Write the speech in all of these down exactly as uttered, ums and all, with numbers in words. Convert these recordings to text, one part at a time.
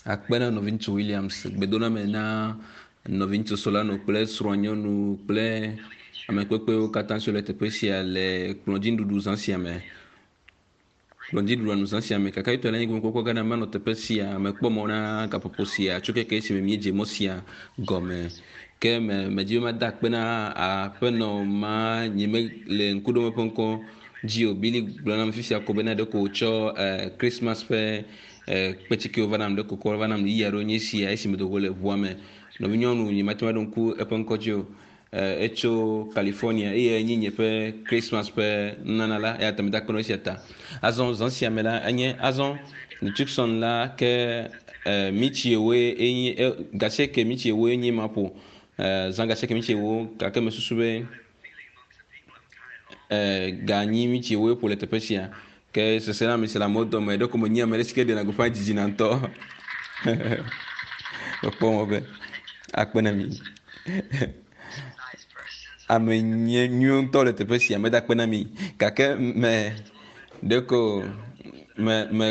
Akpe na nɔviŋutsu Williams gbedoname na nɔviŋutsu Solano kple srɔ̃nyɔnu kple ame kpekpewo katã siwo le teƒe sia le kplɔdzinuɖuɖu zã sia me. Kplɔdzinuɖuɖua nu zã sia me kaka yitɔ le anyigba kpɔkpɔ gã manɔ teƒe sia mekpɔ mɔ na gaƒoƒo sia tso keke esime míedze mɔ sia gɔme. Ke me medzi be mada akpe na aƒenɔ ma nye me le ŋkuɖome ƒe ŋkɔ dzi o. Billy gblɔ nam fifia ko bena ɖeko wòtsɔ eh, Christmas ƒe eh, kpetsikewo va nam ɖeko kɔ va nam ɣeyiɣi aɖewo nye esia esime dogo le ʋua me. Nɔvinyɔnu nye mate ŋu aɖo ŋku eƒe ŋkɔ dzi o. Eh, etso California eye enye nye ƒe Christmas ƒe nunana la eya ta meda akpe na esia ta. Azɔ zã sia me la enye azɔ le Tucson la ke eh, mitsi ewoe enye eh, gasieke mitsi ewoe nye ma ƒo eh, zã gasieke mitsi ewo gake mesusu be eh, ganyi mitsi ewoe ƒo le teƒe sia ke sese na ame si le amewo dome ɖeko menye ame ɖe si ke ɖena gbeƒã dzidzina ŋutɔ mekpɔ mɔ be akpe na mi ame nye nyuiwo ŋutɔ le teƒe sia meda akpe na mi gake me ɖeko me me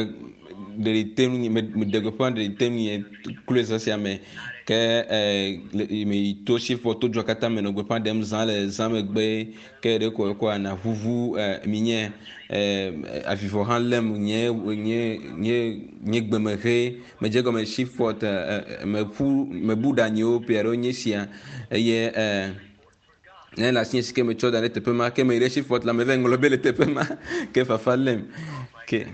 ɖeɖi te ŋunye me meɖe gbeƒã ɖeɖi te ŋunye kloe zã sia me ke eh, le me yi to Shreveport to dua katã me nɔ gbeƒã ɖem zã le zã megbe ke ɖeko ekɔ ana ʋuʋu eh, mi nye eh, avivɔ hã lém nye nye nye nye gbeme he medze gɔme Shreveport eh, eh, meƒu mebu ɖe anyiwo ƒe aɖewo nye sia eye eh, ne le asinye si ke metsɔ da ɖe teƒe ma ke meyi ɖe Shreveport la meva ŋlɔ be le teƒe ma ke fafa lém ke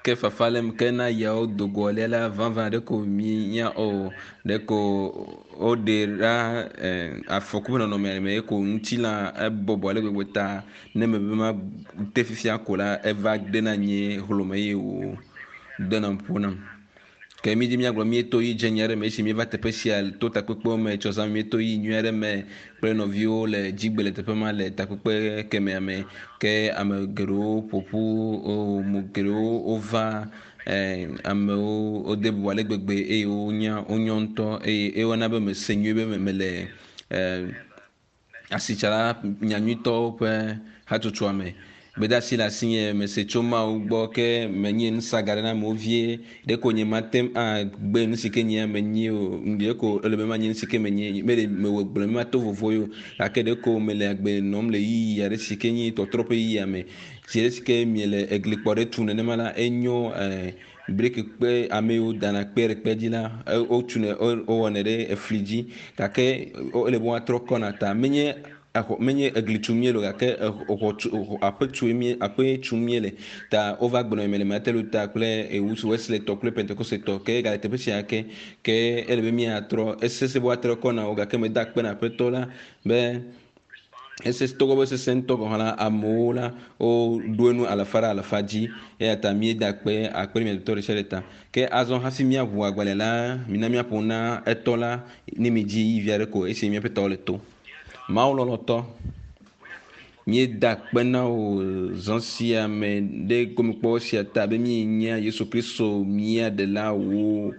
ke fafa lém ke na yawo dogo lia la vavã ɖeko minya o ɖeko woɖe ɖa eh, afɔku ƒe nɔnɔme me ko ŋutilã ebɔbɔ ale gbegbe ta ne mebe ma te fifia ko la eva dena nye hlome eye wò dena ƒo nam. Ke mi dzi míagblɔ míeto yi dze nyui aɖe me esi míeva teƒe sia to takpekpewo me tsɔ zã míeto yi nyui aɖe me kple nɔviwo le dzigbe le teƒe ma le takpekpe kemea me ke ame geɖewo ƒoƒu wo mo geɖewo wova eh, amewo wode bubu ale gbegbe eye wonya wonyɔ ŋutɔ eye ewɔna be mese nyuie be mele eh, asitsala nyanyuitɔwo ƒe hatsotsoa me. Gbedeasi le asinye mese tso Mawu gbɔ ke menye nusaga ɖe na amewo vie ɖeko nye mate ŋu agbe nu si ke nye menye o ɖeko ele be manye nu si ke menye mele mewɔ gblɔ be mato vovo ye o gake ɖeko mele agbe nɔm le ɣeyiɣi aɖe si ke nye tɔtrɔ ƒe ɣeyiɣia me si ɖe si ke miele eglikpɔ ɖe tu nenema la enyo eh, briki kpe ame yiwo dana kpe ɖe kpe dzi la wotunɛ wowɔnɛ ɖe efli dzi gake ele be woatrɔ kɔna ta menye exɔ menye egli tum míele o gake exɔ tu aƒe tu mie aƒe tum míele ta wova gblɔ me le Martin Luther kple Ewusu Wesley tɔ kple Pentecost tɔ ke gale teƒe sia ke ke ele be míatrɔ esese be woatrɔ kɔ na wo gake meda akpe na aƒetɔ la be ese togbɔ be sese ŋutɔ gɔ̃ hã la amewo la woɖo enu alafa ɖe alafa dzi eya ta míeda akpe akpe ɖe mia dometɔ ɖe sia ɖe ta ke azɔ hafi míaʋu agbalẽ la mina míaƒo na etɔ la ne mi dzi yi vi aɖe ko esi míaƒe tɔwo le to. Mawu lɔlɔ̃tɔ, míeda akpe na wò zã sia me ɖe gomekpɔkpɔ sia ta be míenya Yesu Kristo mía ɖela wò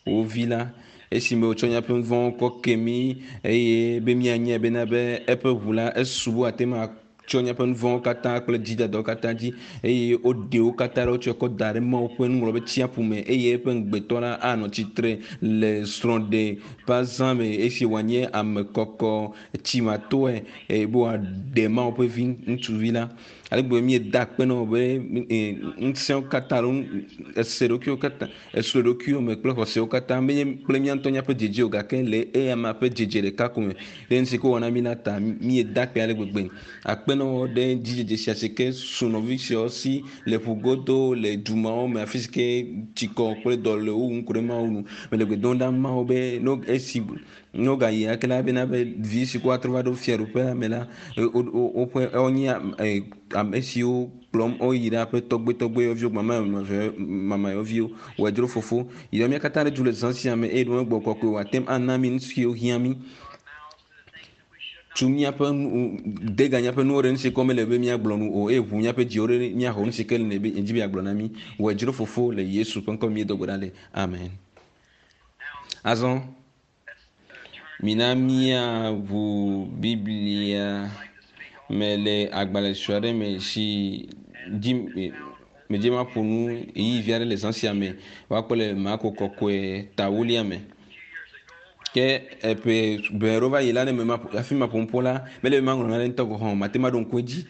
wò vi la esime wòtsɔ míaƒe nu vɔ̃wo kɔ ke mí eye be míanyae bena be eƒe ʋu la esu be wòate ŋu atsɔ míaƒe nu vɔ̃wo katã kple dzidadawo katã dzi eye woɖe wo katã ɖe wotsɔe kɔ da ɖe Mawu ƒe nuŋlɔɖetsiaƒu me eye eƒe ŋugbetɔ la anɔ tsitre le srɔ̃ɖe ƒe azã me esi wòanye ame kɔkɔ tsimatoe eye be wòaɖe Mawu ƒe vi ŋutsuvi la. Ale gbegbe míeda akpe na wò be ŋusẽwo katã alo ese ɖokuiwo katã esro ɖokuiwo me kple xɔsewo katã menye kple mía ŋutɔ míaƒe dzedze o gake le eya ma ƒe dzedze ɖeka ko me ɖe nu si ke wòwɔ na mí la ta míeda akpe ale gbegbe. Akpe na wò ɖe dzidzedze sia si ke su nɔvi siawo si le ƒugodo le du mawo me afi si ke tsikɔ kple dɔ le wo wum ku ɖe Mawu nu. Mele gbe dom ɖa Mawu be no esi ne wogayi ake la bena be vi si ke woatrɔ va ɖo fiaɖuƒea me la woƒe wonye ame siwo kplɔm woyi ɖe aƒe tɔgbetɔgbeyɔviwo mamayɔviwo wòadzro fofo yi ɖe mía katã ɖe du le zã sia me eye ɖe gbɔ kɔkɔe wòate ŋu ana mí nu siwo hiã mí tu míaƒe nu de ga míaƒe nuwo ɖe nu si ke mele be míagblɔ nu o eye ʋu míaƒe dziwo ɖe míaxɔ nu si ke le be dzi be yeagblɔ na mí wòadzro fofo le Yesu ƒe ŋkɔ míedo gbe ɖa le amen. Azɔ mina míaʋu Biblia Me le agbalẽ sue aɖe me si dzi medze maƒo nu ɣeyiɣi vi aɖe le zã sia me woakpɔ le Marko kɔkɔe tawolia me. Ke eƒe ʋe ɖewo va yi la ne me maƒo hafi maƒo nuƒo la mele be maŋlɔ nane ŋutɔ gɔ̃ hã o mate ŋu aɖo ŋku edzi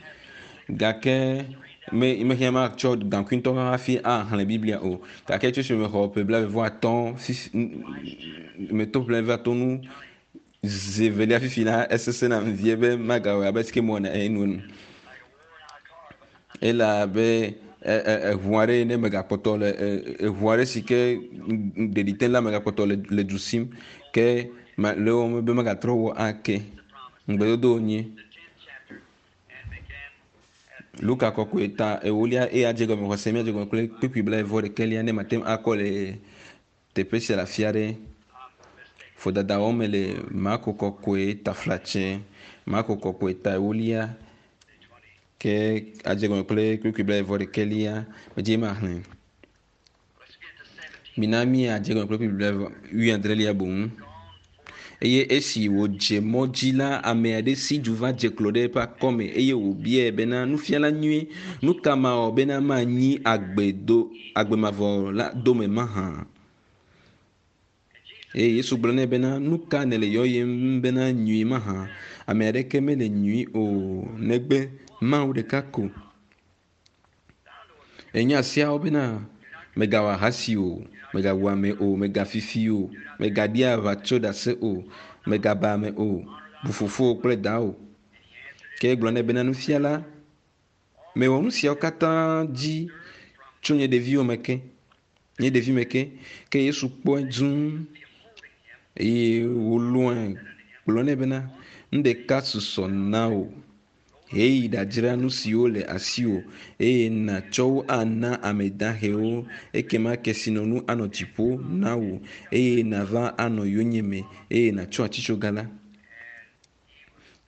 gake me mehiã matsɔ gaŋkui ŋutɔ hafi axlẽ Biblia o. Gake tso esime mexɔ ƒe blaeve vɔ atɔ̃ fifi meto ƒe blaeve atɔ̃ nu zi evelia fifi la esesẽ nam vie be magawɔe abe si ke mewɔna enuenu. Ele abe eʋu aɖe ne megakpɔtɔ le eʋu aɖe si ke ɖeɖi te la megakpɔtɔ le le du sim ke le wɔm be megatrɔ wɔ ake. Ŋugbedodo wònye. Luka kɔkɔe ta ewolia eye adze gɔme xɔse míadze gɔme kple kpukpui blaeve vɔ ɖekɛlia ne mate ŋu akɔ le teƒe sia le afi aɖe. Vodada wɔm le Marko kɔkɔe taflatse Marko kɔkɔe ta ewolia ke adze gɔme kple kpukpui blaeve vɔ ɖekɛlia medze maxlẽ. Mina míadze gɔme kple kpukpui blaeve wuiadrelia boŋ. Eye esi wòdze mɔ dzi la, ame aɖe si du va dze klo ɖe eƒe akɔme eye wòbiae bena, nufiala nyui, nu ka mawɔ bena manyi agbe do agbe mavɔ la dome mahã? Eye Yesu gblɔ nɛ bena, nu ka nèle yɔyem bena nyui mahã? Ame aɖeke mele nyui o negbe Mawu ɖeka ko. Enya siawo bena mègawɔ ahasi o, mègawu ame o, mègafifi o, mègaɖi aʋatso ɖase o, mègaba ame o, bu fofowò kple dawò. Ke egblɔ nɛ bena, nufiala, mewɔ nu siawo katã dzi tso nye ɖeviwo me ke, nye ɖevi me ke. Ke Yesu kpɔe dũu eye wòlɔ̃e gblɔ nɛ bena, nu ɖeka susɔ na wò. Heyi ɖadzra nu siwo le asiwò eye nàtsɔ wo ana ame dahewo ekema kesinɔnu anɔ dziƒo na wò eye nàva anɔ yonyeme eye nàtsɔ atitsoga la.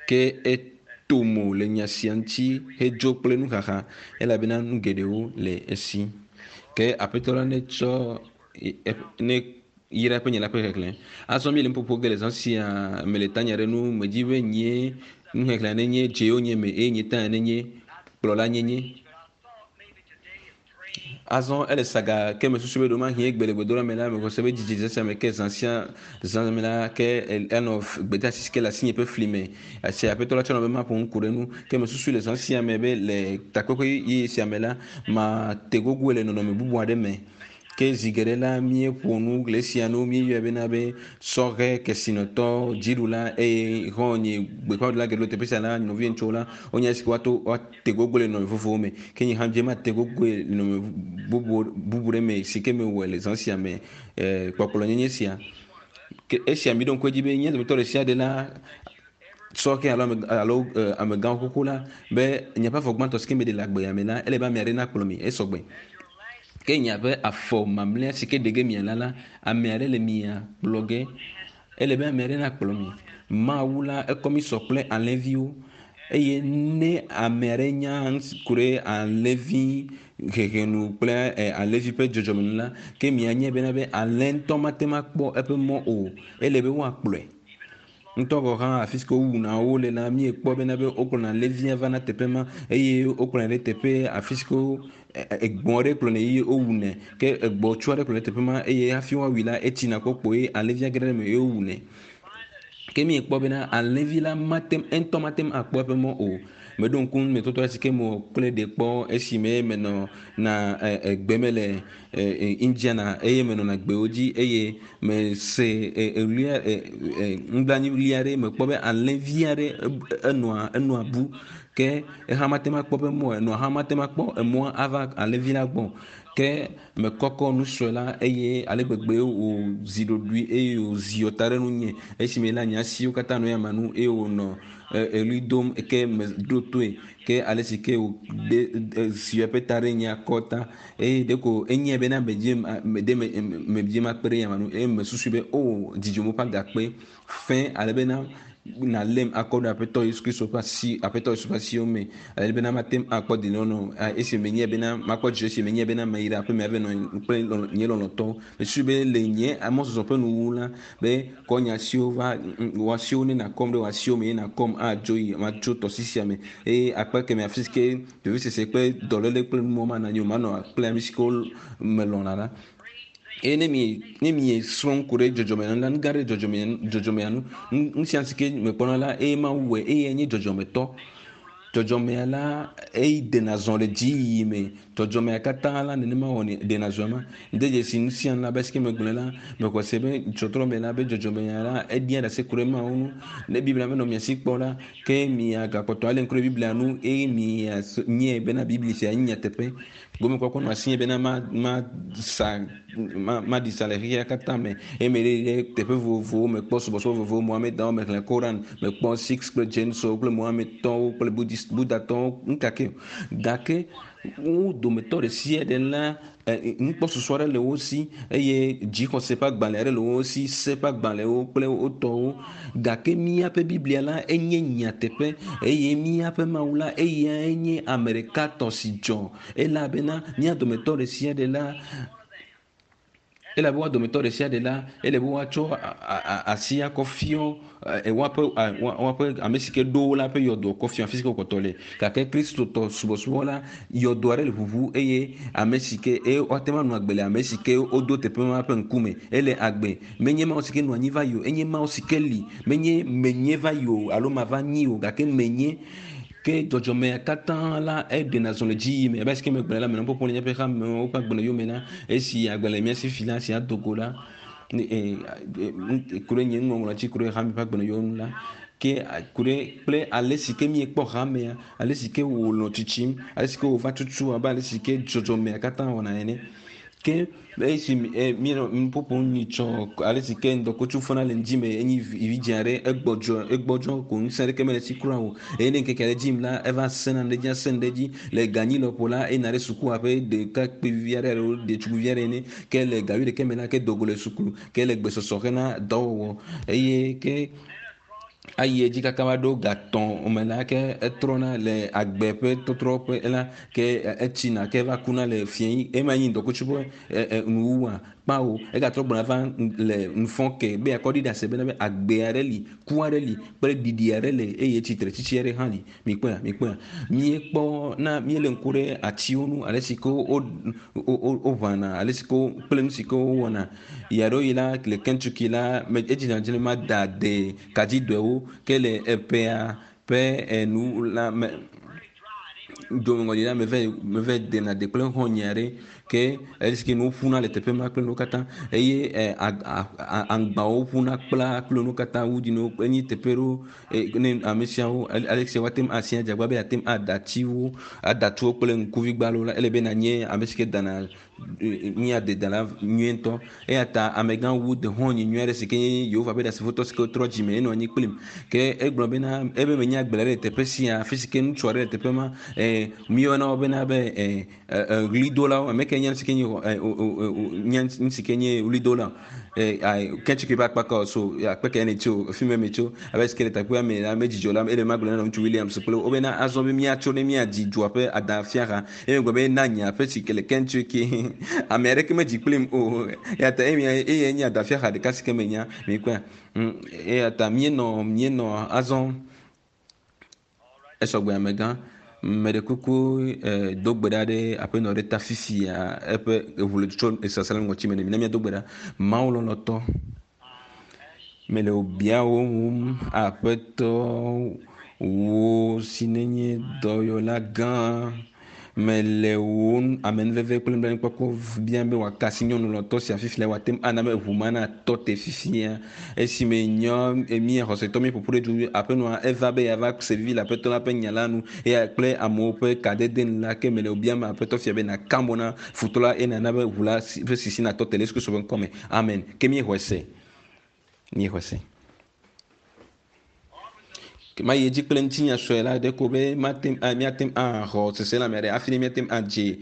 Ke eto mo le nya sia ŋuti hedzo kple nuxaxa elabena nu geɖewo le esi. Ke aƒetɔ la netsɔ ne yra eƒe nya la ƒe xexlẽ. Azɔ míele nuƒoƒo ge le zã sia me le tanya ɖe nu medzi be nye nuxexlẽa nenye dzewo nye me eye nye tanya nenye kplɔla nyenye. Azɔ ele saga ke mesusu be ɖewomahi egbe le gbedoɖa me la mexɔ se be dzidzi zã sia me ke zã sia zã me la ke enɔ gbedeasi si ke le asinye ƒe fli me. Esi aƒetɔ la tsɔ nɔ be maƒo nu ku ɖe nu ke mesusu le zã sia me be le takpekpe yeye sia me la mate gogoe le nɔnɔme bubu aɖe me. Ke zi geɖe la míeƒo nu le esia nu míeyɔe bena be sɔhɛ kesinɔtɔ dziɖula eye xɔ̃nye gbeƒãɖela geɖewo le teƒe sia la nɔvi ŋutsuwo la wonye esi woato woate gogo le nɔnɔme vovovowo me. Ke nye hã dze mate gogoe le nɔnɔme bubu bubu ɖe me si ke mewɔe le zã sia me kpɔkplɔnyenye sia. Ke esia mi ɖo ŋku edzi be nye dometɔ ɖe sia ɖe la sɔhɛ alo ame alo amegãwo xoxo la be nye ƒe afɔ gbãtɔ si ke meɖe le agbea me la ele be ame aɖe nakplɔ mi esɔgbe. Ke nye ƒe afɔ mamlɛa si ke ɖe ge mia la la ame aɖe le mia kplɔ ge. Ele be ame aɖe nakplɔ mi. Mawu la ekɔ mi sɔ kple alẽviwo eye ne ame aɖe nya ku ɖe alẽvi hehenu kple alẽvi ƒe dzɔdzɔme nu la ke mianye bena be alẽ ŋutɔ mate ŋu akpɔ eƒe mɔ o. Ele be woakplɔe. Ŋutɔ gɔ̃ hã afi si ke wowuna wo le la míekpɔ bena be wokplɔna alẽvia vana teƒe ma eye wokplɔnɛ ɖe teƒe afi si ke egbɔ̃ aɖe kplɔnɛ eye wowunɛ ke egbɔ̃tsu aɖe kplɔnɛ ɖe teƒe ma eye hafi woawui la etsina kpɔkpɔ eye alẽvia ge ɖe eme eye wowunɛ. Ke míekpɔ bena alẽvi la mate ŋutɔ mate ŋu akpɔ eƒe mɔ o. Meɖo ŋku numetɔtɔ si ke mewɔ kple ɖe kpɔ esime menɔ na egbe me le Indiana eye menɔna gbewo dzi eye mese eɣlia nublanuiɣli aɖe mekpɔ be alẽvi aɖe enɔa enɔa bu ke eha mate ŋu akpɔ eƒe mɔ enɔa hã mate ŋu akpɔ emɔa ava alẽvi la gbɔ. Ke mekɔkɔ nusue la eye ale gbegbe wòzi ɖoɖoe eye wòzi ta ɖe nunye esime la nye asiwo katã nɔ yame nu eye wònɔ eɣli dom ke meɖo toe ke ale si ke wòde zi eƒe ta ɖe nye akɔta eye ɖeko enyae bena medze ɖe medze makpe ɖe yame nu eye mesusu be o dzidzɔ ƒe agakpe fẽ ale bena Nalém akɔ ɖe aƒetɔ Yesu Kristo ƒe asi aƒetɔ Yesu ƒe asiwo me ale bena mate ŋu akpɔ dedienɔnɔ esi menye bena makpɔ dzidzɔ esi menye bena meyi ɖe aƒeme ava nɔ kple nye lɔlɔ̃tɔwo. Mesusu be le nye amɔzɔzɔ ƒe nuwuwu la be kɔ nye asiwo va wò asiwo ne nakɔm ɖe wò asiwo me ye nakɔm adzo yi matso tɔsisi sia me eye akpa keme afi si ke vevesese kple dɔléle kple numɔ manɔ anyi o manɔ kple ame si ke melɔ̃na la. Eye ne mi ne mi srɔ̃ ku ɖe dzɔdzɔme nu la nu gã ɖe dzɔdzɔme dzɔdzɔmea nu nu sia si ke mekpɔna la eye Mawu wɔe eye nye dzɔdzɔmetɔ. Dzɔdzɔmea la eyi dena zɔ le dziyiyi me. Dzɔdzɔmea katã la nenema wɔnɛ dena zɔ ma. Ŋde dzesi nu sia nu la be si ke megblɔe la mexɔ se be tsɔtrɔ me la be dzɔdzɔmea la eɖia ɖase ku ɖe Mawu ŋu. Ne Biblia menɔ mia si kpɔ la ke miagakpɔtɔ alé ŋku ɖe Biblia nu eye mia nye bena Biblia sia nye nyateƒe. Gomekpɔkpɔ nɔ asinye bena ma ma sa ma maɖi sa le xexea katã me eye meɖe ɖe teƒe vovovowo mekpɔ subɔsubɔ vovovowo Mohamedãwo mexlẽ Koran mekpɔ Sikhs kple Jainwo kple Mohamedtɔwo kple Buddhist Buddhatɔwo ŋkake gake wo dometɔ ɖe sia ɖe la nukpɔsusu aɖe le wo si eye dzixɔse ƒe agbalẽ aɖe le wo si se ƒe agbalẽwo kple wo tɔwo gake míaƒe Biblia la enye nyateƒe eye míaƒe Mawu la eyae nye ame ɖeka tɔ si dzɔ elabena mía dometɔ ɖe sia ɖe la elabe woa dometɔ ɖe sia ɖe la ele be woatsɔ asi akɔ fiɔ woaƒe woaƒe ame si ke ɖo wo la ƒe yɔdoa kɔ fiɔ afi si ke wokpɔtɔ le gake kristotɔ subɔsubɔ la yɔdo aɖe le ʋuʋu eye ame si ke eye woate ŋu anɔ agbe le ame si ke wodo teƒe ma ƒe ŋkume ele agbe menye Mawu si ke nɔ anyi va yi o enye Mawu si ke li menye menye va yi o alo mava nyi o gake menye ke dzɔdzɔmea katã la eɖena zɔ le dziyiyi me abe si ke megblɔe la menɔ ƒoƒom le míaƒe hamewo ƒe agbalẽ yome la esi agbalẽ mía si fi la si ado go la ku ɖe nye nuŋɔŋlɔ dzi ku ɖe hame ƒe agbalẽ yome la ke ku ɖe kple ale si ke míekpɔ hamea ale si ke wònɔ tsitsim ale si ke wòva tutu abe ale si ke dzɔdzɔmea katã wɔna ene ke esi míenɔ nuƒoƒom nyitsɔ ale si ke ŋdɔkutsu fɔna le ŋdzi me enyi vidzĩ aɖe egbɔdzɔ egbɔdzɔ ko ŋusẽ aɖeke mele esi kura o eye ne ŋkeke aɖe dzim la eva sẽna ɖe edzi asẽ ɖe edzi le ganyi lɔƒo la eyina ɖe sukua ƒe ɖekakpuivi aɖe alo ɖetugbivi aɖe ene ke le gawi ɖeke me la ke dogo le suku ke le gbesɔsɔ hena dɔwɔwɔ eye ke ayi edzi kaka va ɖo gatɔ̃ me la ke etrɔna le agbe ƒe tɔtrɔ ƒe la ke etsina ke va kuna le fiẽ ema nyi ŋdɔkutsu ƒe nuwuwua kpawo egatrɔ gbɔna va le nufɔ ke be akɔ ɖi ɖase bena be agbe aɖe li ku aɖe li kple ɖiɖi aɖe le eye tsitre tsitsi aɖe hã li mikpɔa mikpɔa míekpɔ na míele ŋku ɖe atiwo ŋu ale si ke wo woʋãna ale si ke kple nu si ke wowɔna yi aɖewo yi la le Kentucky la edzina dzi ma da de kadzidɔewo ke le eƒea ƒe enu la me domeŋɔli la meve meve dena de kple xɔ̃nye aɖe ke esi ke nuwo ƒuna le teƒe ma kple nuwo katã eye aŋgbawo ƒuna kpla kple nuwo katã wudiniwo enyi teƒe ɖewo ne ame siawo ale si woate ŋu asi adzagba be yeate ŋu ada atiwo ada tuwo kple ŋkuvigbalo la ele be nanye ame si ke dana nye adedala nyuietɔ eya ta amegã wu de xɔ̃nye nyui aɖe si ke nye Yehowa ƒe ɖasefotɔ si ke trɔ dzime enɔ anyi kplim ke egblɔ bena ebe menye agble ɖe le teƒe sia afi si ke ŋutsu aɖe le teƒe ma míeyɔna wo bena be ɣlidolawo ame ke nye nu si ke nye nye nu si ke nye ɣlidola Kentucky ƒe akpa so akpe ke ne tso fi me me tso abe si ke le teƒea me la medzidzɔ la ele magblɔ na ŋutsu Williams kple wo bena azɔ be míatso ne míadzi dua ƒe adafiaha eye megblɔ be na nye aƒe si ke le Kentucky ame aɖeke medzi kplim o eya ta eye nye adafiaha ɖeka si ke menya mikpɔa eya ta míenɔ míenɔ azɔ esɔgbe amegã meɖe kuku do gbe ɖa ɖe aƒenɔ ɖe ta fifia eƒe eʋu le tso sasa le ŋɔtsi me ne mi ne míado gbe ɖa Mawu lɔlɔ̃tɔ mele wò biawo wum aƒetɔ wò si nenye dɔyɔla gã mele wò amenuveve kple nublanuikpɔkpɔ biam be wòaka asi nyɔnu lɔ̃tɔ sia fifia wòate ŋu ana be ʋu ma natɔ te fifia esime nyɔ mía xɔsetɔ míeƒoƒu ɖe du aƒenɔa eva be yeava se vivi le aƒetɔ la ƒe nya la nu eya kple amewo ƒe kadede nu la ke mele wò biam aƒetɔ fia be nàka mo na futɔ la eye nàna be ʋu la ƒe sisi natɔ te le Yesu Kristo ƒe ŋkɔme amen ke míexɔe se míexɔe se. Ma yi edzi kple ŋutinya sue la ɖe ko be mate míate ŋu axɔ seselãme aɖe hafi ne míate ŋu adze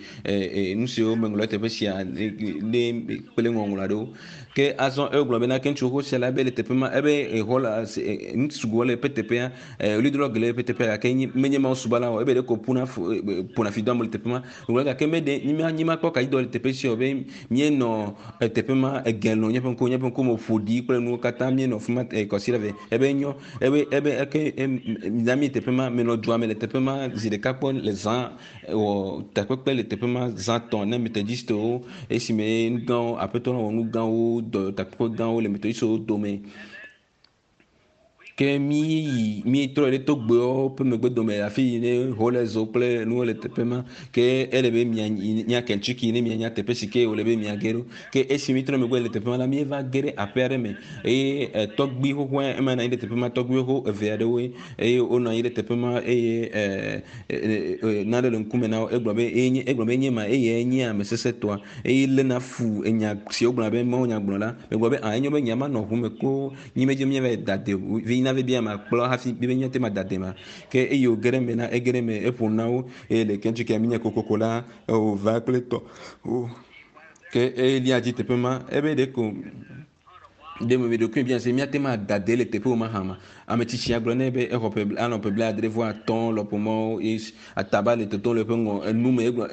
nu siwo meŋlɔ teƒe sia ne kple ŋɔŋlɔ aɖewo. Ke azɔ egblɔ bena ke ŋutsu xoxo sia la be le teƒe ma ebe exɔ la nu sugbɔ le eƒe teƒea ɣlidola geɖe le eƒe teƒea gake menye Mawu subɔla o ebe ɖeko ƒuna ƒona fi do ame le teƒe ma. Egblɔ gake meɖe nyimakpɔ kaɖi le teƒe sia o be míenɔ teƒe ma ege nɔ míaƒe ŋkuwo míaƒe ŋkume ƒo ɖi kple nuwo katã míenɔ fi ma kɔsi ɖe ve ebe nyɔ ebe ebe eke na mi teƒe ma menɔ dua me le teƒe ma zi ɖeka kpɔ le zã wɔ takpekpe le teƒe ma zã tɔ̃ ne metodistewo esime nu gãwo aƒetɔ la wɔ nu gãwo dɔ takpekpe gãwo le metodistewo dome. Ke mi yi mi trɔ ɖe togbewo ƒe megbe dome afi yi ne holezo kple nuwo le teƒe ma ke ele be mia nya Kentucky ne mianya teƒe si ke wòle be miage ɖo. Ke esi mi trɔ megbe le teƒe ma la míeva ge ɖe aƒe aɖe me eye tɔgbui xoxoa ema nɔ anyi ɖe teƒe ma tɔgbui xoxo eve aɖewoe eye wonɔ anyi ɖe teƒe ma eye nane le ŋkume na wo egblɔ be enye egblɔ be enye ma eye enye ame sesẽtɔa eye léna fu enya si wogblɔna be Mawu nya gblɔ la megblɔ be ah enyo be nya ma nɔ ʋu me ko nyi medze míava da de vi na be ma kplɔ hafi be míate ma da de ma ke eye wòge ɖe eme na ege ɖe eme eƒo na wo eye le Kentucky míenya kokoko la wòva kple tɔ ke elia dzi teƒe ma ebe ɖeko ɖe me ɖokui bia se míate ma da de le teƒe wo ma hã ma ame tsitsia gblɔ nɛ be exɔ ƒe anɔ ƒe blaadre vɔ atɔ̃ lɔƒo mɔwo ye ataba le totom le eƒe ŋɔ enu me egblɔ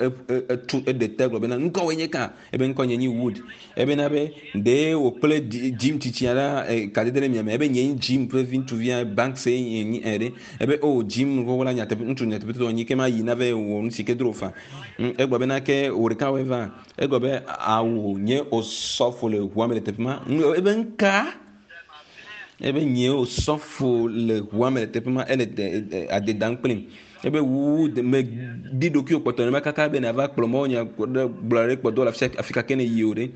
etu eɖe te gblɔ bena ŋkɔwoe nye ka ebe ŋkɔ nye nyi Wood ebena be ɖe wò kple Jim tsitsia la kadede ɖe miame ebe nye nyi Jim ƒe vi ŋutsuvia Banks ye nyi ɛ ɖe ebe o Jim xoxo la nyateƒe ŋutsu nyateƒetɔ nyi ke ma yi na ve wɔ nu si ke dro fa egblɔ bena ke wò ɖeka woe va egblɔ be awu nye osɔfo le ʋua me le teƒe ma ebe ŋka ebe nye osɔfo le ʋua me le teƒe ma ele ade dam kplim ebe wu me di ɖokuiwò kpɔtɔ ne kaka be nava kplɔ mɔ nya gblɔ ɖe kpɔdɔ le afi ka ke ne yi o ɖe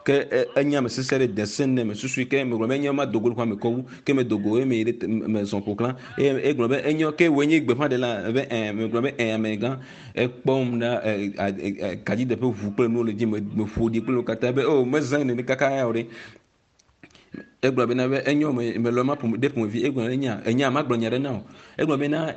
ke enye ame sesẽ ɖe de se ne me susui ke megblɔ be enye ma dogo le xɔa me kɔ wu ke me dogo eye me yi ɖe me zɔ ƒo xlã eye egblɔ be enyo ke woe nye gbeƒãɖela be ɛ megblɔ be ɛ amegã ekpɔm ɖa kadzideƒe ʋu kple nuwo le dzi me ƒo ɖi kple nuwo katã be o mezã nene kaka ya o ɖe egblɔ bena be enyo me melɔ ma ɖe ƒomevi egblɔ be enya enya magblɔ nya ɖe na o egblɔ bena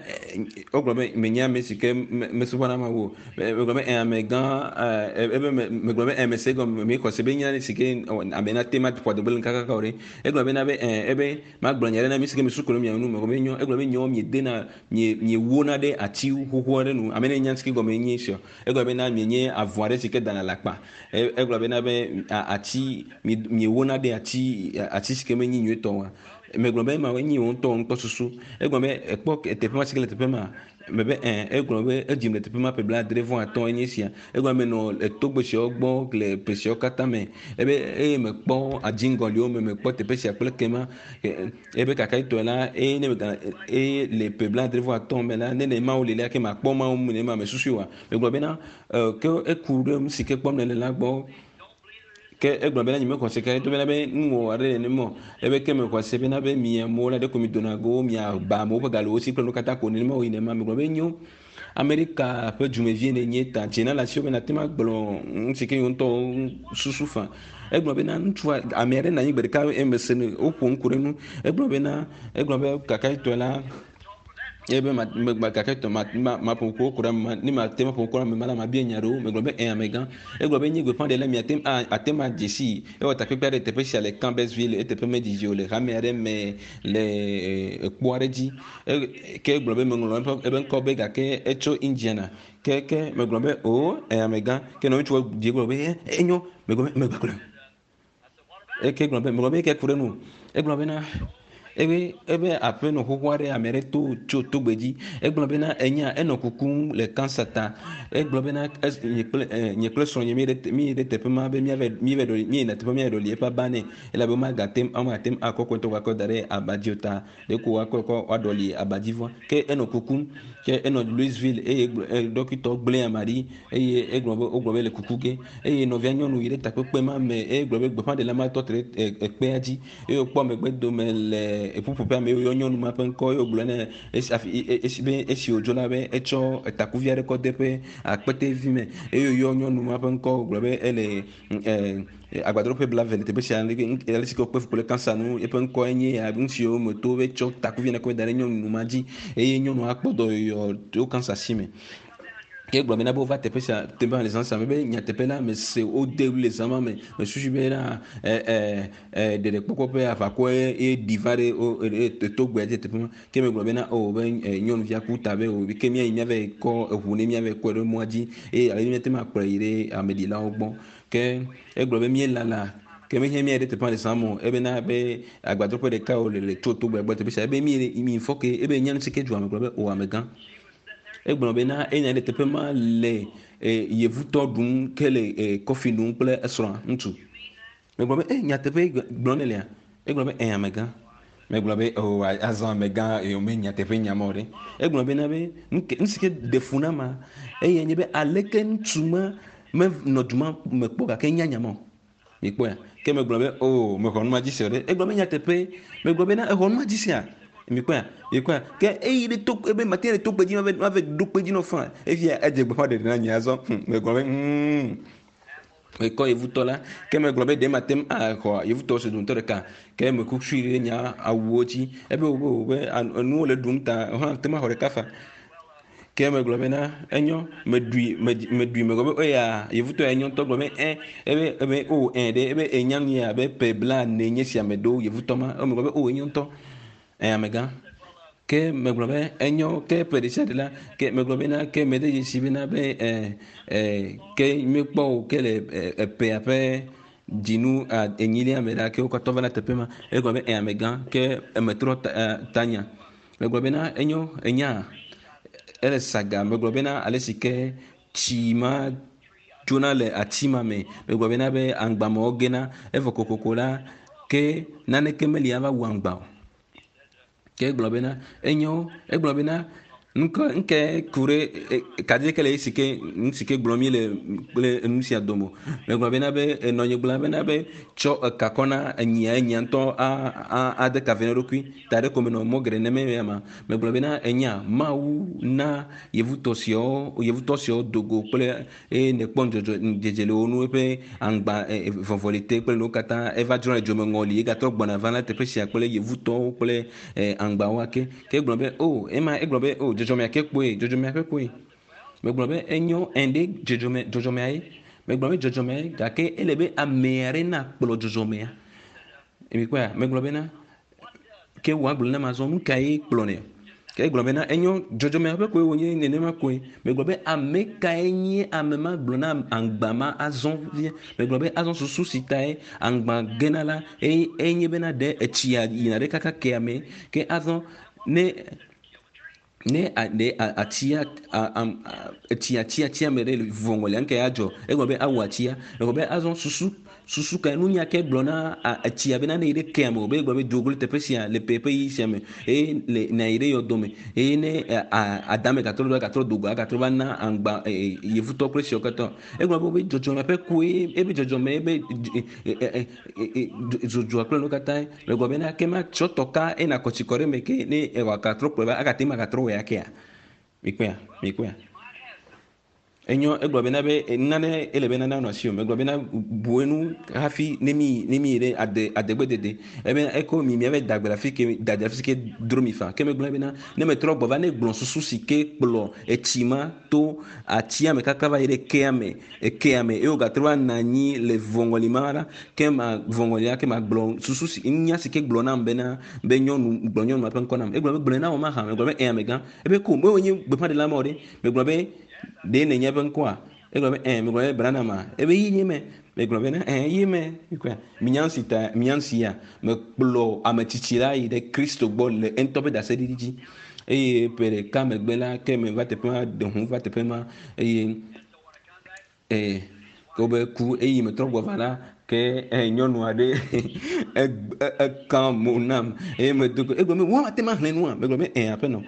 egblɔ be menya ame si ke mesubɔna Mawu o egblɔ be amegã ebe megblɔ be ame se gɔme me xɔ se be nya si ke ame na te ma ƒo adegbe le kakaka o ɖe egblɔ bena be ebe magblɔ nya ɖe na mi si ke mesu ko ɖe mia nu megblɔ be enyo egblɔ be nyawo miedena mie miewona ɖe ati xoxo aɖe nu ame ne nya si ke gɔme nye sia egblɔ bena mienye avɔ aɖe si ke dana le akpa egblɔ bena be ati miewona ɖe ati ati si ke menyi nyuietɔ wa megblɔ be ma nyi wo ŋutɔ nukpɔsusu egblɔ be ekpɔ teƒe ma si ke le teƒe ma mebe ɛ egblɔ be edzim le teƒe ma ƒe blaadre vɔ atɔ̃ enye sia egblɔ be menɔ etogbe siawo gbɔ le ƒe siawo katã me ebe eye mekpɔ adziŋgɔliwo me mekpɔ teƒe sia kple kema ebe kakaitɔe la eye ne mega eye le ƒe blaadre vɔ atɔ̃ me la ne ne Mawu li la ke makpɔ Mawu ne ma me susui wa megblɔ bena ke eku ɖe nu si ke kpɔm nele la gbɔ ke egblɔ bena nye mexɔ se ke to bena be nuwɔ aɖe le nemɔ ebe ke mexɔ se bena be mi amewo la ɖeko mi dona go mia ba amewo ƒe galewo si kple nu katã ko nenema wo yi nema megblɔ be nyo Amerika ƒe dzumevie ne nye ta dzena le asiwò be nate ma gblɔ nu si ke yewo ŋutɔ susu fa egblɔ bena ŋutsua ame aɖe nɔ anyi gbe ɖeka eme se ne woƒo ŋku ɖe nu egblɔ bena egblɔ be kakaitɔe la ebe ma ma kakaitɔ ma ma ma ƒo ŋku ku ɖe ame ne ma te ma ƒo ŋku ɖe ame ma la ma bia nya ɖewo megblɔ be ɛ amegã egblɔ be nye gbeƒãɖela mi ate ate ma dze si ewɔ takpekpe aɖe teƒe sia le Campbellsville eteƒe medidi o le hame aɖe me le ekpo aɖe dzi ke egblɔ be meŋlɔ eƒe ebe ŋkɔ be gake etso Indiana ke ke megblɔ be o ɛ amegã ke nɔ ŋutsua dzi gblɔ be enyo megblɔ be megblɔ eke gblɔ be megblɔ be ke ku ɖe nu egblɔ bena ebe ebe aƒenɔ xoxo aɖe ame aɖe to tso togbe dzi egblɔ bena enya enɔ kukum le kansa ta egblɔ bena nye kple nye kple srɔ̃nye mi ɖe mi ɖe teƒe ma be míave míve ɖɔ míyina teƒe míave ɖɔli eƒe aba nɛ elabe womagate womagate ŋu akɔ kɔntɔ akɔ da ɖe abadzi o ta ɖeko woakɔ kɔ woaɖɔli abadzivɔ ke enɔ kukum ke enɔ Louisville eye dɔkitɔ gblẽ ama ɖi eye egblɔ be wogblɔ be le kuku ge eye nɔvia nyɔnu yi ɖe takpekpe ma me eye gblɔ be gbeƒãɖela ma tɔ te ɖe ekpea dzi eye wòkpɔ megbe dome le eƒuƒoƒea me yɔ nyɔnu ma ƒe ŋkɔ ye wògblɔ ne esi afi esi be esi wòdzo la be etsɔ takuvi aɖe kɔ de eƒe akpetevi me eye wòyɔ nyɔnu ma ƒe ŋkɔ wògblɔ be ele ɛ agbadroƒe blaeve le teƒe sia ale si ke wokpe fu kple kansa nu eƒe ŋkɔe nye ya nu siwo me to be tsɔ takuvi ne kɔ da ɖe nyɔnu ma dzi eye nyɔnua kpɔ dɔyɔyɔ tso kansa si me. Ke gblɔ bena be wova teƒe sia teƒe le zã sia me be nyateƒe la mese wode ɣli le zã ma me mesusu bena ɛ ɛ ɛ ɖeɖekpɔkpɔ ƒe aʋakɔ ye ɖi va ɖe wo togbea dzi teƒe ma ke megblɔ bena o be nyɔnuvia ku ta be o ke míayi míava kɔ eʋu ne míava kɔe ɖe mɔa dzi eye ale míate ŋu akplɔe yi ɖe ameɖilawo gbɔ ke egblɔ be míelala ke mehiã míayi ɖe teƒea le zã me o ebena be agbadroƒe ɖeka wo le le tso togbea gbɔ teƒe sia ebe mi mi fɔ ke ebe nya nu si ke dzɔa me gblɔ be o amegã egblɔ bena enya ɖe teƒe ma le yevutɔ ɖum ke le kɔfi num kple esrɔ̃a ŋutsu megblɔ be e nyateƒe gblɔ ne lia egblɔ be ɛ amegã megblɔ be o azɔ amegã eye me nyateƒe nya ma o ɖe egblɔ bena be nu si ke ɖe fu na ma eye nye be aleke ŋutsu ma menɔ du ma me kpɔ gake nya nya ma o mikpɔe ya ke megblɔ be o mexɔ nu ma dzi se o ɖe egblɔ be nyateƒe megblɔ bena exɔ nu ma dzi sea mikpɔe mikpɔe ke eyi ɖe to ebe mate ɖe togbe dzi mave mave ɖo kpe dzi nɔ fã efia edze gbeƒã ɖeɖe na nye azɔ megblɔ be mm mekɔ yevutɔ la ke megblɔ be ɖe mate ŋu axɔ yevutɔ se dometɔ ɖeka ke meku sui ɖe nya awuwo dzi ebe wo be enuwo le ɖum ta hã te ma xɔ ɖeka fa ke megblɔ bena enyo meɖui meɖui megblɔ be eya yevutɔ ya enyo ŋutɔ gblɔ be ɛ ebe ebe o ɛ ɖe ebe enya nu ya abe ƒe blaene nye sia me ɖo yevutɔ ma megblɔ be o enyo ŋutɔ ɛ amegã ke megblɔ be enyo ke ƒe ɖe sia ɖe la ke megblɔ bena ke mede dzesi bena be ɛ ɛ ke míekpɔ o ke le eƒea ƒe dzinu enyilia me la ke wo katã va na teƒe ma egblɔ be ɛ amegã ke emetrɔ ta tanya megblɔ bena enyo enya ele saga megblɔ bena ale si ke tsi ma dzona le ati ma me megblɔ bena be aŋgbamewo gena evɔ kokoko la ke naneke meli ava wu aŋgba o ke egblɔ bena enyo egblɔ bena nuke nke ku ɖe kaɖi ke le esi ke nu si ke gblɔm mi le kple enu sia dome megblɔ bena be enɔnye gblɔ bena be tsɔ eka kɔ na enyia enyia ŋutɔ a a ade ka ve na eɖokui ta ɖe ko menɔ mɔ geɖe neme ya ma megblɔ bena enya Mawu na yevutɔ siawo yevutɔ siawo dogo kple eye nekpɔ ŋdzɔdzɔ ŋdzedze le wo nu eƒe aŋgba vɔvɔli te kple nuwo katã eva dzro le dzomeŋɔli egatrɔ gbɔna va na teƒe sia kple yevutɔwo kple aŋgbawo ake ke egblɔ be o ema egblɔ be o dzɔdzɔmea ke kpoe dzɔdzɔmea ƒe kpoe megblɔ be enyo ɛnde dzɔdzɔme dzɔdzɔmea ye megblɔ be dzɔdzɔmea ye gake ele be ame aɖe nakplɔ dzɔdzɔmea mikpɔa megblɔ bena ke wòagblɔ na ma zɔ nu ka ye kplɔ nɛ ke egblɔ bena enyo dzɔdzɔmea ƒe koe wònye nenema koe megblɔ be ame kae nye ame ma gblɔ na aŋgba ma azɔ vie megblɔ be azɔ susu si tae aŋgba gena la eye enye bena ɖe etsia yina ɖe kaka kea me ke azɔ ne ne ɖe atia etsi atia tia me ɖe vɔŋɔlia nke ya dzɔ egblɔ be awu atia egblɔ be azɔ susu susu ka nunya ke gblɔ na etsia bena ne yi ɖe kea me o be egblɔ be dogo le teƒe sia le ƒe ƒe yi sia me eye le na yi ɖe yɔdɔ me eye ne adame gatrɔ ɖo gatrɔ dogo agatrɔ va na aŋgba yevutɔ kple siawo katã egblɔ be dzɔdzɔme ƒe koe ebe dzɔdzɔme ebe dzodzɔa kple nuwo katã megblɔ bena ke ma tsɔ tɔka ena kɔtsi kɔ ɖe me ke ne wòagatrɔ kplɔe va agate ma gatrɔ wɔe akea mikpɔea mikpɔea enyo egblɔ bena be nane ele be nane anɔ asi o megblɔ bena bu enu hafi ne mi ne mi yi ɖe ade adegbedede ebe eko mi miave dagbe le afi ke dade afi si ke dro mi fa ke megblɔ bena ne metrɔ gbɔ va ne gblɔ susu si ke kplɔ etsi ma to atia me kaka va yi ɖe kea me ekea me eye wògatrɔ va nɔ anyi le vɔŋɔli ma la ke ma vɔŋɔlia ke ma gblɔ susu si nya si ke gblɔ nam bena be nyɔnu gblɔ nyɔnu ma ƒe ŋkɔ nam egblɔ be gblɔe na wò mahã megblɔ be ɛ amegã ebe ko me wònye gbeƒãɖela ma o ɖe megblɔ be ɖe nenye ƒe ŋkɔa egblɔ be ɛ megblɔ be Branham ebe yi nye me megblɔ bena ɛ yi me minya si ta minya si ya mekplɔ ame tsitsi la yi ɖe Kristo gbɔ le eŋutɔ ƒe ɖaseɖiɖi dzi eye ƒe ɖeka megbe la ke me va teƒe ma ɖe ʋu va teƒe ma eye ɛ ke wobe ku eye metrɔ gbɔ va la Ke nyɔnu aɖe eka mo nam eye medo go egblɔ be wɔn ate ma xlẽ nua megblɔ be ɛ aƒenɔ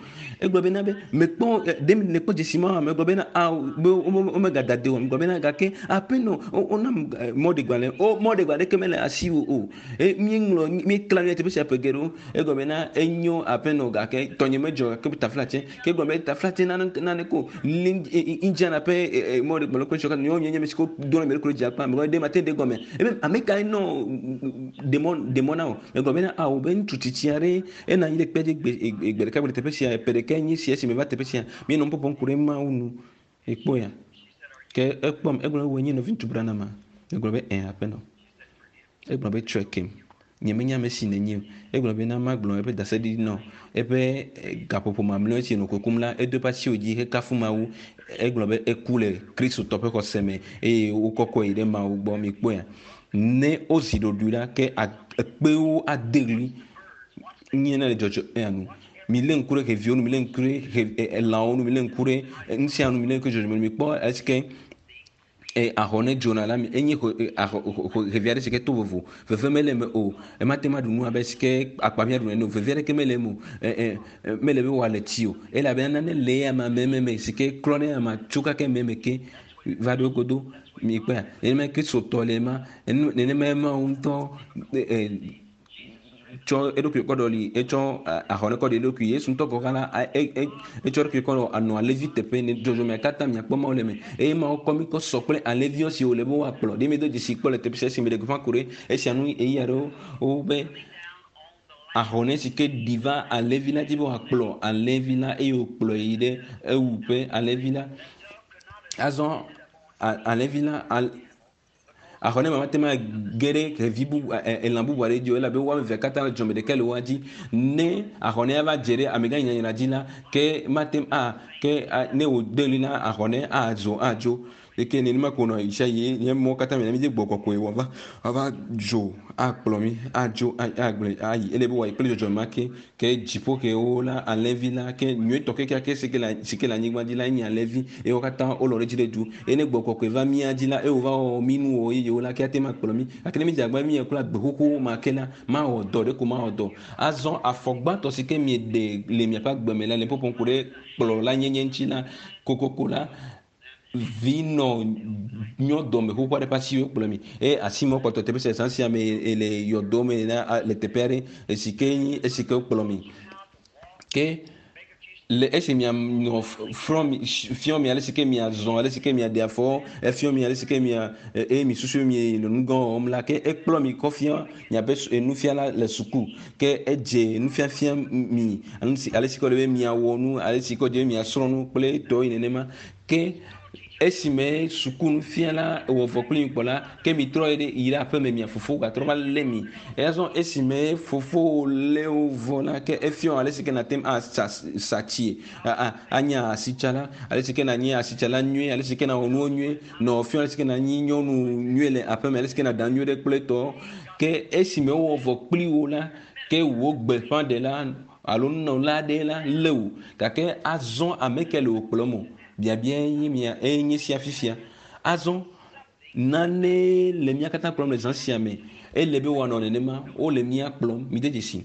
egblɔ be na be mekpɔ ɖe nekpɔ dzesi ma megblɔ be na awo be womegada de o megblɔ be na gake aƒenɔ wonam mɔɖegbalẽ o mɔɖegbalẽ ɖeke mele asiwò o eye míeŋlɔ míekla nu teƒe sia ƒe geɖewo egblɔ be na enyo aƒenɔ gake tɔnye medzɔ gake taflatse ke egblɔ be taflatse nane nane ko Indiana ƒe mɔɖegbalẽ kple sɔka nyɔnu nye ame si ko dona mi ɖokui dzi akpa megblɔ be ɖe mate ɖe gɔme ebe ame kae nɔ demɔ demɔ na o megblɔ bena awo be ŋutsu tsitsi aɖe ena anyi ɖe kpe dzi gbe gbe ɖeka gbe le teƒe sia ƒe ɖeka nye sia esi me va teƒe sia míenɔ nu ƒoƒom ku ɖe Mawu nu ekpɔ ya ke ekpɔm egblɔ be wòe nye nɔvi ŋutsu Branham megblɔ be ɛ aƒenɔ egblɔ be tsɔe kem nye menya ame si nènye o egblɔ be na magblɔ eƒe daseɖiɖi nɔ eƒe gaƒoƒo mamlɛwo si nɔ kukum la edo eƒe asiwo dzi hekafu Mawu egblɔ be eku le Kristotɔ ƒe xɔse me eye wokɔkɔe yi ɖe Mawu gbɔ mikpɔe ya ne wozi ɖoɖoe la ke ekpewo ade ɣli nye ne le dzɔdzɔ eya nu mi lé ŋku ɖe xeviwo nu mi lé ŋku ɖe xe elãwo nu mi lé ŋku ɖe nu sia nu mi lé ŋku ɖe dzɔdzɔme nu mi kpɔ esi ke ahɔne dzona la enye xevi aɖe si ke to vovo veve mele eme o emate ma ɖu nu abe si ke akpamia ɖu ene o veve aɖeke mele eme o mele be wòale tsi o elabena nane le eya meme si ke klɔ ne ama tso kake meme ke va ɖo godo mi kpɔa nenema kristotɔ le ema nenema Mawu ŋutɔ tsɔ eɖokui kɔ ɖɔli etsɔ ahɔne kɔ ɖe eɖokui Yesu ŋutɔ gɔ̃ hã la etsɔ eɖokui kɔ anɔ alẽvi teƒe ne dzɔdzɔmea katã miakpɔ Mawu le eme eye Mawu kɔ mi kɔ sɔ kple alẽviwo si wòle be woakplɔ ɖe mi do dzesi kpɔ le teƒe sia si mi ɖe gbeƒã ku ɖe esia nu ɣeyiɣi aɖewo wobe ahɔne si ke ɖi va alẽvi la dzi be wòakplɔ alẽvi la eye wòkplɔe yi ɖe ewuƒe alẽvi la azɔ alẽvi la ahɔne ma mate ma ge ɖe xevi bubu elã bubu aɖe dzi o elabe wo ame evea katã le dzɔme ɖeka le woa dzi ne ahɔne va dze ɖe amegã nyanyra dzi la ke mate a ke ne wòde ɣli la ahɔne azo adzo eke nenema ko nɔ yi sia yi nye mɔ katã mi mi gbɔ kɔkɔe wòava ava dzo akplɔ mi adzo agblẽ ayi ele be wòayi kple dzɔdzɔme ma ke ke dziƒo kewo la alẽvi la ke nyuietɔ kekeake si ke le si ke le anyigba dzi la enye alẽvi eye wo katã wolɔ ɖe edzi ɖe du eye ne gbɔ kɔkɔe va mía dzi la eye wòva wɔ mí nuwɔwɔ yeyewo la ke ate ma kplɔ mí gake ne mi dze agbagba mi kple agbe xoxo ma ke la mawɔ dɔ ɖe ko mawɔ dɔ azɔ afɔ gbãtɔ si ke mieɖe le miaƒe agbe me la le ƒoƒom ku ɖe kplɔla nyenye ŋuti la kokoko la vi nɔ nyɔdɔme xoxo aɖe ƒe asiwo kplɔ mi eye asi me kpɔtɔ teƒe sia zã sia me le yɔdo me na le teƒe aɖe esi ke nyi esi ke kplɔ mi ke le esi mianɔ frɔ mi fiɔ mi ale si ke miazɔ ale si ke miaɖe afɔ efiɔ mi ale si ke mia eye mi susu mi le nu gã wɔm la ke ekplɔ mi kɔ fia miaƒe nufiala le suku ke edze nufiafia mi ale si ke wòle be miawɔ nu ale si ke wòle be miasrɔ̃ nu kple tɔwo yi nenema ke esime suku nufiala wɔ vɔ kpli mi kpɔ la ke mi trɔ yi ɖe yi ɖe aƒeme mia fofo gatrɔ va lé mi eya zɔ esime fofo lé wo vɔ la ke efiɔ ale si ke nate asa satsie anye asitsala ale si ke nanye asitsala nyuie ale si ke nawɔ nuwo nyuie nɔ fiɔ ale si ke nanyi nyɔnu nyuie le aƒeme ale si ke naɖa nyuie ɖe kple tɔ ke esime wowɔ vɔ kpli wo la ke wo gbeƒãɖela alo nunɔla aɖe la lé wo gake azɔ ame ke le wò kplɔm o biabia ye mia eye nye sia fifia azɔ nane le mía katã kplɔm le zã sia me ele be wòanɔ nenema wole mía kplɔm mi de dzesi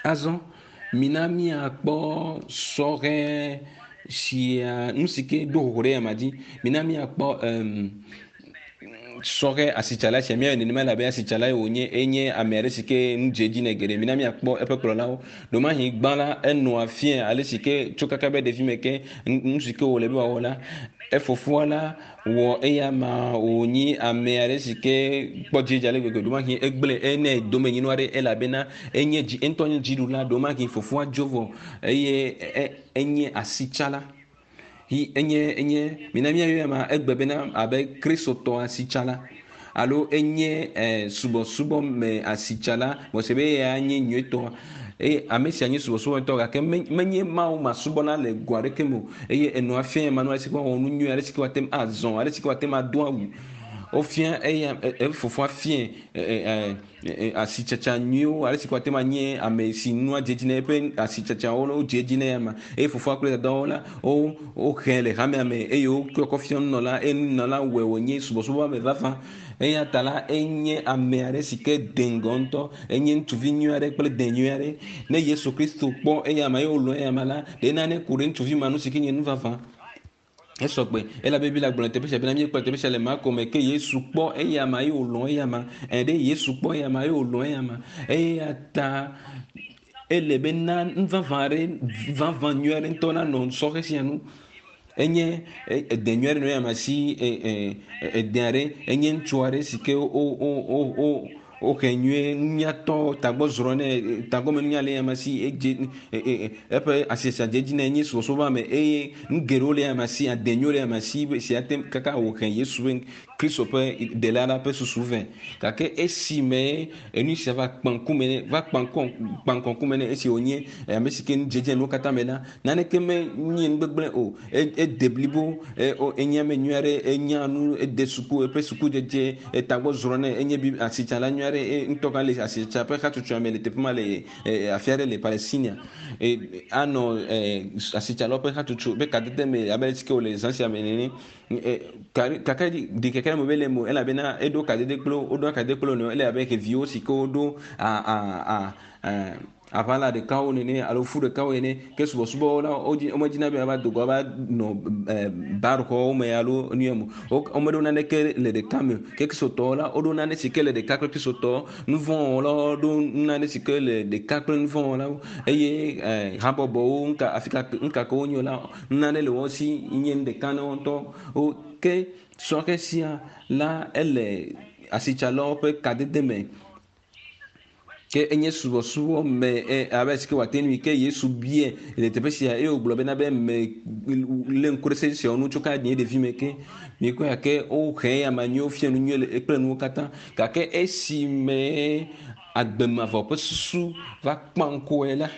azɔ mina míakpɔ sɔhɛ sia nu si ke ɖo xoxo ɖe yama dzi mina míakpɔ um, sɔhɛ asitsala sia míayɔ nenema elabe asitsala ye wònye enye ame aɖe si ke nu dze edzi nɛ geɖe mina míakpɔ eƒe kplɔlawo ɖomahi gbã la enɔa fia ale si ke tso kaka be ɖevi me ke nu si ke wòle be wòawɔ la efofoa la wɔ eya ma wònyi ame aɖe si ke kpɔ dzidzedze ale gbegbe ɖomahi egblẽ ene domenyinu aɖe elabena enye dzi eŋutɔ nye dziɖula ɖomahi fofoa dzo vɔ eye enye asitsala hi enye enye mina míayɔ ma egbe bena abe kristotɔ asitsala alo enye eh, subɔsubɔ me asitsala mɔse be eya nye nyuietɔ eye ame sia nye subɔsubɔtɔ gake menye Mawu masubɔla le go aɖeke me o eye enɔa fia ma nu ale si ke woawɔ nu nyuie ale si ke woate ŋu azɔ ale si ke woate ŋu ado awu Wofia eya efofoa fie asitsatsa nyuiwo ale si ko ate ma nye ame si nua dze dzi na eƒe asitsatsawo ne wodze edzi na ya ma eye fofoa kple dadawo la wo wohe le hamea me eye wokɔ fia nunɔla eye nunɔla wɔe wònye subɔsubɔ me vavã. Eya ta la enye ame aɖe si ke de ŋgɔ ŋutɔ, enye ŋutsuvi nyui aɖe kple de nyui aɖe. Ne Yesu Kristo kpɔ eya ma eye wòlɔ̃ eya ma la, ɖe nane ku ɖe ŋutsuvi ma nu si ke nye nu vavã. Esɔgbe elabe Biblia gblɔ le teƒe sia bena míekpɔ teƒe sia le Marko me ke Yesu kpɔ eya ma eye wòlɔ̃ eya ma. Ɛ ɖe Yesu kpɔ eya ma eye wòlɔ̃ eya ma. Eya ta ele be na nu vavã aɖe vavã nyui aɖe ŋutɔ nanɔ sɔhɛ sia nu. Enye ede nyui aɖe nɔ eya ma si ede aɖe enye ŋutsu aɖe si ke wo wo wo wo wohe nyuie nunyatɔ tagbɔ zrɔ̃ nɛ tagbɔme nunya le eya ma si edze eƒe asiasia dze edzi nɛ enye subɔsubɔ me eye nu geɖewo le eya ma si ade nyuiwo le eya ma si si ate kaka wòhe Yesu ƒe Kristo ƒe ɖela la ƒe susu vɛ. Gake esime enu sia va kpã ŋkume nɛ va kpã ŋkɔ kpã ŋkɔ ŋkume nɛ esi wònye ame si ke nu dzedze nuwo katã me la naneke menye nu gbegblẽ o. Ede blibo enye ame nyui aɖe enya nu ede suku eƒe sukudzedze etagbɔ zrɔ̃ nɛ enye bi asitsala nyui aɖe ŋutɔ gã le asitsatsa ƒe hatsotsoa me le teƒe ma le afi aɖe le Palestina. Anɔ asitsalawo ƒe hatsotso ƒe kadede me abe ale si ke wòle zã sia me nene. Gake ɖikeke me mele eme o elabena eɖo kadede kple wo woɖo kadede kple wo nɔewo ele abe xeviwo si ke woɖo a a a aʋala ɖekawo nene alo fu ɖekawo ene ke subɔsubɔwo la wodzi womedzina be ava do go ava nɔ barxɔwo me alo nu ya me o. Womeɖo naneke le ɖeka me o. Ke kristotɔwo la woɖo nane si ke le ɖeka kple kristotɔwo. Nuvɔ̃wɔlawo ɖo nane si ke le ɖeka kple nuvɔ̃wɔlawo eye habɔbɔwo ŋka afi ka ŋka ke wonye la nane le wo si nye nu ɖeka na wo ŋutɔ. Wo ke sɔhɛ sia la ele asitsalawo ƒe kadede me. Ke enye subɔsubɔ me abe si ke wòate ŋui ke Yesu bie le teƒe sia eye wògblɔ bena be me lé ŋku ɖe se siawo ŋu tso ka nye ɖevi me ke miekpɔe gake wohe eya ma nyuie wofia nu nyuie kple nuwo katã gake esime agbemavɔ ƒe susu va kpã ŋkɔe la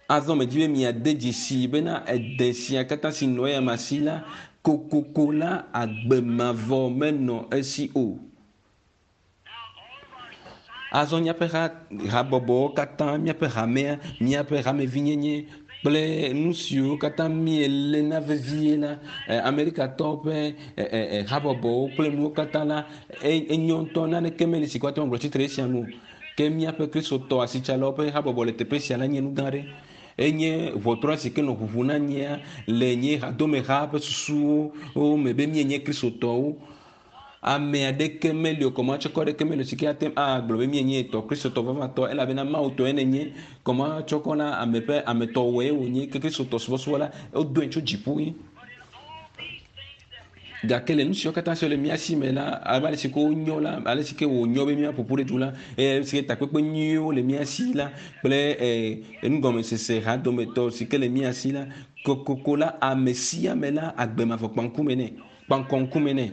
azɔ medzi be miade dzesi bena ede sia katã si nɔ eya ma si la kokoko la agbemavɔ menɔ esi o. Azɔ míaƒe ha habɔbɔwo katã, míaƒe hamea, míaƒe hamevinyenye kple nu siwo katã míeléna vevie la, Amerikatɔwo ƒe habɔbɔwo kple nuwo katã la, enyo ŋutɔ naneke meli si ko ate ŋu agblɔ tsitre esia nu o. Ke míaƒe kristotɔ asitsalawo ƒe habɔbɔ le teƒe sia la nye nu gã aɖe. Enye ʋɔtrɔ si ke nɔ ʋuʋu na nyea le nye hadomeha ƒe susuwo me be míenye kristotɔwo. Ame aɖeke meli o, kɔmatsɔkɔ aɖeke meli o si ke ate ŋu agblɔ be míenye tɔ kristotɔ vavãtɔ elabena Mawu tɔe nenye. Kɔmatsɔkɔ la ame ƒe ametɔwɔe wònye ke kristotɔ subɔsubɔ la wodoe tso dziƒo ye. Gake le nu siwo katã siwo le mía si me la abe ale si ke wonyo la ale si ke wònyo be míaƒo ƒu ɖe du la eye si ke takpekpe nyuiwo le mía si la kple nugɔmesese hadometɔ si ke le mía si la kokoko la ame sia ame la agbemavɔ kpã ŋkume nɛ kpã ŋkɔ ŋkume nɛ.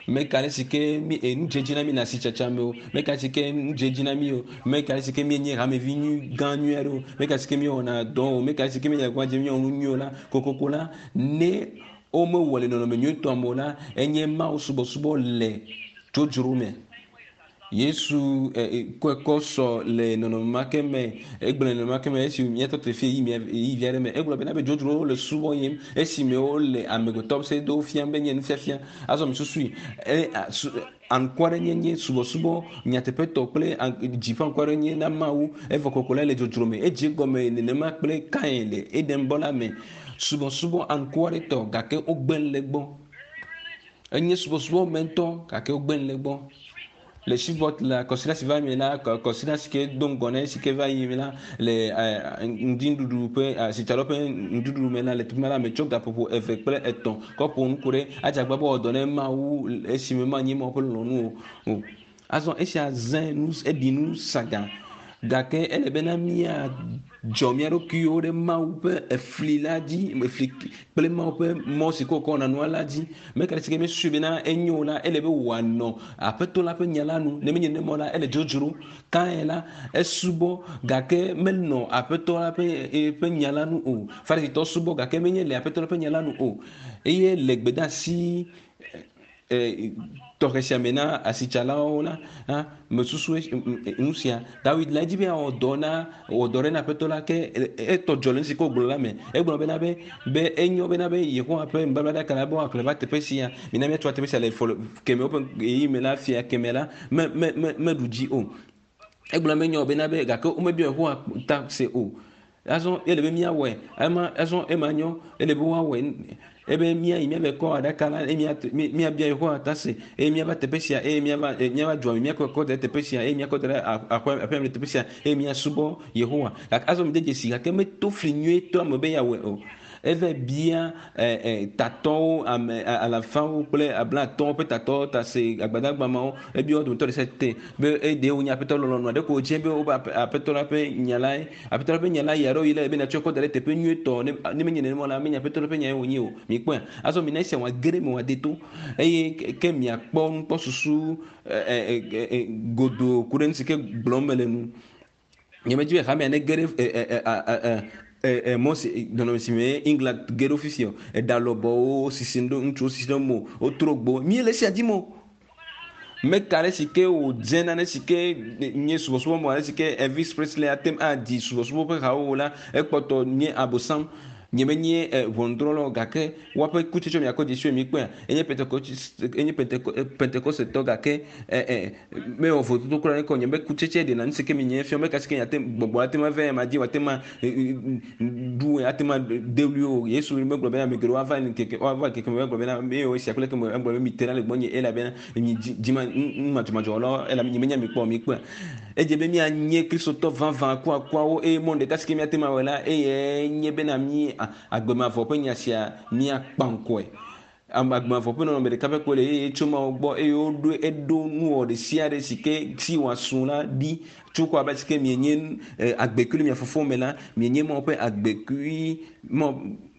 Meka ale si ke mi nu dze dzi na mi le asitsatsa me o, meka ale si ke nu dze dzi na mi o, meka ale si ke míenye hamevi nyui gã nyui aɖe o, meka ale si ke míewɔna dɔ o, meka ale si ke míele agbagba dzem míewɔ nu nyuiwo la, kokoko la ne womewɔ le nɔnɔme nyuitɔ me o la, enye Mawu subɔsubɔ le dzodzro me. Yesu kɔe kɔ sɔ le nɔnɔme ma ke me, egblɔ le nɔnɔme ma ke me esi míatɔ te fie yi mía yi vi aɖe me. Egblɔ bena be dzodzrowo le subɔ yim esime wole amegbetɔ se do fiam be nye nufiafia. Azɔ mi susui e anukware-nyenye subɔsubɔ nyateƒetɔ kple dzi ƒe anukware-nyenye na Mawu evɔ kɔkɔ la le dzodzro me. Edze gɔme nenema kple Kain le Edenbɔ la me. Subɔsubɔ anukwaretɔ gake wogbe le gbɔ. Enye subɔsubɔ me ŋutɔ gake wogbe le gbɔ. Le Shreveport la kɔsiɖa si va me la kɔsiɖa si ke do ŋgɔ na esi ke va yi me la le ŋdinuɖuɖu ƒe asitsalawo ƒe nuɖuɖu me la le teƒe ma la metsɔ gaƒoƒo eve kple etɔ̃ kɔ ƒo nu ku ɖe adzagba be wɔdɔ ne Mawu esime manyi Mawu ƒe lɔlɔ̃nu o. Azɔ esia zẽ nu eɖi nu saga gake ele bena míadzɔ mía ɖokuiwo ɖe Mawu ƒe efli la dzi efli kple Mawu ƒe mɔ si ke wòkɔ wɔna nua la dzi. Meka ɖe si ke míesui bena enyo la ele be wòanɔ aƒetɔ la ƒe nya la nu. Ne menye nenema o la ele dzodzro. Kain la esubɔ gake menɔ aƒetɔ la ƒe ƒe nya la nu o. Farisitɔ subɔ gake menye le aƒetɔ la ƒe nya la nu o. Eye le gbedeasi Tɔxɛ sia me na asitsalawo la hã mesusu nu sia Dawid la edzi be yeawɔ dɔ na wɔ dɔ ɖe na aƒetɔ la ke etɔ dzɔ le nu si ke wògblɔ la me egblɔ bena be be enyo bena be Yehowa ƒe nubablaɖaka la be woaxlẽ va teƒe sia mina míatsɔ teƒe sia le fɔ keme woƒe ɣeyiɣi me la fia keme la me me me meɖu dzi o egblɔ menyo bena be gake womebiɔ Yehowa ta se o azɔ ele be míawɔe ema azɔ ema nyo ele be woawɔe ebe míayi míave kɔ aɖaka la eye míabia Yehowa ta se eye míava teƒe sia eye míava míava dua me míakɔ kɔ da ɖe teƒe sia eye míakɔ da ɖe aƒe aƒea me le teƒe sia eye míasubɔ Yehowa gake azɔ mi de dzesi gake meto fli nyuietɔ ame be yeawɔe o eve bia tatɔwo ame alafawo kple ablatɔwo ƒe tatɔwo ta se agbadagbamawo ebia wo dometɔ ɖe sia te be eɖe wonye aƒetɔ lɔlɔ̃nu aɖe ko dze be wobe aƒetɔ la ƒe nya lae aƒetɔ la ƒe nya la yi aɖewo yi la be natsɔ kɔ da ɖe teƒe nyuietɔ ne menye nenema la menye aƒetɔ la ƒe nya ye wònye o mikpɔe azɔ mina esia wòage ɖe me wòade to eye ke miakpɔ nukpɔsusu godoo ku ɖe nu si ke gblɔm mele nu nyemedzi be hamea ne ge ɖe mɔ si nɔnɔme si me England ge ɖo fifi o eɖa lɔbɔwo sisi ɖo ŋutsuwo sisi ɖo mo wotrɔ gbo mi le esia dim o meka ɖe si ke wòdze nane si ke nye subɔsubɔ mɔ ale si ke Elvis Presley ate ŋu adi subɔsubɔ ƒe hawo la ekpɔtɔ nye abosam nye menye ʋɔnudrɔ̃lawo gake woaƒe kutsetse miakɔ dzesi mi kpɔa enye Pentecost enye Pentecostetɔ gake mewɔ vototo kura ne kɔ nye be kutsetse ɖena nu si ke mi nye fia meka si ke ate gbɔgbɔ ate ma vɛ ma dzi wòate ma ɖu ate ma de wui o Yesu megblɔ bena ame geɖewo ava ŋkeke woava ŋkeke me egblɔ bena eye esia kple ke me egblɔ be mi te ɖa le gbɔnye elabena mi dzima numadzɔmadzɔwɔlawo elabe nye menya mi kpɔ mi kpɔa edze be míanye kristotɔ vavã kuakuawo eye mɔ ɖeka si ke míate ma wɔe la eye nye bena mí agbemavɔ ƒe nya sia míakpa ŋkɔe agbemavɔ ƒe nɔnɔme ɖeka ƒe koe le eye tso Mawu gbɔ eye woɖo eɖo nuwɔ ɖe sia ɖe si ke si wòasu la ɖi tso kɔ abe si ke mienye agbekui le mia fofo me la mienye Mawu ƒe agbekui mɔ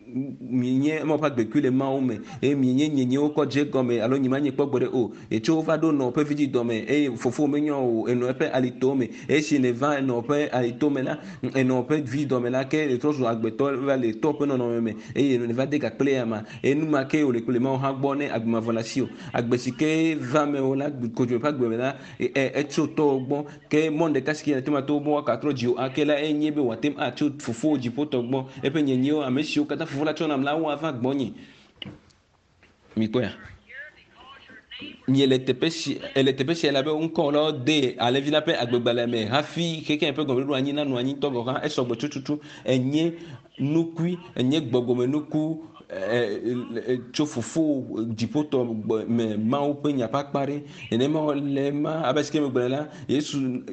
mienye Mawu ƒe agbekui le Mawu me eye mienye nyenyewo kɔ dze gɔme alo nye manye kpɔ gbe ɖe o etso va ɖo nɔ ƒe vidzidɔ me eye fofo menyɔ o enɔ eƒe alito me eye si ne va enɔ ƒe alito me la enɔ ƒe vidzidɔ me la ke etrɔ zu agbetɔ va le tɔ ƒe nɔnɔme me eye ne va de gakple ya ma eye nu ma ke wòle kple Mawu hã gbɔ ne agbemavɔ le asi o agbe si ke va me o la kodzo ƒe agbe me la etso tɔwo gbɔ ke mɔ ɖeka si ke ate ŋu ato be woagatrɔ dzi o ake la enye be wòate ŋu atso fofo dziƒotɔ gbɔ eƒe nyenyewo ame siwo katã fofo la tsɔ nam la woava gbɔnye mikpɔea miele teƒe si ele teƒe sia la be ŋkɔ la de alẽvi la ƒe agbegbalẽ me hafi xexea ƒe gɔmeɖoɖo anyi nanɔ anyi tɔ gɔ̃ hã esɔgbɔ tututu enye nukui enye gbɔgbɔmenuku tso fofo dziƒotɔ me Mawu ƒe nya ƒe akpa ɖe nenema le ma abe si ke megblɔe la Yesu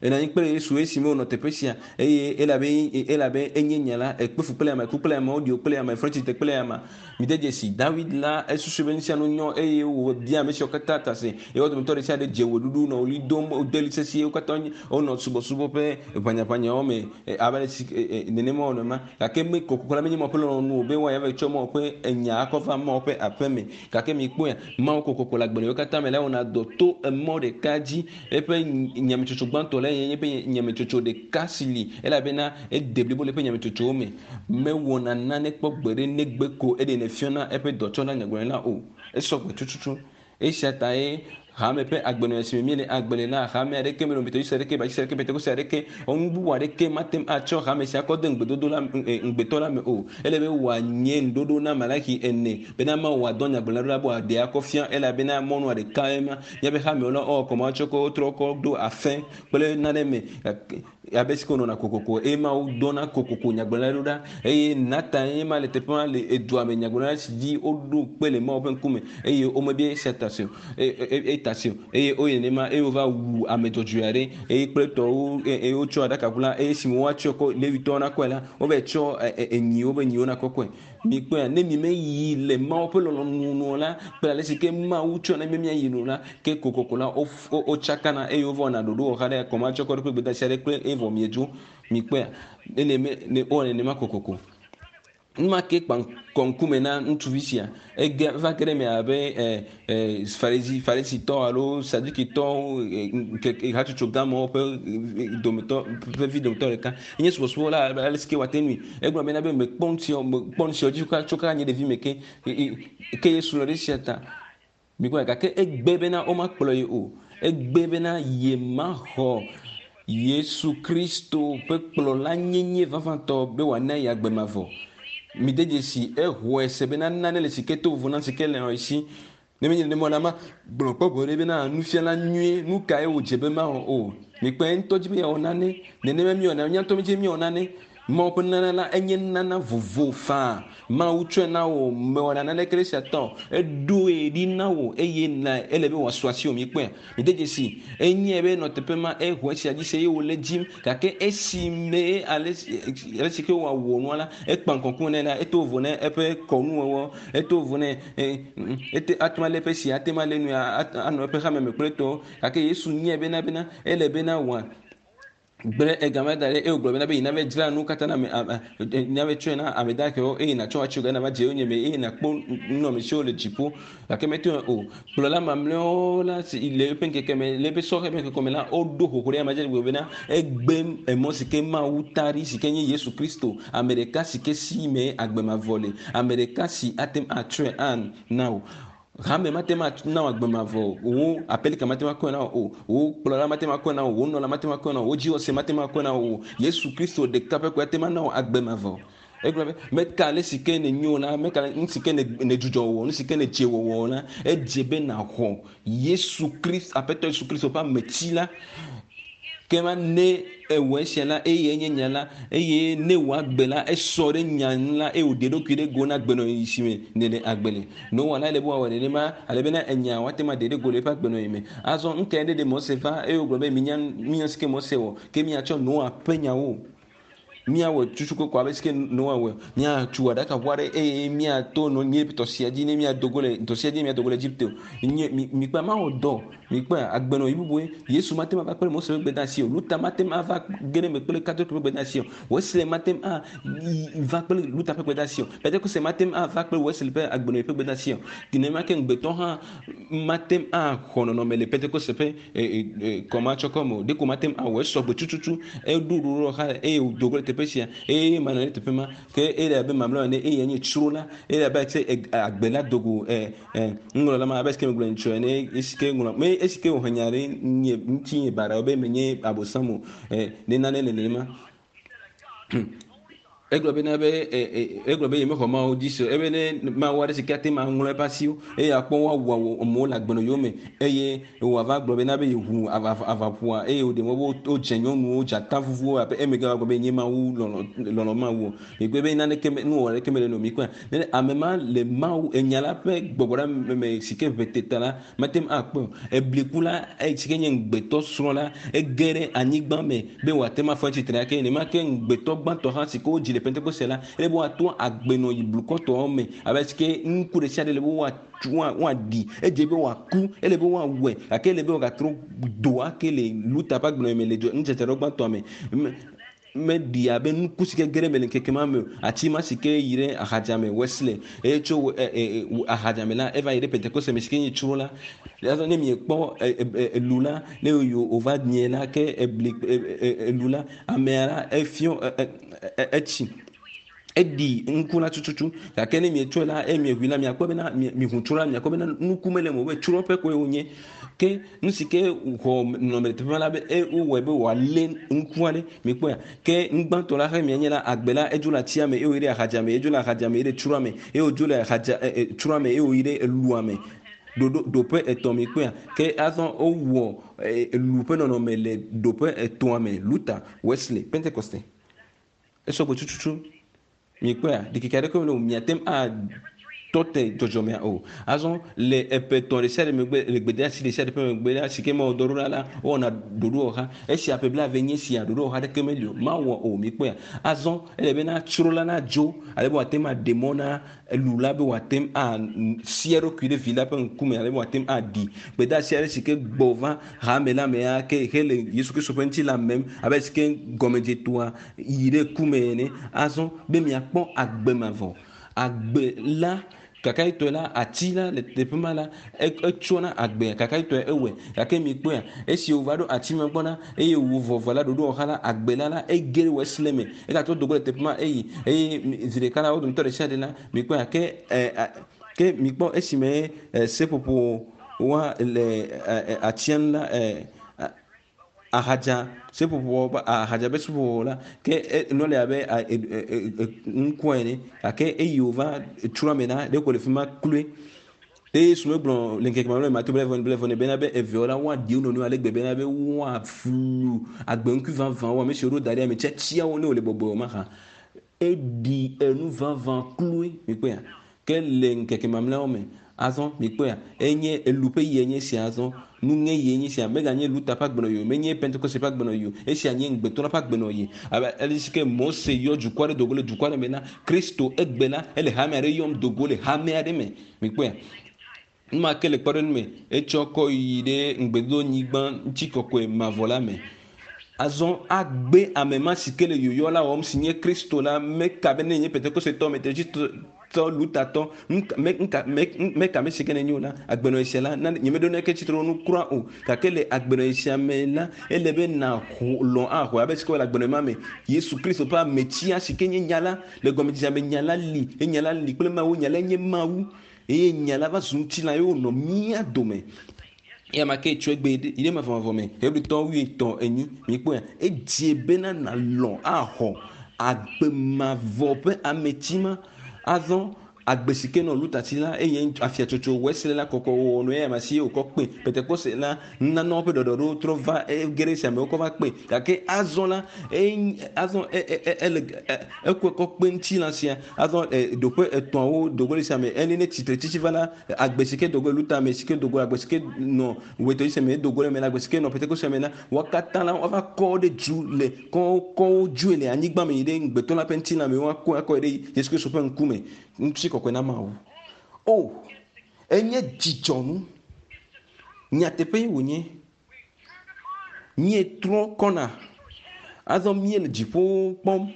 ena anyi kple Yesu esime wònɔ teƒe sia eye elabe elabe enye nya la ekpe fu kple ame ku kple ame woɖi wo kple ame fɔ tsitre kple ame mi de dzesi Dawid la esusu be nu sia nu nyɔ eye wòbia ame siwo katã ta se eye wo dometɔ ɖe sia ɖe dze wɔɖuɖu nɔ ɣli dom wode ɣli sesĩe wo katã wonɔ subɔsubɔ ƒe ʋanyaʋanyawo me abe ale si nenema wònɔ ma gake me kokoko la menye Mawu ƒe lɔlɔ̃nu o be woayi ava tsɔ Mawu ƒe enya akɔ va Mawu ƒe aƒe me gake mikpɔe Mawu kokoko le agbalẽwo katã me la wɔna dɔ to emɔ ɖeka dzi eƒe nyametsotso gbãtɔ la ye nye eƒe nyametsotso ɖeka si li elabena ede blibo le eƒe nyametsotsowo me mewɔna nane kpɔ gbe ɖe negbe ko eɖenɛ fiana eƒe dɔtsɔna nyagblɔɖila o esɔgbe tututu esia ta ye hame ƒe agbenɔnɔ si me míele agbe le la hame aɖeke mele Methodist aɖeke Baptist aɖeke Pentecost aɖeke nu bubu aɖeke mate ŋu atsɔ hame sia kɔ de ŋugbedodo la ŋugbetɔ la me o ele be wòanye nuɖoɖo na Malaki ene bena Mawu wòadɔ nyagblɔɖila la be wòaɖe akɔ fia elabena mɔnua ɖeka ye ma míaƒe hamewo la wowɔ kɔma wotsɔ kɔ wotrɔ kɔ ɖo afẽ kple nane me abe si ke wonɔna kokoko eye Mawu dɔna kokoko nyagblɔɖila ɖo ɖa eye Natan ye ma le teƒe ma le edua me nyagblɔɖila si dzi woɖo kpe le Mawu ƒe ŋkume eye womebia esia ta se o eta se o eye woyi nenema eye wova wu ame dzɔdzɔe aɖe eye kple tɔwo eye wotsɔ aɖakaʋu la eye esime woatsɔ kɔ Levitɔwo nakɔe la wova tsɔ enyiwo be nyiwo nakɔkɔe mikpɔe ne mi meyi le Mawu ƒe lɔlɔ̃nu nu la kple ale si ke Mawu tsɔ na mi miayi nu la ke kokoko la wotsakana eye wova wɔna ɖoɖo wɔxa ɖe kɔma tsɔ kɔ ɖe kple gbedeasi aɖe kple evɔ miedzo mikpɔe ne ne wowɔ nenema kokoko. Numa ke kpa kɔŋkume na ŋutsuvi sia ege va ge ɖe me abe ɛ ɛ farisi farisitɔ alo sadukitɔ ɛ hatsotso gãmewo ƒe dometɔ ƒe vi dometɔ ɖeka enye subɔsubɔ la abe ale si ke wòate ŋui egblɔ bena be mekpɔ nu siawo mekpɔ nu siawo dzi tso kaka nye ɖevi me ke ke Yesu lɔ ɖe esia ta mikpɔe gake egbe bena womakplɔ ye o egbe bena yemaxɔ Yesu Kristo ƒe kplɔla nyenye vavãtɔ be wòana ye agbe mavɔ. Mi de dzesi exɔe se bena nane le si ke to vovo na si ke le esi ne menye nenema la ma gblɔ kpɔ gblɔ ɖe bena nufiala nyuie nu kae wòdze be mawɔ o mikpɔe ŋutɔ dzi be yeawɔ nane nenema miwɔna mía ŋutɔ dzi miwɔ nane Mawu ƒe nunana la enye nunana vovo faa Mawu tsɔe na wò mewɔna naneke ɖe esia ta o eɖoe ɖi na wò eye na ele be wòasu asiwò mikpɔe mi de dzesi enye be nɔ teƒe ma exɔ esia dzi se eye wòle dzim gake esi me ale ale si ke wòawɔ nua la ekpa ŋkɔŋkɔ nɛ la eto vovo ne eƒe kɔnuwɔwɔ eto vovo nɛ ete ate ŋu alé eƒe si ate ŋu alé nu ya anɔ eƒe xame me kple etɔwo gake Yesu nyae bena bena ele bena wòa gblẽ egama da ɖe eye wògblɔ bena be yina va dzra nu katã na ame yina va tsɔe na ame dahewo eye natsɔ atso ga na va dze yonyeme eye nakpɔ nunɔamesiwo le dziƒo gake mete ŋu o kplɔla mamlɛawo la si le eƒe ŋkeke me le eƒe sɔhɛ ƒe ŋkeke me la woɖo xoxo ɖe ame dzi gblɔ bena egbe emɔ si ke Mawu ta ɖi si ke nye Yesu Kristo ame ɖeka si ke si me agbe mavɔ le ame ɖeka si ate ŋu atsɔe ana wò hame mate ŋu ana wò agbe mavɔ o wò aƒelika mate ŋu akɔe na wò o wò kplɔla mate ŋu akɔe na wò wò nɔla mate ŋu akɔe na wò wò dziwɔse mate ŋu akɔe na wò o Yesu Kristo ɖeka ƒe koe ate ŋu ana wò agbe mavɔ egblɔ be meka ale si ke nenyo la meka nu si ke ne dzudzɔ wɔwɔ nu si ke nedze wɔwɔ la edze be naxɔ Yesu Kristo Aƒetɔ Yesu Kristo ƒe ametsi la ke ma ne ewɔ esia la eye enye nya la eye ne wò agbe la esɔ ɖe nya ŋu la eye wòɖe eɖokui ɖe go na agbenɔɣi si me nèle agbe le Noa la ele be wòawɔ nenema ale bena enya woate ŋu aɖe ɖe go le eƒe agbenɔɣi me azɔ nu kae ɖe ɖe Mose va eye wògblɔ be minya minya si ke Mose wɔ ke miatsɔ Noa ƒe nyawo miawɔ tutu koko abe si ke Noa wɔ miatso aɖakaʋu aɖe eye miato nɔ nye tɔsia dzi ne miado go le tɔsia dzi miado go le Egipte o nye mi mikpɔe mawɔ dɔ mikpɔe agbenɔɣi bubue Yesu mate ŋu ava kple Mose ƒe gbedeasi o Luther mate ŋu ava ge ɖe eme kple Katolik ƒe gbedeasi o Wesley mate ŋu ava kple Luther ƒe gbedeasi o Pentekoste mate ŋu ava kple Wesley ƒe agbenɔɣi ƒe gbedeasi o nenema ke ŋugbetɔ hã mate ŋu axɔ nɔnɔme le Pentekoste ƒe kɔmatsɔkɔ me o ɖeko mate ŋu awɔ esɔgbe tututu eɖo ɖoɖo xa eye wòdo go le teƒe sia eye manɔ ɖe teƒe ma ke ele abe mamlɛa ene eye nye tsro la ele abe tse agbe la dogo ɛ ɛ ŋlɔla ma abe si ke megblɔ ŋutsu ene esi ke ŋlɔ me esi ke wòhe nya ɖe nye ŋuti nye baɖa be menye abosam o ɛ ne nane le nenema egblɔ bena be egblɔ be yemexɔ Mawu dzi se o ebe ne Mawu aɖe si ke ate ŋu aŋlɔ eƒe asiwo eye akpɔ woawu amewo le agbenɔɣiwo me eye wòava gblɔ bena be yeʋu avaƒua eye wòɖe mɔ be wodze nyɔnuwo dzata vuvuwo abe emegbe va gblɔ be nye Mawu lɔlɔ lɔlɔ Mawu o mikpɔe be naneke nuwɔwɔ aɖeke mele nɔ mikpɔe ne ame ma le Mawu enya la ƒe gbɔgbɔ ɖe me si ke ʋe teta la mate ŋu akpɔe o ebliku la si ke nye ŋugbetɔ srɔ̃ la ege ɖe anyigba me be wòate ŋu afɔ tsitre ake nenema ke ŋugbetɔ gbãtɔ hã si ke wodzi le Pentekoste la ele be woato agbenɔɣi blukɔtɔwo me abe si ke ŋku ɖe sia ɖe le be woaɖi edze be wòaku ele be woawɔe gake ele be wòagatrɔ do ake le Luther ƒe agbenɔɣi me le nudzedze ɖe gbãtɔa me meɖi abe nuku si ke ge ɖe eme le ŋkeke ma me o ati ma si ke yi ɖe ahadzame Wesley eye tso ahadzame la eva yi ɖe Pentekoste me si ke nye tsro la azɔ ne miekpɔ elu la ne wòva nye la ke ebli elu la amea la efiɔ etsi eɖi ŋku la tututu gake ne mietsɔe la eye mieʋui la miakpɔ bena miʋu tso la miakpɔ bena nuku mele eme o be tsro ƒe koe wònye ke nu si ke xɔ nɔnɔme le teƒe la be wowɔe be wòalé ŋku aɖe mikpɔea ke nugbãtɔ la xe mianye la agbe la edzo le atia me eye wòyi ɖe ahadzame edzo le ahadzame yi ɖe tsroa me eye wòdzo le ahadza tsroa me eye wòyi ɖe elua me ɖoɖo ɖoƒe etɔ̃ mikpɔea ke azɔ wowɔ elu ƒe nɔnɔme le ɖoƒe etɔ̃a me Luther Wesley Pentekoste esɔgbe tututu mikpɔea ɖikeke aɖeke mele o miate ŋu tɔ te dzɔdzɔmea o. Azɔ le eƒe tɔ̃ ɖe sia ɖe megbe le gbedeasi ɖe sia ɖe ƒe megbe la si ke mewɔ dɔ ɖo la la wowɔna ɖoɖowɔha. Esia ƒe blaeve nye sia ɖoɖowɔha ɖeke meli o. Mawɔ o mikpɔea. Azɔ ele bena tsro la nadzo ale be wòate ŋu aɖe mɔ na elu la be wòate ŋu asia eɖokui ɖe vi la ƒe ŋkume ale be wòate ŋu aɖi gbedeasi aɖe si ke gbɔ va hame la mea ke hele Yesu Kristo ƒe ŋutilã mem abe si ke gɔmedzetoa yi ɖe ku me ene. Azɔ be miakpɔ agbe mavɔ. Agbe la kakayitɔe la ati la le teƒe ma la etsɔna agbea kakayitɔe ewɔe gake mikpɔea esi wòva ɖo ati me gbɔ la eye wò vɔvɔ la ɖoɖowɔha la agbe la la ege ɖe wɔ esile me egatrɔ do go le teƒe ma eyi eye zi ɖeka la wo dometɔ ɖe sia ɖe la mikpɔea ke ɛ ke mikpɔ esime seƒoƒo wa le atia nu la ɛ ahadza seƒoƒo ahadza be seƒoƒo la ke nɔ le abe ŋkua ene gake eyi wòva trɔ me la ɖeko le fi ma kloe. Eye Yesu megblɔ le ŋkeke mamlɛ Mateo blaeve blaeve ne bena be eveawo la woaɖi wo nɔnɔewo ale gbe bena be woaflu agbeŋkui vavãwo ame siwo ɖo da ɖi ame tiatiawo ne wole bɔbɔe o mahã. Eɖi enu vavã kloe mikpɔea ke le ŋkeke mamlɛawo me azɔ mikpɔea enye elu ƒe yie nye sia azɔ nuŋe yie nye sia meganye Luta ƒe agbenɔɣi o menye Pentekoste ƒe agbenɔɣi o esia nye ŋugbetɔ la ƒe agbenɔɣi abe ale si ke Mose yɔ dukɔ aɖe dogo le dukɔ aɖe me la Kristo egbe la ele hame aɖe yɔm dogo le hame aɖe me mikpɔea nu ma ke le kpɔɖeŋu me etsɔ kɔ yi ɖe ŋugbedodonyigba ŋutikɔkɔe mavɔ la me. Azɔ agbe ame ma si ke le yɔyɔ la wɔm si nye Kristo la meka be ne nye Pentekostetɔ Metodistetɔ Lutatɔ nka meka me si ke ne nye o la agbenɔɣi sia la nye meɖo neke tsitre nu kura o gake le agbenɔɣi sia me la ele be na lɔ̃ axɔe abe si ke wole agbenɔɣi ma me Yesu Kristo ƒe ametia si ke nye nya la le gɔmedzedzea me nya la li enya la li kple Mawu nya la nye Mawu eye nya la va zu ŋutilã ye wònɔ mía dome. Eya ma ke tso egbe yi ɖe mavɔmavɔ me Hebritɔwo wuietɔ̃ enyi mikpɔea edze bena nalɔ̃ axɔ agbe mavɔ ƒe ameti ma azɔ agbe si ke nɔ Lutati la eye afiatsotso Wesley la kɔkɔ wɔwɔ nɔ eya ma si ye wòkɔ kpe Pentekoste la nunanawo ƒe ɖɔɖɔɖo trɔ va ege ɖe esi amewo kɔ va kpe gake azɔ la azɔ ele ekɔe kɔ kpe ŋutilã sia azɔ ɖoƒe etɔ̃awo dogo ɖe sia me ene ne tsitre tsitsi va la agbe si ke dogo le Luta me si ke dogo agbe si ke nɔ Metodiste me dogo ɖe me la agbe si ke nɔ Pentekoste me la wo katã la woava kɔ ɖe dzu le kɔ kɔ wo dzoe le anyigba me yi ɖe ŋugbetɔ la ƒe ŋutilã me woakɔ akɔ ɖe Yesu Kristo ƒe ŋkume ŋutikɔkɔe na Mawu. O enye dzidzɔnu nyateƒe wònye míetrɔ kɔna azɔ míele dziƒo kpɔm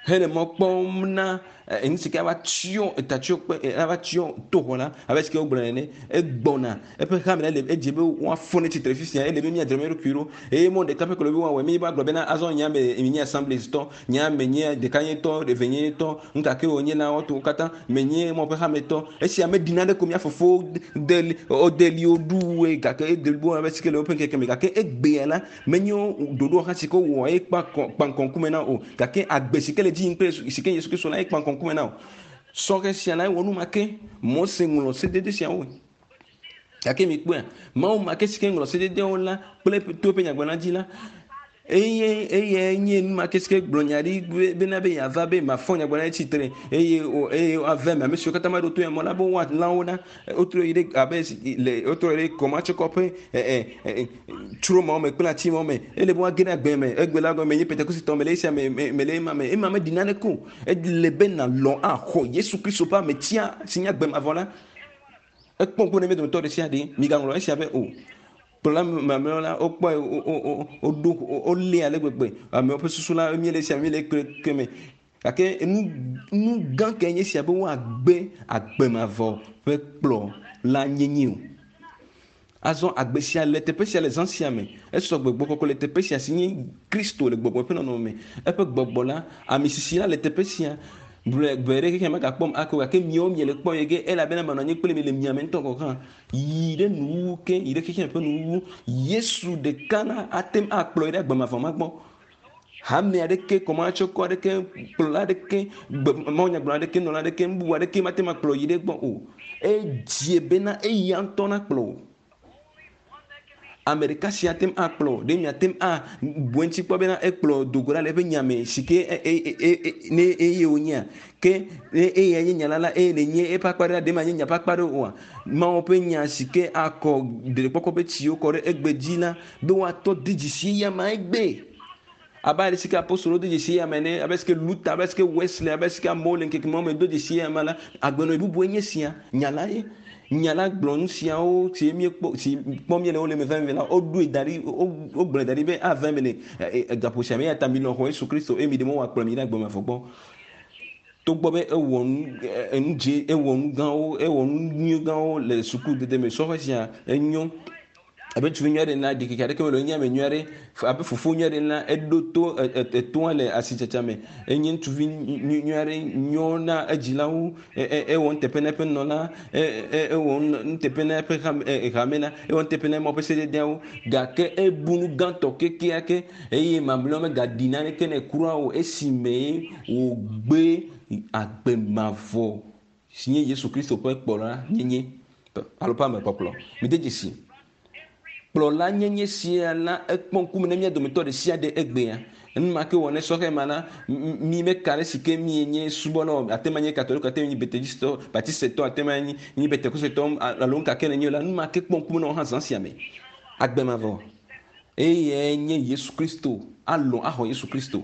hele mɔ kpɔm na nu si ke ava tsyɔ etatsyɔ kpe ava tsyɔ toxɔ la abe si ke wogblɔ ene egbɔna eƒe hame la le edze be woafɔ ne tsitre fifia ele be míadzra mía ɖokui ɖo eye mɔ ɖeka ƒe klo be woawɔe mi va gblɔ bena azɔ nya me nye assemblies tɔ nya me nye ɖekanyetɔ evenyetɔ ŋkake wònye la woato wo katã menye mɔ ƒe hametɔ esia meɖina ɖe ko mía fofowo de wodeli woɖu gake edeli bo abe si ke le woƒe ŋkeke me gake egbea la menye ɖoɖo hã si ke wowɔ eye kpa kpa ŋkume na o gake agbe si ke le dzi yim kple si ke Yesu Kristo la ye kpa ŋkume na o. Sɔhɛ sia la ewɔ nu ma ke Mose ŋlɔ sedede siawo gake mikpɔea Mawu ma ke si ke ŋlɔ sededewo la kple to eƒe nyagblɔla dzi la eye eye nye nu ma ke si ke gblɔ nya ɖi bena be yeava be mafɔ nyagblɔla ɖe tsitre eye eye ave ame ame siwo katã maɖo to ya mɔ la be woalã wo ɖa wotrɔ yi ɖe abe le wotrɔ yi ɖe kɔmatsɔkɔ ƒe ɛ ɛ tsro mawo me kple ati mawo me ele be woage ɖe agbe me egbe la gɔme nye Pentekostetɔ me le esia me me le ema me ema meɖi naneke o ele be nalɔ̃ axɔ Yesu Kristo ƒe ametia si nye agbe mavɔ la ekpɔ ŋku ne mía dometɔ ɖe sia ɖe migaŋlɔ esia be o kplɔla mamlɛwo la wokpɔe woɖo wolé ale gbegbe amewo ƒe susu la míele esia míele ke me gake nu nu gã ke nye sia be woagbe agbe mavɔ ƒe kplɔ la nyenye o. Azɔ agbe sia le teƒe sia le zã sia me esɔ gbɔgbɔ kɔkɔe le teƒe sia si nye Kristo le gbɔgbɔ ƒe nɔnɔme me eƒe gbɔgbɔ la ame sisi la le teƒe sia gbe ɖe xexea megakpɔm ake o gake miawo miele kpɔ ye ge elabena menɔ anyi kple mi le miame ŋutɔ gɔ̃ hã yi ɖe nuwuwu ke yi ɖe xexea ƒe nuwuwu Yesu ɖeka la ate ŋu akplɔ yi ɖe agbe mavɔ ma gbɔ. Hame aɖeke kɔmatsɔkɔ aɖeke kplɔla aɖeke mawunyagblɔla aɖeke nɔla aɖeke nububu aɖeke mate ŋu akplɔ yi ɖe gbɔ o. Edze bena eya ŋutɔ nakplɔ o. Ame ɖeka sia te ŋu akplɔ ɖe miate ŋu abu eŋuti kpɔ bena ekplɔ dogo ɖa le eƒe nya me si ke ne eye wònyea ke ne eya nye nya la la eye nenye eƒe akpa ɖe la ɖe manye nya ƒe akpa ɖe oa Mawu ƒe nya si ke akɔ ɖeɖekpɔkpɔ ƒe tsiwo kɔ ɖe egbe dzi la be woatɔ de dzesi eya ma egbe. Abe ale si ke apostolowo de dzesi eya ma ene, abe si ke Luther, abe si ke Wesley, abe si ke amewo le ŋkeke mawo me do dzesi eya ma la, agbenɔɣi bubue nye sia. Nya la ye. Nya la gblɔ nu siawo si míekpɔ si kpɔm míele wole me veve la, woɖoe da ɖi, wogblɔe da ɖi be ava eme le gaƒo sia me eya ta milɔ̃ xɔ Yesu Kristo eye miɖe mɔ wòakplɔ mi ɖe agbe mavɔ gbɔ. Togbɔ be ewɔ nu enu dze ewɔ nu gãwo ewɔ nu nyui gãwo le sukudede me sɔhɛ sia enyo abe ŋutsuvi nyui aɖe ene ɖikeke aɖeke mele o enye ame nyui aɖe abe fofo nyui aɖe ene la eɖo to etoa le asitsatsa me enye ŋutsuvi nyui aɖe nyo na edzilawo ewɔ nuteƒe na eƒe nunɔla ewɔ nuteƒe na eƒe hame la ewɔ nuteƒe na Mawu ƒe sededeawo gake ebu nu gãtɔ kekeake eye mamlɛawo megaɖi naneke nɛ kura o esime wògbe agbe mavɔ si nye Yesu Kristo ƒe kplɔla nyenye alo ƒe amekpɔkplɔ. Mide dzesi. Kplɔla nyenye sia la ekpɔ ŋkume na mía dometɔ ɖe sia ɖe egbea. Enumake wɔ ne sɔhɛ ma la, mi meka ɖe si ke mi nye subɔlawo, ate ma nye katoliko, ate nye betedistɔ, batistetɔ, ate ma nye nye pentekosetɔ alo nuka ke nenye la, enumake kpɔ ŋkume na wo hã zã sia me. Agbe mavɔ. Eye nye Yesu Kristo, alɔ̃ axɔ Yesu Kristo.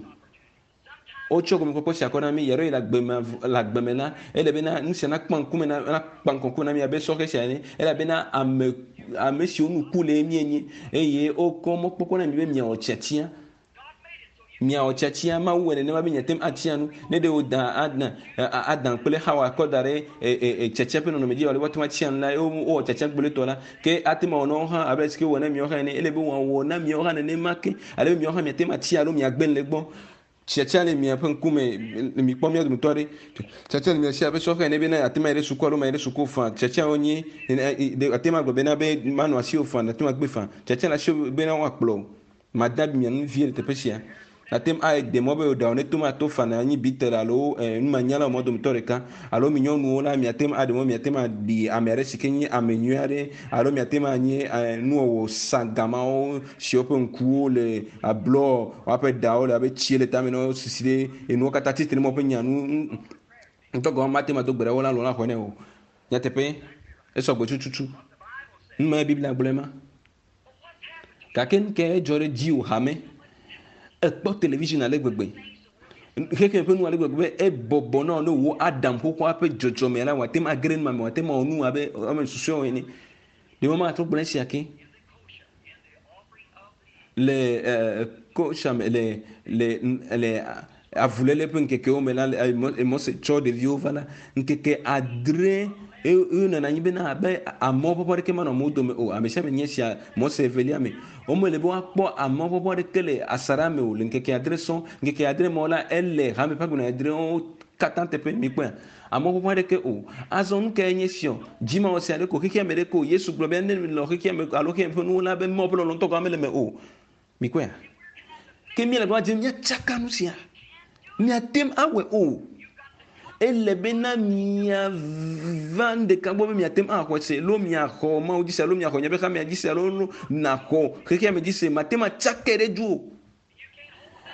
Wotsɔ gɔmekpɔkpɔ sia kɔ na mi, yaɖo yi le agbe me le agbe me la, ele bena nu sia nakpɔ ŋkume na nakpa ŋkume na mi abe sɔhɛ sia ene elabena ame ame siwo nu ku le míenye eye wokɔ mɔkpɔkpɔ na mi be miawɔ tiatia. Miawɔ tiatia Mawu wɔ nenema be miate ŋu atia nu. Ne ɖe woda Adam Adam kple Xawa kɔ da ɖe tiatia ƒe nɔnɔme dzi alo woate ŋu atia nu la ye wowɔ tiatia gbolotɔ la ke ate ŋu awɔ na wo hã abe ale si ke wowɔ na miawo hã ene. Ele be wòawɔ na miawo hã nenema ke ale be miawo hã miate ŋu atia alo miagbe le egbɔ. Tiatia le miaƒe ŋkume mikpɔ mía dometɔ aɖe. Tiatia le mia si abe sɔhɛ ene bena ate ŋu ayi ɖe suku alo mayi ɖe suku o faa. Tiatiawo nye ate ŋu agblɔ bena be manɔ asiwò faa, ate ŋu agbe faa. Tiatia le asiwò bena woakplɔ wò. Made abi mia nu vie le teƒe sia. Ate ŋu ayi ɖe mɔ be wò ɖawo ne to mato faa na anyi bitel alo numanyalawo mɔ dometɔ ɖeka alo mi nyɔnuwo la miate ŋu aɖe mɔ miate ŋu aɖi ame aɖe si ke nye ame nyui aɖe alo miate ŋu anye nuwɔwɔ sagamawo siwo ƒe ŋkuwo le ablɔ woaƒe ɖawo le abe tsi le tame na wo sisi ɖe enuwo katã tsitre ɖe ƒe nya nu ŋutɔ gɔme mate ŋu ado gbe ɖe wo la lɔ la xɔe nɛ o. Nyateƒe esɔ gbe tututu. Nu ma Biblia gblɔe ma. Gake nu ke edzɔ ɖe dziwò hame. Ekpɔ television ale gbegbe. Xexe ƒe nu ale gbegbe be ebɔbɔ na wo ne wò Adam xoxoa ƒe dzɔdzɔme la wòate ŋu age ɖe nu ma me, wòate ŋu awɔ nu abe ame susɔewo ene. Ɖe wo matrɔ gblɔ esia ke. Le kosha me le le le avuléle ƒe ŋkekewo me la Mose tsɔ ɖeviwo va la ŋkeke adre wonɔna anyi bena abe amewo ƒe aɖeke manɔ amewo dome o. Ame sia ame nye sia Mose evelia me. Womele be woakpɔ amewo ƒe aɖeke le asaɖa me o le ŋkeke adre sɔŋ. Ŋkeke adre me la ele hame ƒe agbenɔnɔ adrewo katã teƒe mikpɔe. Amewo ƒe aɖeke o. Azɔ nu kae nye sia? Dzimawɔ sia ɖe ko xexea me ɖe ko Yesu gblɔ be ne le xexea me alo xexea me ƒe nuwo la be Mawu ƒe lɔlɔ̃tɔ gɔme mele me o. Mikpɔea? Ke míele gbɔ dzem míatsaka nu sia. Míate ŋu awɔe o. Ele bena miava nu ɖeka gbɔ be miate ŋu axɔ se alo miaxɔ Mawu dzi se alo miaxɔ miaƒe hamea dzi se alo naxɔ xexea me dzi se mate ŋu atsakae ɖe dzi o.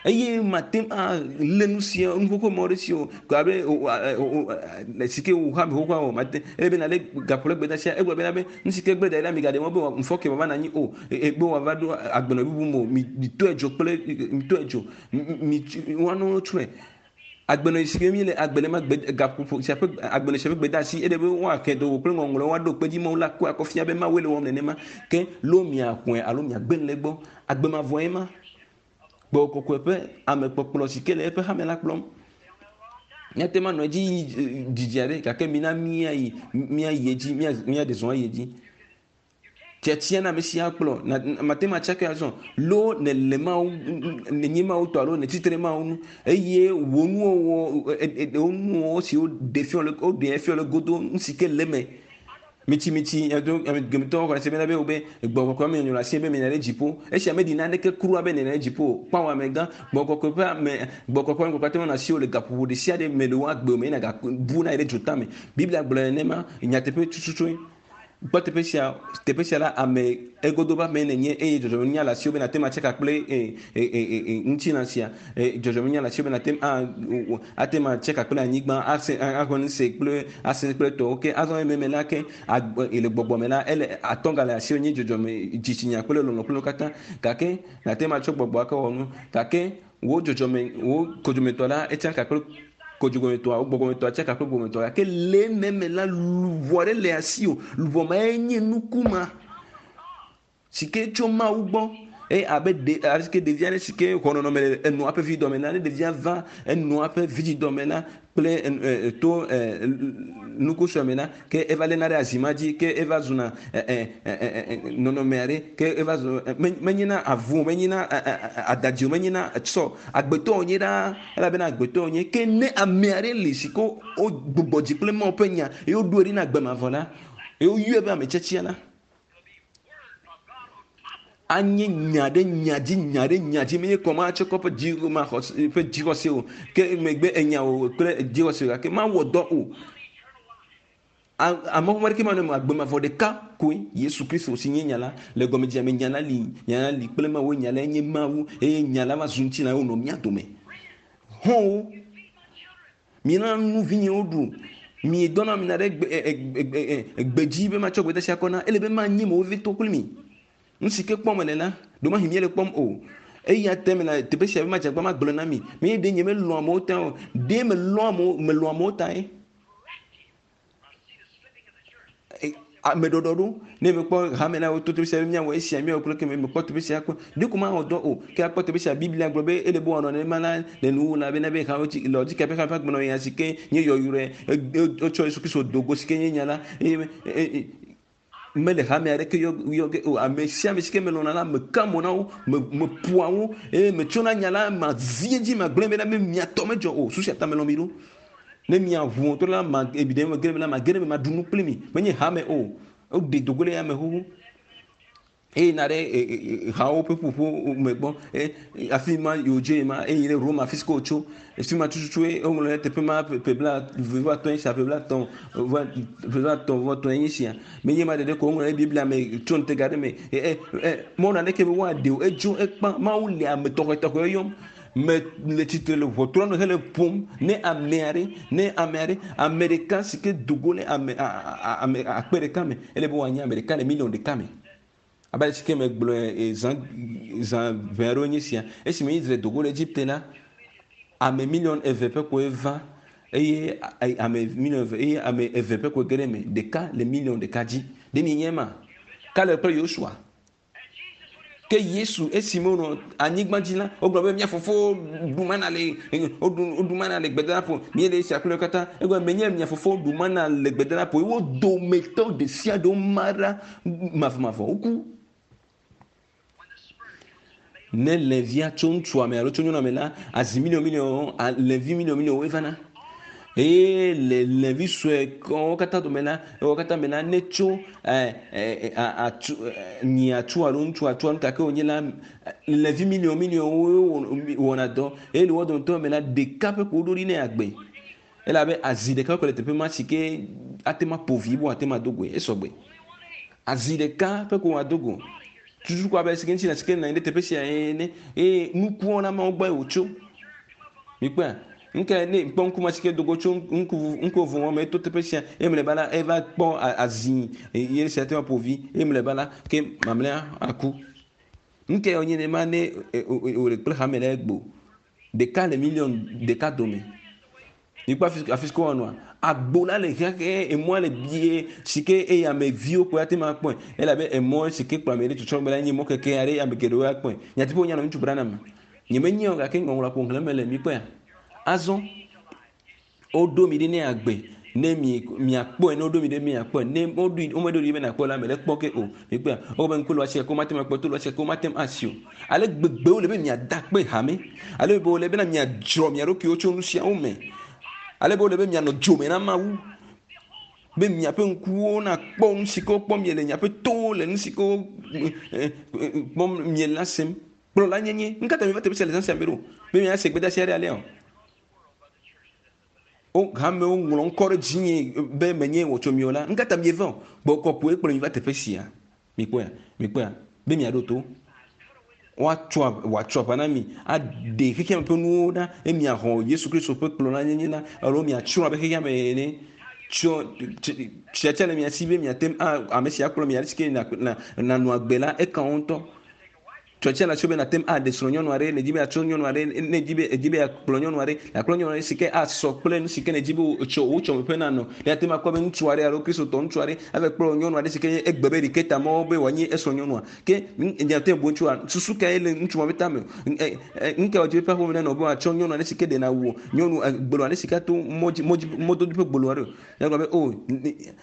Eye mate ŋu alé nu sia nu xoxo mawo ɖe si o. Ko abe si ke wò hame xoxoa o mate ele bena le gaƒo le gbedeasia egblɔ bena be nu si ke gbe da ɖi la migaɖe mɔ be ŋufɔ ke wòava nɔ anyi o be wòava ɖo agbenɔ bubu me o. Mi mitɔe dzo kple mitɔe dzo mi woanɔ tsrɔ̃e. Agbenɔ si ke mi le agbe le ma gbe gaƒoƒo sia ƒe agbenɔ sia ƒe gbedeasi ele be woake do kple ŋɔŋlɔwo woaɖo kpe dzi Mawu la kɔe akɔ fia be Mawue le wɔm nenema ke lo miaxɔe alo miagbe le egbɔ. Agbe mavɔe ma. Gbɔgbɔ kɔkɔe ƒe amekpɔkplɔ si ke le eƒe hame la kplɔm. Míate ŋu anɔ edzi yi didi aɖe gake mina míayi míayi edzi míaɖe zɔ ayi edzi. Tiatia na ame sia kplɔ mate ŋu atsakae azɔ lo nele Mawu nenye Mawu tɔ alo netitre Mawu nu eye wò nuwɔwɔ wò nuwɔwɔ siwo ɖe fia le woɖe fia le godo nu si ke le eme. Mitsi mitsi gemetɔwo xɔ se bena be wo be gbɔgbɔ kɔkɔe me nyɔnɔ asi be mina ɖe dziƒo. Esia meɖi naneke kura be nena ɖe dziƒo. Kpɔ amegã gbɔgbɔ kɔkɔe ƒe ame gbɔgbɔ kɔkɔe ƒe ame asi wo le gaƒoƒo ɖe sia ɖe me le wo agbe me yina gabu na yi ɖe dzota me. Biblia gblɔ nenema nyateƒe tututu. Kpɔ teƒe sia teƒe sia la ame egodo be ame nenye eye dzɔdzɔmenunya le asiwò be nàte ŋu atse ka kple ŋutilã sia dzɔdzɔmenunya le asiwò be nàte ŋu ate ŋu atse ka kple anyigba ase axɔ nu se kple ase kple tɔwo ke azɔ ememe la ke le gbɔgbɔ me la ele atɔga le asiwò nye dzɔdzɔme dzitsinya kple lɔlɔ kple nu katã gake nàte ŋu atsɔ gbɔgbɔ ake wɔ nu gake wò dzɔdzɔme wò kodzometɔ la etsa ka kple kodzometɔa wo gbɔgbɔmetɔa tsa ka kple gbɔgbɔmetɔa gake le ememe la luʋɔ ɖe le asiwò luʋɔ ma enye nuku ma si ke tso Mawu gbɔ eye abe ɖe abe ke ɖevi aɖe si ke xɔ nɔnɔme le enɔa ƒe vidɔme la ne ɖevia va enɔa ƒe vidzidɔme la kple to nuku sue me la ke eva léna ɖe azi ma dzi ke eva zuna nɔnɔme aɖe ke eva zu menyena avu menyena adadi o menyena sɔ agbetɔ wònye ɖaa elabena agbetɔ wònye ke ne ame aɖe li si ke wo gbugbɔ dzi kple Mawu ƒe nya eye woɖoe ɖi na agbemavɔ la eye woyɔe be ame tiatia la anye nya ɖe nya dzi nya ɖe nya dzi menye kɔma atsɔ kɔ ƒe dzi ma xɔse ƒe dzixɔse o ke megbe enya o kple dzixɔse o gake mawɔ dɔ o amewo ɖeke ma nɔ agbemavɔ ɖeka koe Yesu Kristo si nye nya la le gɔmedzedzea me nya la li nya la li kple Mawu nya la nye Mawu eye nya la va zu ŋutilã wonɔ mía dome hɔ̃wo miena nu vinyewo ɖu mi dɔna mina ɖe gbe gbedzi be matsɔ gbedeasi akɔ na ele be manye mo vevitɔ kpli mi nu si ke kpɔm mele la ɖewomahi míele kpɔm o eya te me le teƒe sia be madze agba magblɔ na mi menye ɖe nye melɔ̃ amewo ta o ɖe melɔ̃ amewo melɔ̃ amewo ta ye ame ɖɔɖɔɖo ne mekpɔ hame la woto teƒe sia be míawɔ esia míawɔ kple ke me mekpɔ teƒe sia kpɔ ɖe ko mawɔ dɔ o ke akpɔ teƒe sia Biblia gblɔ be ele be wòanɔ nenema la le nuwuwu la bena be hawo dzi le dzi ƒe hame ƒe agbenɔɣi ya si ke nye yɔyrɔe wotsɔ Yesu Kristo do go si ke nye nya la eye mele hame aɖeke yɔ yɔ ge o ame sia ame si ke melɔ̃na la meka mo na wo me meƒoa wo eye metsɔna nya la ma zi edzi magblẽ bena be miatɔ medzɔ o susu ta melɔ̃ mi ɖo ne miaʋu ŋutɔ la ma ebi ɖe me ge ɖe me la mage ɖe me maɖu nu kpli mi menye hame o woɖe dogo le ya me xoxo eye na ɖe hawo ƒe ƒoƒo me gbɔ afi ma yewo dze ma eye ɖe Roma afi si ke wotso afi ma tututu ye woŋlɔ ɖe teƒe ma ƒe bla eve vɔ atɔ̃ sia ƒe bla atɔ̃ ƒe bla atɔ̃ vɔ atɔ̃ enye sia menye ma ɖeɖe ko woŋlɔ ɖe Biblia me tso ŋutega ɖe me ɛ ɛ mɔnu aɖeke be woaɖe o edzo ekpã Mawu le ame tɔxɛtɔxɛ yɔm me le tsitre le ʋɔtrɔ nu hele ƒom ne ame aɖe ne ame aɖe ame ɖeka si ke do go le ame ame akpe ɖeka me ele be woanye ame ɖeka le miliɔn ɖeka me abe ale si ke megblɔe zã zã ʋɛ aɖewo nye sia esime Israel do go le Egipte la ame miliɔn eve ƒe koe va eye ame miliɔn eve eye ame eve ƒe koe ge ɖe eme ɖeka le miliɔn ɖeka dzi ɖe mi nye ma Kaleb kple Yosua ke Yesu esime wonɔ anyigba dzi la wogblɔ be mía fofo ɖu mana le woɖu mana le gbedadaƒo míele esia kple katã egblɔ menye mia fofo ɖu mana le gbedadaƒo ye wo dometɔ ɖe sia ɖe woma ɖa mavɔmavɔ woku ne levia tso ŋutsua me alo tso nyɔnua me la azi miliɔn miliɔn levi miliɔn miliɔn woe vana eye le levi sue wo katã dome la wo katã me la ne tso ɛ ɛ atsu nyi atsu alo ŋutsu atsu alo gake wònye la levi miliɔn miliɔn wo wɔna dɔ eye le wo dometɔ me la ɖeka ƒe ko woɖo ɖi ne agbe elabe azi ɖeka ko le teƒe ma si ke ate ma ƒo vi bo ate ma do goe esɔgbe azi ɖeka ƒe ko wòado go tutu ko abe si ke ŋuti la si ke nɔ anyi ɖe teƒe sia ene eye nukuwo na mawo gbɔe wòtso mikpɔa nke ne kpɔ ŋku ma si ke dogo tso ŋku ŋku vovo me to teƒe sia eye mlɔeba la eva kpɔ azi ye sia te ma ƒo vi eye mlɔeba la ke mamlɛa aku nke wònye nema ne wòle kple hame le egbo ɖeka le miliɔn ɖeka dome mikpɔ afi afi si ke wɔnɔa agbo la le xexe emɔa le bie si ke eye ame viwo koe ate ma kpɔe elabe emɔ si ke kplɔ ame ɖe tsɔtsɔ me la nye mɔ keke aɖe ame geɖewo akpɔe nyateƒe wonya nɔ ŋutsu Branham nye menye o gake ŋɔŋlɔ ƒo xlẽm le mikpɔea azɔ woɖo mi ɖi ne agbe ne mi miakpɔe ne woɖo mi ɖe miakpɔe ne woɖoe womeɖo ɖi be nakpɔe la me le kpɔ ke o mikpɔea wobe ŋku le asi ke womate ŋu akpɔ to le asi ke womate ŋu asi o ale gbegbe wole be miada kpe hame ale be wole bena miadzrɔ mia ɖokuiwo tso nu siawo me ale be wole be mianɔ dzome na Mawu be miaƒe ŋkuwo nakpɔ nu si ke wokpɔ miele miaƒe towo le nu si ke wo kpɔm miele la sem kplɔla nyenye nu ka ta mi va teƒe sia le zã sia me ɖo be miase gbedeasi aɖe alea o Wo hamewo ŋlɔ ŋkɔ ɖe dzinye be menye wɔtso mi o la nu ka ta mieva o gbɔ kɔkɔe kplɔ mi va teƒe sia mikpɔa mikpɔa be miaɖo to woatsɔ wòatsɔ aʋa na mi aɖe xexea me ƒe nuwo ɖa eye miaxɔ Yesu Kristo ƒe kplɔla la alo miatsrɔ̃ abe xexea me ene tsɔ tsiatsia le mia si be miate ŋu ame si akplɔ mi ale si ke nanɔ agbe la eka wo ŋutɔ tsɔtsia le asi be nate ŋu aɖe srɔ̃ nyɔnu aɖe ne dzi be yeatsɔ nyɔnu aɖe ne dzi be edzi be yeakplɔ nyɔnu aɖe yeakplɔ nyɔnu aɖe si ke asɔ kple nu si ke ne dzi be wòtsɔ wò tsɔme ƒe nanɔ ne ate ŋu akpɔ be ŋutsu aɖe alo kristotɔ ŋutsu aɖe ava kplɔ nyɔnu aɖe si ke nye egbe be ɖeke ta mɔwo be wòanye esrɔ̃ nyɔnua ke nye ate bu ŋutsua susu kae le ŋutsu ma be tame nu ka wòdzi be ƒe aƒeme nenɔ be wòatsɔ nyɔnu aɖe si ke ɖena wu nyɔnu gbolo aɖe si ke ato mɔdzi mɔdzi mɔdodo ƒe gbolo aɖe o be o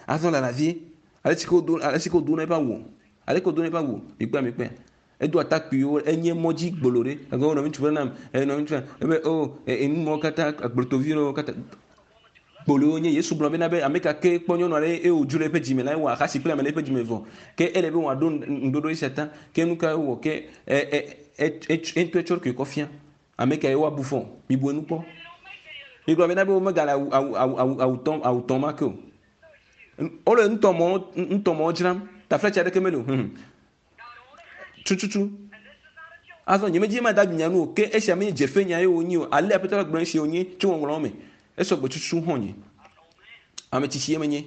azɔ lala vie ale si ke wodo ale si ke wodona eƒe awu ale ke wodona eƒe awu mikpɔa mikpɔa edo atakpuiwo enye mɔdzi gbolo ɖe ege wo nɔvi ŋutsu ƒe nam eye nɔvi ŋutsu ebe o enu mɔwo katã agblotoviwo katã gbolowo nye Yesu gblɔ bena be ame ka ke kpɔ nyɔnu aɖe eye wòdzo le eƒe dzime la ewɔ ahasi kple ame le eƒe dzime vɔ ke ele be wòaɖo ŋuɖoɖo esia ta ke nu ka wowɔ ke ɛ ɛ ŋutɔ etsɔ ɖokui kɔ fia ame ka ye woabu fɔ mibu enu kpɔ migblɔ bena be womegale awu awu awu awu awu tɔm awu tɔm ma ke o wole ŋutɔmɔwo ŋutɔmɔwo dzram taflatse aɖeke mele o hum tututu azɔ nye medzi ma da nya nu o ke esia menye dzefe nya ye wonyi o ale aƒetɔ la gblɔ esi wonye tso ŋɔŋlɔwo me esɔ gbe tutu hɔn nye ame tsitsi ye menye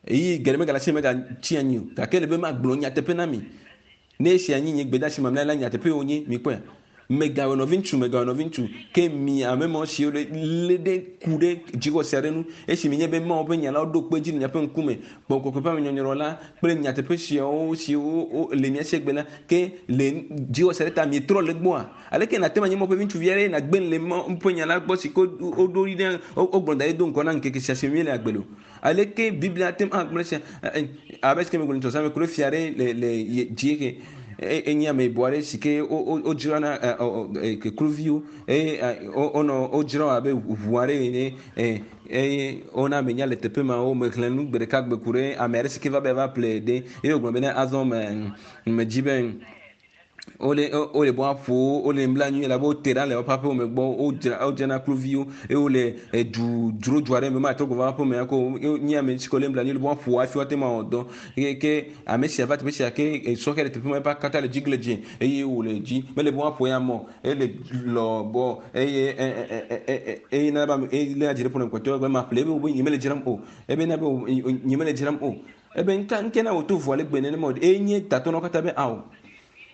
eyi geɖe megale asi megatsi anyi o gake ele be magblɔ nyateƒe na mi ne esia nyi nye gbedeasi mamlɛ la nyateƒe wonye mikpɔe megawɔ nɔvi ŋutsu megawɔ nɔvi ŋutsu ke mi ame mawo siwo le lé ɖe ku ɖe dzixɔse aɖe nu esi mi nye be Mawu ƒe nya la woɖo kpe dzi le miaƒe ŋkume gbɔgbɔ kɔkɔe ƒe amenyɔnyrɔ la kple nyateƒe siawo siwo le mia si egbe la ke le dzixɔse aɖe ta mietrɔ le gbɔa aleke nate ŋu anye Mawu ƒe ŋutsuvi aɖe nagbe le Mawu ƒe nya la gbɔ si ke woɖo ɖi ɖe wogblɔ da ɖi do ŋgɔ na ŋkeke sia si mi le agbe le o aleke Biblia te ŋu agblɔ sia abe si ke megblɔ ŋutɔ me ku ɖe fia ɖe le le dziehe enye ameyibɔ aɖe si ke wodzrana kluviwo eye wonɔ wodzra abe ʋu aɖe ene eye wona ame nya le teƒe ma wo mexlẽ nu gbe ɖeka gbe ku ɖe ame aɖe si ke va be va ƒle ɖe eye wògblɔ bena azɔ me medzi be wole wole bɔ aƒo wole bla nyui elabe wote ɖa le woƒe aƒewo me gbɔ wodzra wodzrana kluviwo eye wole edu dzro du aɖe me matrɔ gbɔ va aƒe me ko nye ame si ke wole bla nyui le bɔ aƒo hafi woate ŋu awɔ dɔ eye ke ame sia va teƒe sia ke sɔhɛ le teƒe ma eƒe akata le dzigle dzi eye wòle dzi mele bɔ aƒo ya mɔ ele lɔ bɔ eye eye na be eye lé dzi ɖe ƒo ne kpɔtɔe be ma ƒle ebe nye mele dzram o ebe na be nye mele dzram o ebe nka nke na wòto vɔ ale gbe nenema o eye nye tatɔ na wo katã be awo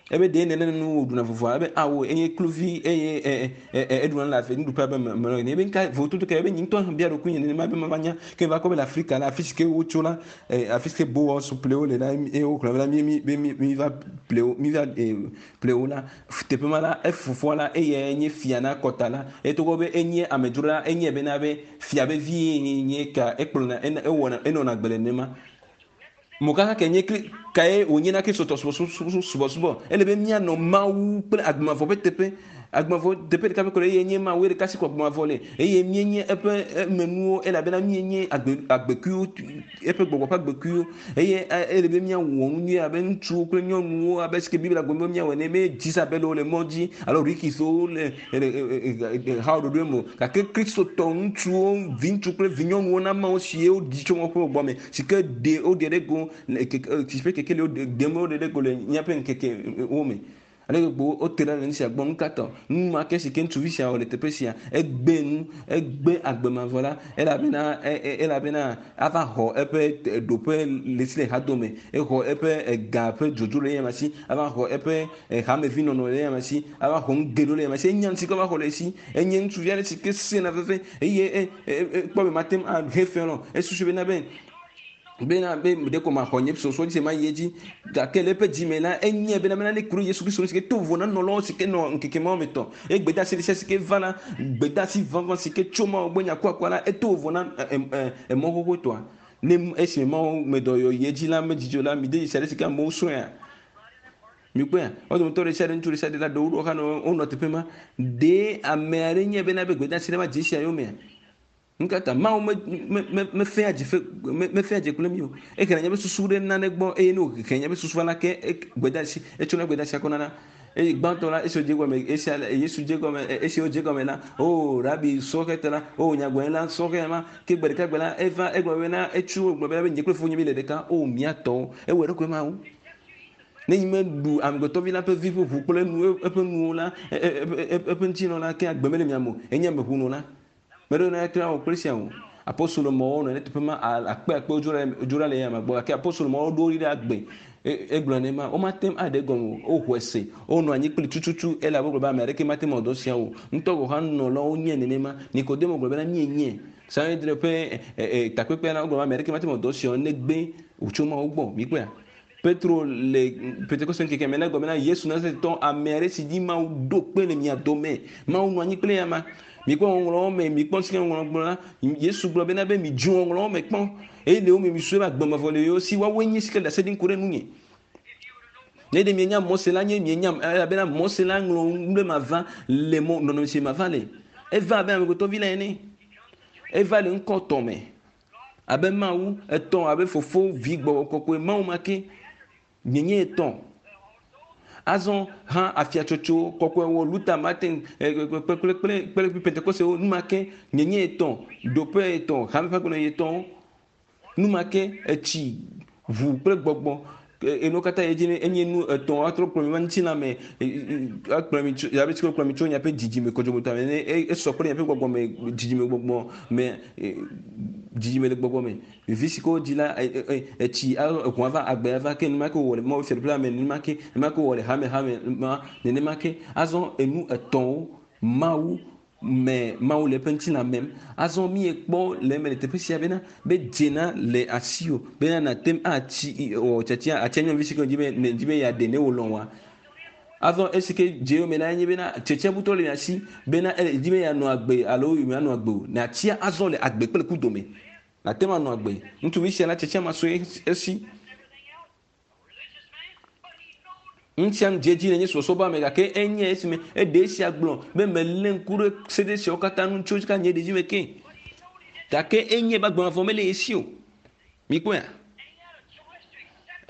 ebe ɖe nene nu wòɖuna vovoa ebe awo enye kluvi eye eɖuna le afi nuɖuƒe abe me me ebe nka vototo ke ebe nye ŋutɔ bia ɖokui nye nenema be mava nya ke va kɔ be le Afrika la afi si ke wotso la afi si ke bowɔ ƒle wo le la eye wogblɔ be la mi mi be mi mi va ƒle wo mi va ƒle wo la teƒe ma la efofoa la eye nye fia na kɔta la eye togbɔ be enye amedzro la enye bena be fia be vie nye ka ekplɔna ewɔna enɔna agbe le nenema mokaka ke nye kae wònye na kristotɔ subɔsubɔ ele be míanɔ Mawu kple agbemavɔ ƒe teƒe agbemavɔ teƒe ɖeka ƒe ko eye nye Mawu ɖeka si ko agbemavɔ le eye míenye eƒe emenuwo elabena míenye agbe agbekuiwo eƒe gbɔgbɔ ƒe agbekuiwo eye ele be míawɔ nu nyui abe ŋutsuwo kple nyɔnuwo abe si ke Biblia gblɔ be míawɔ ene me Jezabelwo le mɔ dzi alo Rikiswo le hawo ɖoɖoe me o gake kristotɔ ŋutsuwo vi ŋutsu kple vi nyɔnuwo na Mawu si wodzi tso woƒe gbɔgbɔ me si ke ɖe woɖe ɖe go si ƒe kekeli woɖe woɖe ɖe go le míaƒe ŋkekewo me ale gbogbo wote ɖa le nu sia gbɔ nu ka tɔ nu ma ke si ke ŋutsuvi sia wɔ le teƒe sia egbe nu egbe agbemavɔ la elabena elabena ava xɔ eƒe ɖoƒe le si le hadome exɔ eƒe ga ƒe dzodzo le eyama si ava xɔ eƒe hamevi nɔnɔ le eyama si ava xɔ nu geɖewo le eyama si enya nu si ke va xɔ le esi enye ŋutsuvi aɖe si ke sena veve eye ekpɔ be mate ŋu ahe fɛ lɔ esusu bena be bena be ɖeko maxɔ nye sɔsɔ dzi se ma yi edzi gake le eƒe dzime la enye bena bena ne ku ɖe Yesu Kristo si ke to vovo na nɔlawo si ke nɔ ŋkeke mawo me tɔ eye gbedeasi ɖe sia si ke va la gbedeasi vavã si ke tso Mawu gbɔ nya kuakua la eto vovo na emɔ xoxotɔa ne esime Mawu me dɔyɔ yi edzi la medzidzo la mi de dzesi aɖe si ke amewo srɔ̃ea mikpɔea wo dometɔ ɖe sia ɖe ŋutsu ɖe sia ɖe la ɖewo ɖo xa nɔ wonɔ teƒe ma ɖe ame aɖe nye bena be gbedeasi ɖe ma dze sia yomea nkata Mawu me me mefea dze fe me mefea dze kple mi o ehena nye be susu ɖe nane gbɔ eye ne wòhe nye be susu va la ke gbedeasi etsɔna gbedeasi akɔ nana Eye gbãtɔ la esi wòdze gɔme esia Yesu dze gɔme esi wòdze gɔme la o rabi sɔhɛtɔ la o nyagblɔɖila sɔhɛ ma ke gbe ɖeka gbe la eva egblɔ bena etso gblɔ bena be nye kple fofonye mi le ɖeka o mía tɔwo ewɔ eɖokui ma wo. Ne nyi meɖu amegbetɔvi la ƒe vi ƒe ʋu kple nu eƒe nuwo la eƒe ŋutinɔ la ke agbe mele mia me o enye ameʋunɔ la. Meɖo na etra wɔ kple sia o. Apostolo mɔwo nɔ ne teƒe ma akpe akpewo dzo ɖa le ya ma gbɔ gake apostolo mɔwo ɖo ɖi ɖe agbe egblɔ ne ma womate ŋu aɖe gɔme o woxɔe se wonɔ anyi kpli tututu elabe wogblɔ be ame aɖeke mate ŋu awɔ dɔ sia o ŋutɔ gɔ̃ hã nunɔlawo nye nenema Nikodemo gblɔ bena míenye Sanhedrin ƒe takpekpea la wogblɔ be ame aɖeke mate ŋu awɔ dɔ sia o negbe wòtso Mawu gbɔ mikpɔea Petro le Pentekoste ŋkeke me la gblɔ bena Yesu Nazaretɔ ame aɖe si dzi Mawu ɖo kpe le mia dome Mawu nɔ anyi kple ya ma mikpɔ ŋɔŋlɔwo me mikpɔ si ke ŋɔŋlɔ gblɔ la Yesu gblɔ bena be midzo ŋɔŋlɔwo me kpɔ eye le wo me misue be agbemavɔ le yewo si woawoe nye si ke le ɖase ɖim ku ɖe nunye. Ne ɖe mienya Mose la nye mienya elabena Mose la ŋlɔ nu ɖe mava le mɔ nɔnɔme si mava le eva abe amegbetɔvi la ene eva le ŋkɔ tɔ me abe Mawu etɔ̃ abe fofo vi gbɔgbɔ kɔkɔe Mawu ma ke mienye etɔ̃. Azɔ hã afiatsotso kɔkɔewo Luther Martin kple kple kple Pentekostewo nu ma ke mienye etɔ̃ ɖoƒe etɔ̃ hame ƒe agbenɔɣi etɔ̃wo nu ma ke etsi ʋu kple gbɔgbɔ enuwo katã yi dzi enye nu etɔ̃ atrɔ kplɔ mi va ŋutilã me akplɔ mi tso abe tsi kplɔ mi tso miaƒe dzidzime kɔdzɔmotɔ me ne esɔ kple miaƒe gbɔgbɔ me dzidzime gbɔgbɔ me dzidzime le gbɔgbɔ me vi si ke wodzi la etsi eʋu ava agbe ava ke nenema ke wòwɔ le Mawu fiaɖuƒe la me nenema ke nenema ke wòwɔ le hame hame ma nenema ke azɔ enu etɔ̃wo Mawu me Mawu le eƒe ŋutilã mem azɔ miekpɔ le eme le teƒe sia bena be dzena le asiwò bena nàte ŋu atsi wɔ tiatia atia nyɔnuvi si ke dzi be ne dzi be yeaɖe ne wòlɔ̃ wòa azɔ esi ke dze yome la enye bena tiatiabutɔ le mia si bena ele dzi be yeanɔ agbe alo yemanɔ agbe o nàtia azɔ le agbe kple ku dome nàte ŋu anɔ agbe ŋutsuvi sia la tiatia ma sue esi ŋutia nu dze dzi le nye subɔsubɔ me gake enye esime eɖe esia gblɔ be melé ŋku ɖe sede siawo katã ŋu tso ka nye ɖevime ke gake enye be agbemavɔ mele esi o mikpɔea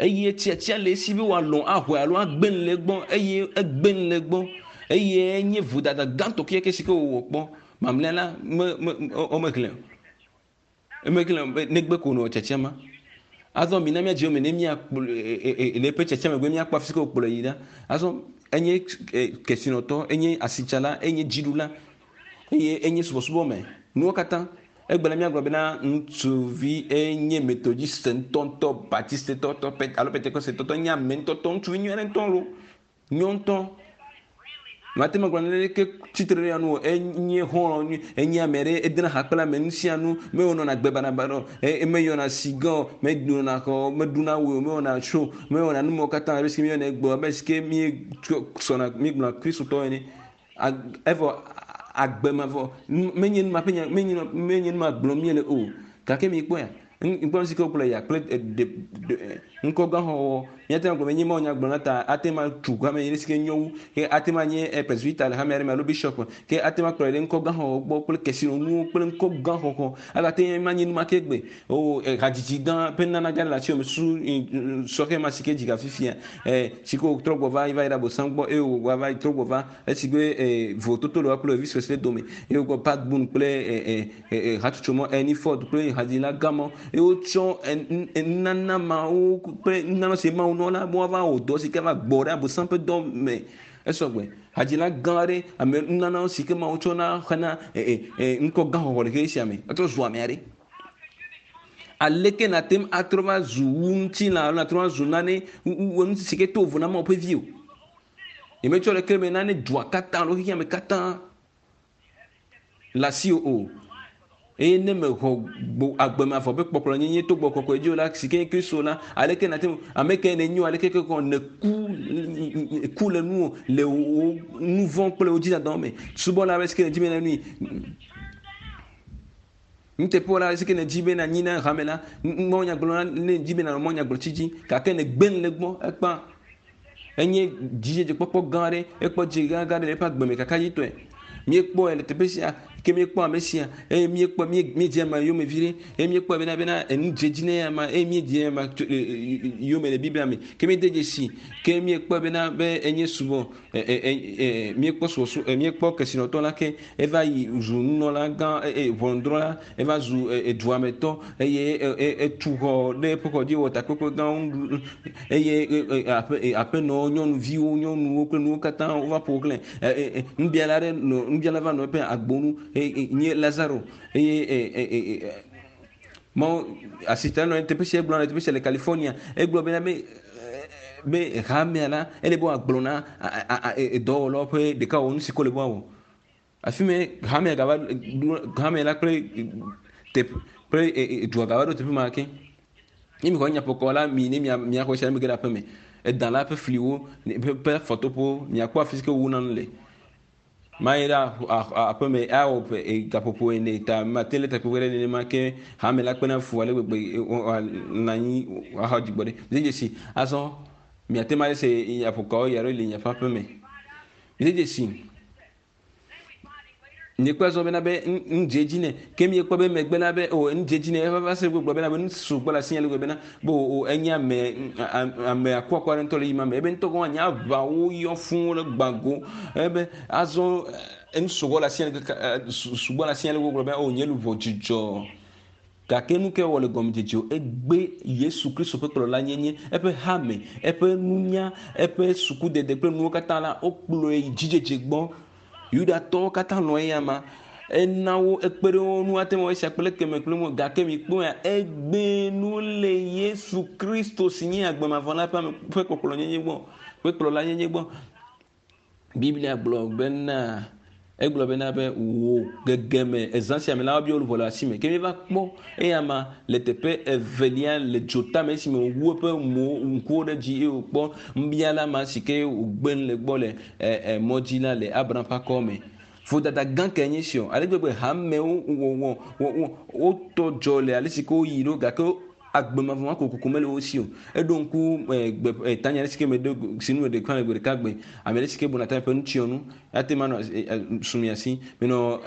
eye tiatia le esi be wòalɔ̃ axɔe alo agbe nu le egbɔ eye egbe nu le egbɔ eye enye vodada gãtɔ kekeake si ke wòwɔ kpɔ mamlɛa la me me womehlẽ o emehlẽ o negbe ko nɔ tiatia ma azɔ mina míadze yome ne míakplɔ le eƒe tiatia megbe míakpɔ afi si ke wòkplɔe yi ɖa azɔ enye kesinɔtɔ enye asitsala enye dziɖula eye enye subɔsubɔ me nuwo katã egbe la míagblɔ bena ŋutsuvi enye methodiste ŋutɔŋutɔ baptiste tɔtɔ alo pentekoste tɔtɔ nye ame ŋutɔtɔ ŋutsuvi nyui aɖe ŋutɔ lo nyɔ ŋutɔ mate ŋu agblɔ naneke tsitre ɖe ya nu o enye xɔlɔ̃ nyui enye ame ɖe edena ha kple ame nu sia nu mewɔna agbe baɖabaɖa o meyɔna siga o menɔna xɔ meɖuna wui o mewɔna tso mewɔna nu mawo katã abe si ke míeyɔna egbe abe si ke míesɔna míegblɔna kristotɔ ene evɔ agbemavɔ menye nu ma ƒe nya menye menye nu ma gblɔm míele o gake mikpɔea ŋkpɔ nu si ke wokplɔ ya kple ŋkɔ gã xɔxɔ míate ŋu agblɔ be nye Mawu nya gblɔ na ta ate ŋu atu hame yi si ke nyo wu ke ate ŋu anye presbyter le hame aɖe me alo bishop ke ate ŋu akplɔe ɖe ŋkɔ gã xɔxɔ gbɔ kple kesinɔnuwo kple ŋkɔ gã xɔxɔ agate ŋu anye nu ma ke gbe o hadzidzi gã ƒe nana gã le asi me su sɔhɛ ma si ke dzi ga fifia si ke wòtrɔ gbɔ va va yi ɖe abosam gbɔ eye wòva va trɔ gbɔ va esi be vototo le woa kple Elvis Presley dome eye wògbɔ Pat Boone kple hatsotso mɔ Ernie Ford kple hadzila gã mɔ eye wotsɔ nunana mawo kple nunana si Mawu nɔ la be woava wɔ dɔ si ke va gbɔ ɖe abosam ƒe dɔ me esɔgbe hadzila gã aɖe ame nunana si ke Mawu tsɔ na xena ŋkɔ gã xɔxɔ le xexe sia me etrɔ zu ame aɖe aleke nàte ŋu atrɔ va zu wu ŋutilã alo nàtrɔ va zu nane nu si ke to vovo na Mawu ƒe vi o nyemetsɔ ɖeke me nane dua katã alo xexea me katã le asiwò o eye ne mexɔ agbemavɔ ƒe kpɔkplɔ nyenye to gbɔ kɔkɔe dzi o la si ke nye Kristo la aleke nàte ŋu ame ke nènyo aleke ke kɔ nèku ku le nuwò le wò nu vɔ̃ kple wò dzidadawo me subɔla aɖe si ke nèdzi be nanui nuteƒewɔla aɖe si ke nèdzi be nanyi na hame la Mawu nya gblɔ ne nèdzi be nanɔ Mawu nya gblɔ tsi dzi gake nègbe nu le egbɔ ekpã enye dzidzedzekpɔkpɔ gã aɖe ekpɔ dzi gã gã aɖe le eƒe agbe me kakaɖitɔe míekpɔe le teƒe sia Ke míekpɔ ame sia eye míekpɔ míedze ama yome vi ɖe eye míekpɔ bena bena enu dze dzi ne ama eye míedze ama yome le Biblia me. Ke míede dzesi ke míekpɔ bena be enye subɔ míekpɔ subɔsubɔ míekpɔ kesinɔtɔ la ke eva yi zu nunɔla gã ʋɔnudrɔ̃la eva zu eduametɔ eye etu xɔ ɖe eƒe xɔ dzi wɔ takpekpe gãwo eye aƒe aƒenɔwo nyɔnuviwo nyɔnuwo kple nuwo katã wova ƒo xlẽ nubiala ɖe nɔ nubiala va nɔ eƒe agbonu nye Lazaro eye mɔ asitɔ nɔ teƒe sia gblɔ le teƒe sia le California egblɔ bena be be hamea la ele be wòagblɔ na dɔwɔlawo ƒe ɖeka wɔ nu si ko le be woawɔ. Afi me hamea gava hamea la kple teƒe kple dua gava ɖo teƒe ma ke. Ne mi xɔ nyaƒokɔ la mi ne mia miaxɔ sia mi ge ɖe aƒe me. Edã la ƒe fliwo ƒe afɔtoƒewo miakpɔ afi si ke wowuna nu le. Ma yi ɖe aƒe me awɔ gaƒoƒo ene ta mate le takpekpe ɖe nenema ke hame la kpena fu ale gbegbe nɔ anyi axɔ dzigbɔ ɖe. Mi dzesi azɔ miate ma se nyaƒokɔwo ya ɖo le miaƒe aƒe me. Mi dzesi miekpɔ azɔ bena be nu dze dzi nɛ ke miekpɔ be megbe la be o nu dze dzi nɛ eva va se gbegblɔ bena be nu sugbɔ le asi le gbegblɔ bena be o enye ame ame akuakua ɖe ŋutɔ le yi ma me ebe ŋutɔ gɔ̃ anya aʋawo yɔ fũu le gbã go ebe azɔ enu sugbɔ le asi sugbɔ le asi le gbegblɔ be o nye luʋɔ dzidzɔ gake nu ke wɔ le gɔmedzedze o egbe Yesu Kristo ƒe kplɔla nyenye eƒe hame eƒe nunya eƒe sukudede kple nuwo katã la wokplɔe yi dzidzedze gbɔ. Yudatɔwo katã lɔ̃ eya ma ena wo ekpe ɖe wo ŋu ate ŋu esia kple keme kple mo gake mikpɔ ya egbe nu le Yesu Kristo si nye agbemavɔ la ƒe ame ƒe kpɔkplɔ nyenye gbɔ ƒe kplɔla nyenye gbɔ. Biblia gblɔ bena egblɔ bena be wò gegeme ezã sia me la woabia luʋɔ le asi me ke mi va kpɔ eya ma le teƒe evelia le dzotame esime wòwu eƒe mo ŋkuwo ɖe dzi eye wòkpɔ nubiala ma si ke wògbe nu le gbɔ le ɛ ɛ mɔ dzi la le Abraham ƒe akɔ me. Vodada gã ke nye si o ale gbegbe hamewo wɔ wɔ wotɔ dzɔ le ale si ke woyi ɖo gake agbemavɔ ma kokoko mele wo si o. Eɖo ŋku gbe tanya ɖe si ke me ɖo si nu me ɖe kple gbe ɖeka gbe ame ɖe si ke buna ta ƒe nutsyɔnu ate ma nɔ sumi asi menɔ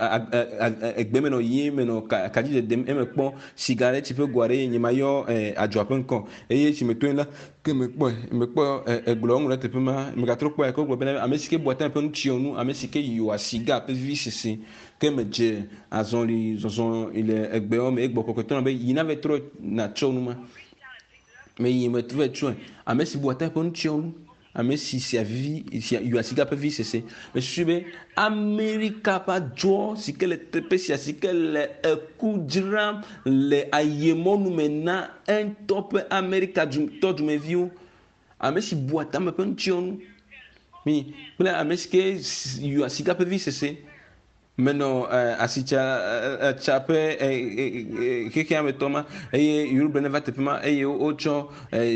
egbe menɔ yie menɔ kadzi dedem eme kpɔ sigareti ƒe go aɖe nye ma yɔ adzɔa ƒe ŋkɔ eye si me toe la ke me kpɔe me kpɔ egblɔ ŋu ɖe teƒe ma megatrɔ kpɔe ke wogblɔ bena ame si ke bua ta ƒe nutsyɔnu ame si ke yɔa siga ƒe vivi sese ke me dze azɔli zɔzɔ le egbewo me egbɔ kɔkɔtɔ na be yina va trɔ natsɔ nu ma me yi me trɔ tsɔe ame si bua ta ƒe nutsyɔnu ame si sia vivi sia yɔa siga ƒe vivi sese me susu be Amerika ƒe adzɔ si ke le teƒe sia si ke le eku dzram le ayemɔnu me na eŋutɔ ƒe Amerika tɔ dumeviwo ame si bua tame ƒe nutsyɔnu mi kple ame si ke yɔa siga ƒe vivi sese menɔ asitsa tsa ƒe xexea me tɔ ma eye Yoruba ne va teƒe ma eye wotsɔ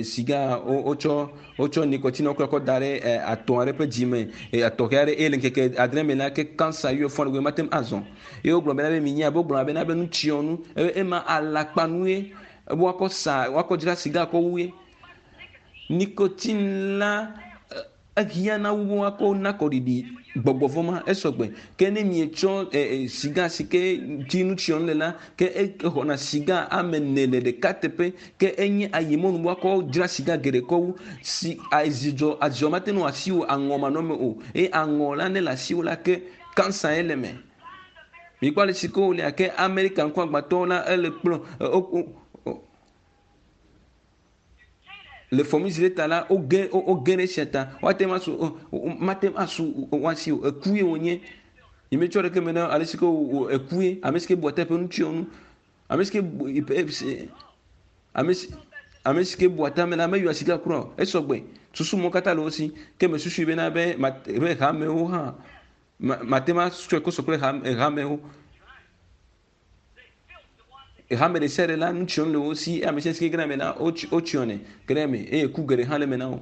siga wotsɔ wotsɔ nikotine kɔ kɔ da ɖe atɔ aɖe ƒe dzime atɔxɛ aɖe eye le ŋkeke adre me la ke kansa yɔ fɔ ɖe mate ŋu azɔ eye wogblɔ bena be minya be wogblɔ bena be nutsyɔnu ema alakpanue woakɔ sa woakɔ dzra siga kɔ wue nikotine la ehiã wu woakɔ na kɔɖiɖi gbɔgbɔvɔ ma esɔgbe ke ne mietsɔ siga si ke dzi nutsyɔnu le la ke exɔna siga ame ene le ɖeka teƒe ke enye ayemɔnu woakɔ dzra siga geɖe kɔ wu si adzidzɔ adzidzɔ mate ŋu asiwò aŋɔ manɔme o eye aŋɔ la ne le asiwò la ke kansa ye le me. Mikpɔ ale si ke wòle ke Amerika ŋkuagbãtɔwo la ele kplɔ le fɔmizile ta la woge woge ɖe esia ta woate ŋu asu mate ŋu asu woasi o eku ye wònye nyemetsɔ ɖeke me na ale si ke eku ye ame si ke bua ta ƒe nutsyɔnu ame si ke ame si ame si ke bua ta me la meyɔa sika kura o esɔgbe susu mɔ katã le wo si ke me susui bena be be hamewo hã mate ŋu atsɔe kɔ sɔ kple hamewo hame ɖe sia ɖe la nutsyɔnu le wo si ame sia si ke gena me la wotsyɔnɛ ge ɖe eme eye ku geɖe hã le eme na wo.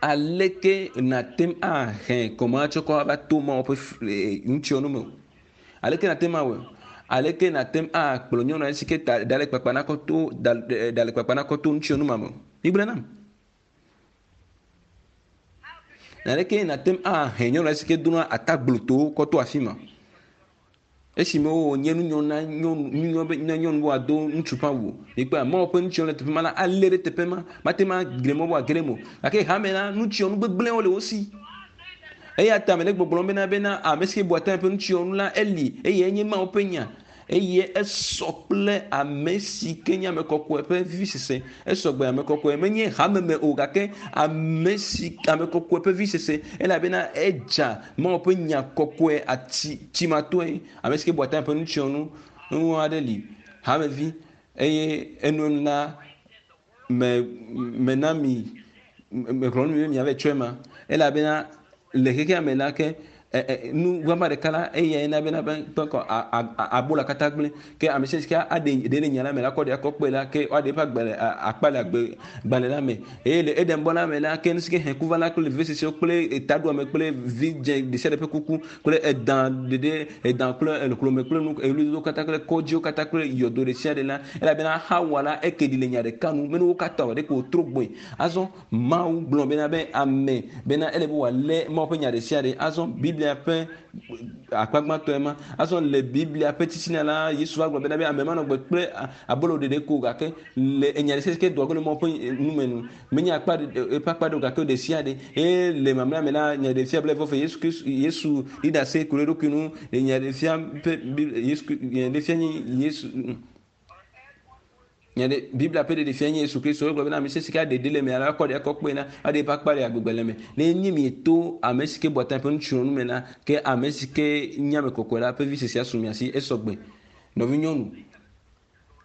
Aleke nate ŋu ahe kɔma tsɔ kɔ ava to Mawu ƒe nutsyɔnu me o? Aleke nate ŋu awɔe? Aleke nate ŋu akplɔ nyɔnu aɖe si ke ta ɖa le kpakpa na kɔ to ɖa le kpakpa na kɔ to nutsyɔnu ma me o? Migblɔe nam. Aleke nate ŋu ahe nyɔnu aɖe si ke dona atagblotowo kɔ to afi ma? Esime wònye nunyɔ na nyɔnu nunyɔ be na nyɔnu be wòado ŋutsu ƒe awu. Mikpɔa Mawu ƒe nutsyɔnu le teƒe ma la alé ɖe teƒe ma. Mate ŋu agli mɔ be wòage ɖe eme o. Gake hame la nutsyɔnu gbegblẽwo le wo si. Eya ta mele gbɔgblɔm bena bena ame si ke bua tame ƒe nutsyɔnu la eli eye enye Mawu ƒe nya. Eye esɔ kple ame si ke nye ame kɔkɔe ƒe vivisese. Esɔ gbe ame kɔkɔe menye hameme o gake ame si ame kɔkɔe ƒe vivisese elabena edza Mawu ƒe nya kɔkɔe ati tsimatɔe. Ame si ke bua tame ƒe nutsyɔnu nu aɖe li hamevi eye enuenu la me mena mi mexlɔ̃ nu mi be miava tsɔe ma elabena le xexea me la ke nu gbagba ɖeka la eyae na bena be kɔ abola katã gblẽ ke ame sia si aɖe ɖe le nya la me la kɔ ɖe akɔ kpe la ke woaɖe eƒe agbalẽ akpa le agbe gbalẽ la me eye le eɖembɔ la me la ke nu si ke hẽ ku va la kple vevesesewo kple taɖuame kple vidze ɖe sia ɖe ƒe kuku kple edã ɖeɖe edã kple ehlome kple nu eɣlidodo katã kple kɔdziwo katã kple yɔdo ɖe sia ɖe la elabena Hawa la eke ɖi le nya ɖeka nu mene wo katã o ɖeko wòtrɔ gbɔe. Azɔ Mawu gblɔ bena be ame bena ele be wòalé Mawu ƒe nya ɖe sia ɖe. Azɔ Biblia ƒe akpa gbãtɔe ma. Azɔ le Biblia ƒe titina la Yesu va gblɔ bena be ame manɔ gbe kple abolo ɖeɖe ko gake le enya ɖe sia ɖe ke doa go le Mawu ƒe nume nu. Menye akpa eƒe akpa ɖe o gake ɖe sia ɖe. Eye le mamlɛa me la nya ɖe fia blaeve vɔ Yesu Kristo Yesu ɖi ɖase ku ɖe eɖokui ŋu le nya ɖe fia ƒe Yesu nya ɖe fia nye Yesu nya ɖe Biblia ƒe ɖeɖe fia nye Yesu Kristo. Egblɔ bena ame sia si ke aɖe ɖe le me la akɔ ɖe akɔ kpe na aɖe eƒe akpa le agbegbe me. Ne nye mieto ame si ke bua tame ƒe nutsyɔnu me la ke ame si ke nye ame kɔkɔe la ƒe visese asu mia si esɔ gbe. Nɔvinyɔnu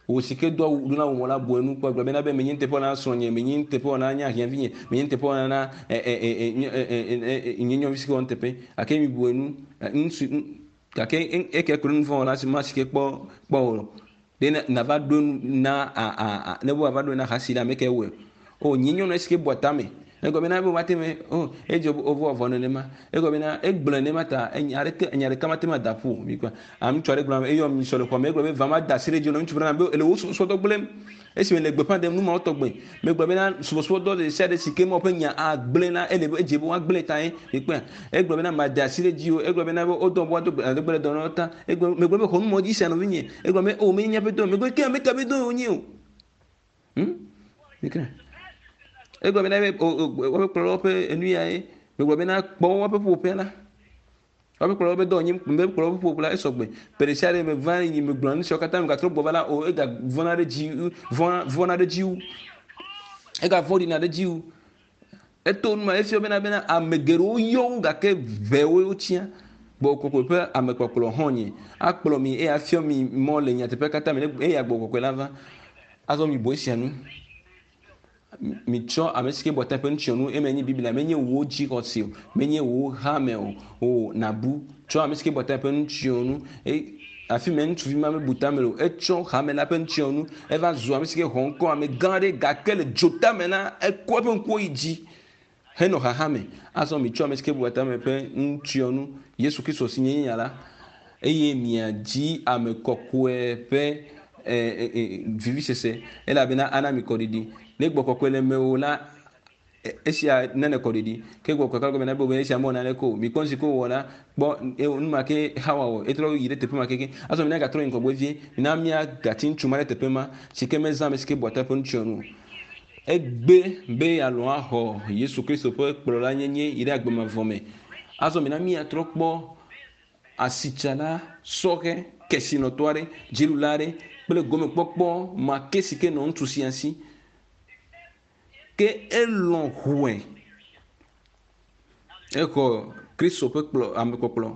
wò si ke do awu dona awu la bu enu kpɔ gblɔ bena be menye nuteƒewɔla na srɔ̃nye, menye nuteƒewɔla na nye ahiãvinye, menye nuteƒewɔla na ɛ ɛ ɛ ɛ ɛ nye nyɔnuvi si ke wɔ nuteƒe. Gake mi bu enu ŋutsu gake eke ku ɖe nuvɔ̃wɔla si ma si ke kpɔ kpɔ o. Ɖe nava ɖo na a a a ne wo ava ɖo na hasi la ame ke wɔe. O nye nyɔnu si ke bua tame. Egɔme bena be woate me o edze wovɔ vɔ nenema. Egɔme bena egblẽ nenema ta enya ɖeke enya ɖeka mate ma da ƒu o. Mikpɔ ame ŋutsu aɖe gblɔ eyɔ mi sɔ le xɔ me egblɔ be va ma da asi ɖe dzi na ŋutsu bena be ele wo subɔsubɔdɔ gblẽm. Esime le gbeƒã ɖem nu mawo tɔgbe. Megblɔ bena subɔsubɔdɔ ɖe sia ɖe si ke Mawu ƒe nya agblẽ la ele be edze be woagblẽ ta ye. Mikpɔe. Egblɔ bena ma da asi ɖe dzi o. Egblɔ bena be wodɔ be woado gbe gbe ɖe dɔ na wo ta. Egblɔ megblɔ be xɔ nu mɔ dzi sia nɔvinye. Egblɔ be o menye míaƒe dɔ. Megblɔ ke ame ka be dɔ wònye o. Hm? Mikpɔe. Egblɔ bena be woƒe kplɔlawo ƒe enu ya ye. Megblɔ bena kpɔ woƒe ƒuƒoƒea la. Woƒe kplɔlawo ƒe dɔ nye be kplɔlawo ƒe ƒuƒoƒe la esɔ gbe. Ƒe ɖe sia ɖe me va yi megblɔ nu siawo katã megatrɔ gbɔ va la o ega vɔna ɖe dzi vɔna vɔna ɖe dzi wu. Ega vɔ̃ɖina ɖe dzi wu. Eto nu ma efia bena bena ame geɖewo yɔ wo gake ʋewo wotsia. Gbɔgbɔ kɔkɔe ƒe amekpɔkplɔ hã nye akplɔ mi eye afia mi mɔ le nyateƒe katã me eye gbɔgbɔ kɔkɔe la va. Azɔ mi bu esia nu. Mitsɔ ame si ke bua tame ƒe nutsyɔnu eme nye Biblia menye wò dzixɔse o menye wò hame o o nabu tsɔ ame si ke bua tame ƒe nutsyɔnu eye afi me ŋutsuvi ma mebu tame o etsɔ hame la ƒe nutsyɔnu eva zu ame si ke xɔ ŋkɔ ame gã aɖe gake le dzotame la ekɔ eƒe ŋkuwo yi dzi henɔ xaxa me. Azɔ mitsɔ ame si ke bua tame ƒe nutsyɔnu Yesu Kristo si nye nya la eye miadzi ame kɔkɔe ƒe vivisese elabena ana mi kɔɖiɖi. Ne gbɔ kɔkɔe le mewò la esia nane kɔɖiɖi ke gbɔ kɔkɔe gɔme na be esia mewɔ naneke o. Mikpɔ nu si ke wòwɔ la kpɔ nu ma ke Hawa wɔ etrɔ yi ɖe teƒe ma keke. Azɔ mina gatrɔ yi ŋgɔgbe vie mina míagati ŋutsu ma ɖe teƒe ma si ke mezã ame si ke bua ta ƒe nutsyɔnu o. Egbe be yealɔ̃ axɔ Yesu Kristo ƒe kplɔlanyenye yi ɖe agbe mavɔ me. Azɔ mina míatrɔ kpɔ asitsala sɔhɛ kesinɔtɔ aɖe dziɖula aɖe kple gomekpɔkpɔ ma ke si ke nɔ ŋutsu sia si. Ke elɔ̃ ʋue. Exɔ Kristo ƒe kplɔ amekpɔkplɔ.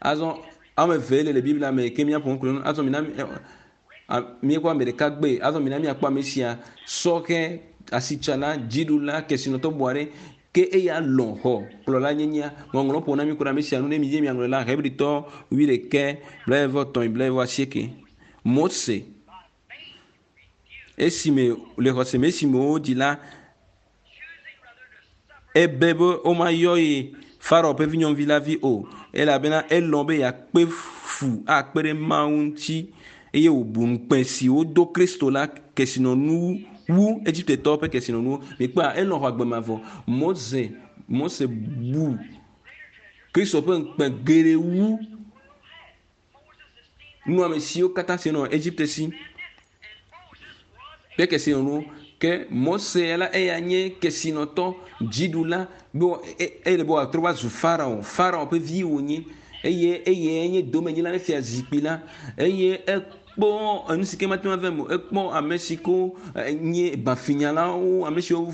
Azɔ ame eve le le Biblia me ke míaƒo nu kple nu. Azɔ mina míekpɔ ame ɖeka gbe. Azɔ mina míakpɔ ame sia sɔhɛ asitsala dziɖula kesinɔtɔ bu aɖe ke eya lɔ̃ xɔ kplɔlanyenyea. Ŋɔŋlɔ ƒo na mi ku ɖe ame sia nu ne mi dze miaŋlɔe la Hebritɔ wuiɖekɛ blaeve vɔ etɔ̃ blaeve vɔ asieke. Mose esime le xɔse me esime wodzi la ebe be womayɔ ye Farao ƒe vinyɔnuvi la vi o elabena elɔ̃ be yeakpe fu akpe ɖe Mawu ŋuti eye wòbu ŋukpe si wodo Kristo la kesinɔnu wu Egiptetɔwo ƒe kesinɔnuwo. Mikpɔa elɔ̃ xɔ agbe mavɔ. Mose Mose bu Kristo ƒe ŋukpe geɖe wu Nunɔamesiwo katã si nɔ Egipte si kple kesinɔnuwo. Ke Mose la eya nye kesinɔtɔ dziɖula be eye be wòatrɔ va zu Farao. Farao ƒe vi wònye eye eye nye domenyila ne fia zikpui la eye ekpɔ enu si ke mate ŋu ava eme o. Ekpɔ ame si ko nye bafinyalawo, ame siwo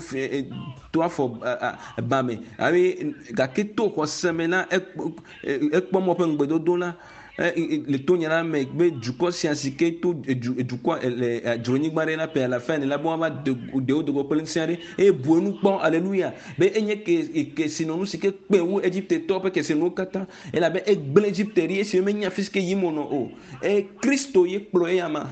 to afɔ ba me eye gake to xɔse me la ekpɔ mɔ ƒe ŋugbedodo la le to nya la me be dukɔ sia si ke to dukɔ le dzronyigba ɖe la ƒe alafa ene la be woava de wo dogo kple ŋusẽ aɖe eye bu enu kpɔ aleluya be enye ke kesinɔnu si ke kpe wu Egiptetɔwo ƒe kesinɔnuwo katã elabe egblẽ Egipte ɖi esi menya fi si ke yim wònɔ o. Eye Kristo ye kplɔ eya ma.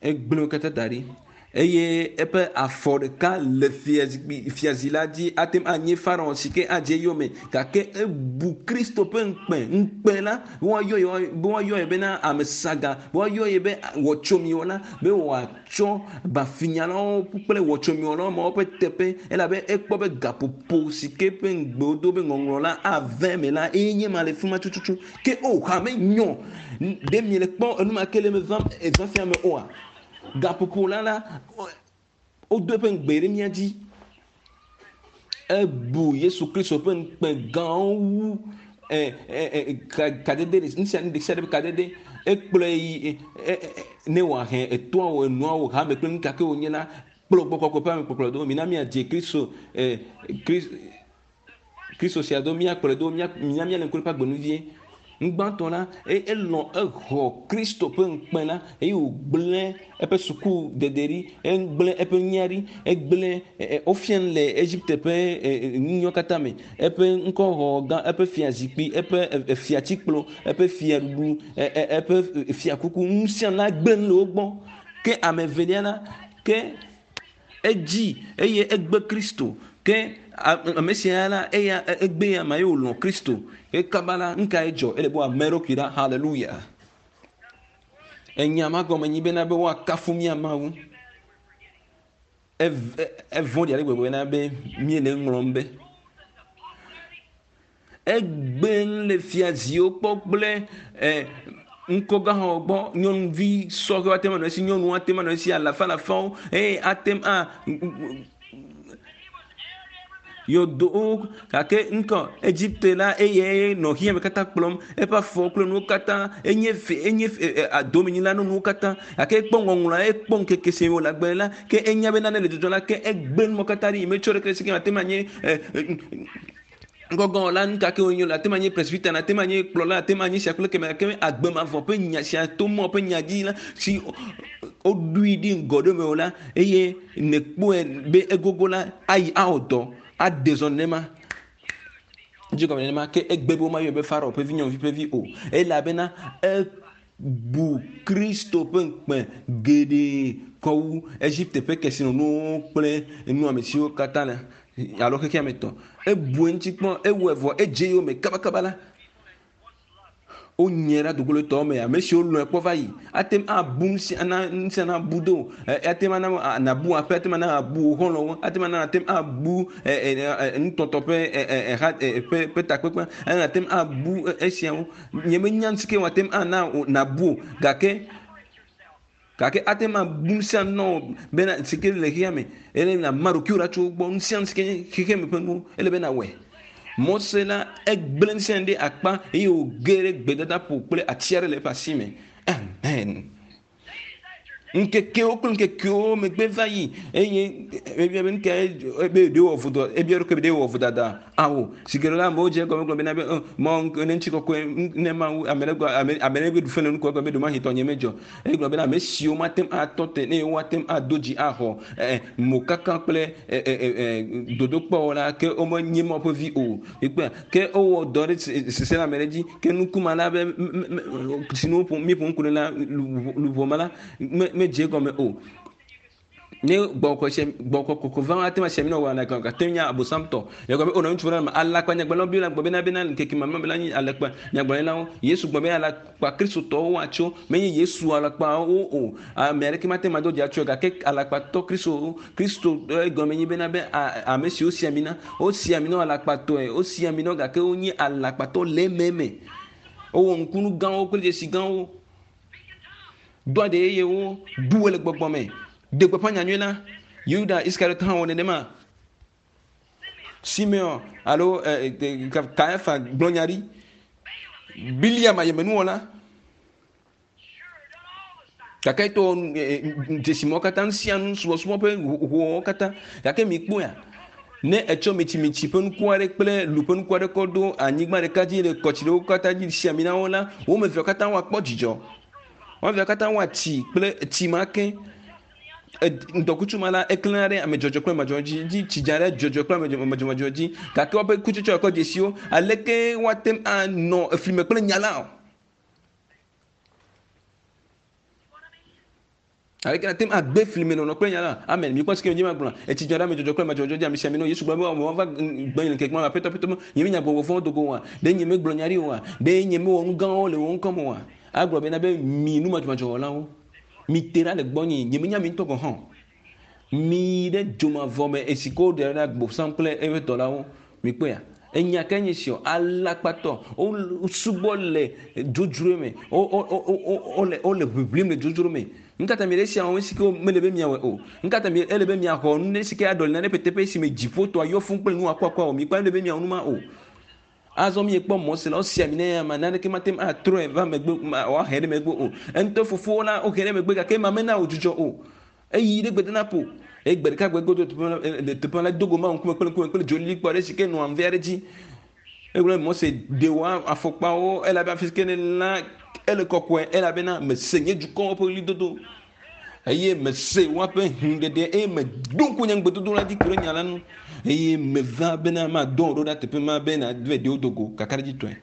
Egblẽ wo katã da ɖi eye eƒe afɔ ɖeka le fiazi la dzi ate ŋu anye Farao si ke adze eyome gake ebu Kristo ƒe ŋukpe ŋukpe la be woayɔ ye be woayɔ ye bena ame saga be woayɔ ye be wɔtsomiwɔla be wòatsɔ bafinyalawo kple wɔtsomiwɔlawo mawo ƒe teƒe elabe ekpɔ be gaƒoƒo si ke ƒe ŋugbe wodo be ŋɔŋlɔ la ave eme la eye nye ma le fi ma tututu ke o hame nyɔ ɖe mi le kpɔ enumake le me vam ezã fia me oa. Gaƒoƒo la la wodo eƒe ŋugbe ɖe mía dzi. Ebu Yesu Kristo ƒe ŋukpe gãwo wu kadede nu sia nu ɖe sia ɖe ƒe kadede. Ekplɔe yi ne wòahe etoawo enuawo hame kple nu ka ke wònye la kplɔ gbɔ kɔkɔe ƒe amekpɔkplɔ do. Mina míadze Kristo Kristo sia do míakplɔe do mina míale ŋku ɖe eƒe agbenuvie. Ŋugbãtɔ la elɔ̃ exɔ Kristo ƒe ŋukpe la eye wògblẽ eƒe suku dede ɖi, egblẽ eƒe nya ɖi, egblẽ wofia nu le Egipte ƒe nunyɔ katã me. Eƒe ŋkɔxɔ gã, eƒe fiazikpui, eƒe fiatikplɔ, eƒe fiaɖuɖu, eƒe fiakuku, nu sia nu la gblẽ nu le wo gbɔ. Ke ame evelia la, ke edzi eye egbe Kristo. Ke ame sia la eya egbe ya ma ye wòlɔ̃ Kristo. Ke kaba la nu kae dzɔ? Ele be wòame eɖokui ɖa. Hallelujah. Enya ma gɔme nyi bena be woakafu mía Mawu. Evɔ̃ɖi ale gbegbe bena be míele eŋlɔm be. Egbe nu le fiaziwo kpɔ kple ŋkɔgãxɔxɔ gbɔ. Nyɔnuvi sɔhɛwo ate ŋu anɔ esi, nyɔnuwo ate ŋu anɔ esi, alafa alafawo eye ate ŋu a yɔdowo gake ŋkɔ Egipte la eye nɔ xexea me katã kplɔm eƒe afɔwo kple nuwo katã enye fe enye fe domenyila na nuwo katã gake ekpɔ ŋɔŋlɔ ekpɔ ŋkeke si wòle agbe la ke enya be nane le dzɔdzɔm la ke egbe numɔ katã ɖi metsɔ ɖeke si ke ate ŋu anye ŋgɔgɔ la nu ka ke wònye la ate ŋu anye presbyter ate ŋu anye kplɔla ate ŋu anye sia kple keme gake agbemavɔ ƒe nya sia to mɔ ƒe nya dzi la si woɖui ɖi ŋgɔ ɖe me o la eye nekpɔe be egogo la ayi awɔ dɔ ade zɔ nenema dzi gɔme nenema ke egbe be womayɔe be Farao ƒe vi nyɔnuvi ƒe vi o elabena ebu Kristo ƒe ŋukpe geɖe kɔ wu Egipte ƒe kesinɔnuwo kple nuamesiwo katã le alo xexea me tɔ. Ebu eŋuti kpɔ ewɔe vɔ edze yome kabakaba la wonye ɖe dogolotɔwo me ame siwo lɔ̃e kpɔ va yi ate ŋu abu nu sia na nu sia na bu do ate ŋu ana nabu aƒe ate ŋu ana abu wò xɔlɔ̃wo ate ŋu ana ate ŋu abu nutɔtɔ ƒe ha ƒe ƒe takpekpe ate ŋu abu esiawo nye menya nu si ke wòate ŋu ana nabu o gake gake ate ŋu abu nu sia nu na wò bena si ke le xexea me ele na ma ɖokuiwò ɖa tso wo gbɔ nu sia nu si ke nye xexea me ƒe nuwo ele be nawɔe. Mose la egblẽ nu sia nu ɖe akpa eye wòge ɖe gbedadaƒo kple ati aɖe le eƒe asi me. Amen. Ŋkekewo kple ŋkekewo megbe va yi eye ebia be nuka ebe ɖe wɔ vodɔ ebia ɖokui be ɖe wɔ vodada awo si ke la amewo dze egɔme gblɔ bena be mɔ ne ŋuti kɔkɔe ne mawu ame ɖe ame ame ɖe be ɖu fe le nukɔ gblɔ be ɖomahi tɔ nye medzɔ eye gblɔ bena ame siwo mate ŋu atɔ te ne woate ŋu ado dzi axɔ mokaka kple dodokpɔwo la ke womenye Mawu ƒe vi o ekpea ke wowɔ dɔ ɖe sese le ame ɖe dzi ke nukuma la be si nu míeƒo ŋku ɖe la luʋɔ ma la me medze egɔme o. Ne gbɔkɔkɔkɔ va ate ŋu asi ami na wò gake ate ŋu nye abosamtɔ. Egɔme be o nɔ ŋutsu ɖe me alakpa nyagblɔlawo Biblia gblɔ bena bena ŋkeke mamlɛ me la nye alakpa nyagblɔlawo. Yesu gblɔ be alakpa kristotɔwo woatso menye Yesu alakpawo o. Ame aɖeke mate ŋu ado dzi atso gake alakpatɔ Kristo Kristo egɔme nye bena be ame siwo si ami na wosi ami na alakpatɔe wosi ami na gake wonye alakpatɔ le ememe. Wowɔ nukunu gãwo kple dzesi gãwo. Do aɖe yeyewo, ɖu wo le gbɔgbɔ me. Ɖe gbeƒã nyanyui la. Yuda Iskariot hã wɔ nenema. Simeon alo Kayafa gblɔ nya ɖi. Biliam ayemenuwɔla. Gake etɔ dzesi mawo katã, nu sia nu, subɔsubɔ ƒe hohowo katã. Gake mi kpɔa, ne etsɔ mitsimitsi ƒe nuku aɖe kple lu ƒe nuku aɖe kɔ ɖo anyigba ɖeka dzi le kɔtsi ɖewo katã dzi si ami na wo la, wo ame eveawo katã woakpɔ dzidzɔ. Wo ame eveawo katã woatsi kple tsi ma ke. Ŋdɔkutsu ma la, eklẽna ɖe ame dzɔdzɔ kple ame dzɔdzɔ dzi, tsi dza ɖe dzɔdzɔ kple ame madzɔmadzɔ dzi. Gake woƒe kutsetse kɔ dzesiwo, aleke woate ŋu anɔ efli me kple nya la o? Aleke nate ŋu agbe fli me nɔnɔ kple nya la? Amen. Mi kpɔ si ke mi ma gblɔ. Etsi dza ɖe ame dzɔdzɔ kple ame dzɔdzɔ dzi, ame sia ame nɔ Yesu gblɔ be woava gbɔ nye ŋkeke ma, aƒetɔ, aƒetɔ, nye menya gbɔgbɔ vɔ̃wo dogo oa? Ɖe nye megblɔ nya ɖi oa? Ɖe nye mewɔ nu gãwo le wò ŋkɔ me oa? Agblɔ bena be mi numadzɔmadzɔwɔlawo, mi te ɖa le gbɔnye, nye menya mi ŋutɔ gɔ̃ hã. Mi ɖe dzomavɔ me esi ke woɖe ɖe agbosam kple eƒe dɔlawo. Mi kpɔea? Enya ke nye si o, alakpatɔ, wo subɔ le dzodzroe me, wo, wo, wo, wo, wole, wole ʋiʋlim le dzodzro me. Nu ka ta mi ɖe sia wɔm esi ke mele be miawɔe o? Nu ka ta mi ele be miaxɔ nu ɖe si ke aɖɔli nane ƒe teƒe si me dziƒotɔa yɔ fũu kple nu akuakua o? Mi kpɔ ele be miawɔ nu ma o. Azɔ miekpɔ mɔ si la, wosi ami ne ya ma, naneke mate ŋu atrɔe va megbe, ma, woahe ɖe megbe o. Eŋutɔ fofowo la, wohe ɖe megbe gake ema mena wòdzudzɔ o. Eyi ɖe gbedonaƒo. Eye gbe ɖeka gbe godo teƒe la, le teƒe la, do go Mawu ŋkume kple ŋkume kple dzolilikpo aɖe si ke nɔa ŋve aɖe dzi. Egblɔ be Mose ɖe wò afɔkpawo elabe afi si ke ne la ele kɔkɔe elabena mese nye dukɔwo ƒe ɣlidodo eye mese woaƒe hũɖeɖe eye meɖo ŋku nye ŋugbedodo la dzi ku ɖe nya la nu eye meva bena madɔ wò ɖo ɖa teƒe ma be nàve ɖewo do go kakaɖedzitɔe.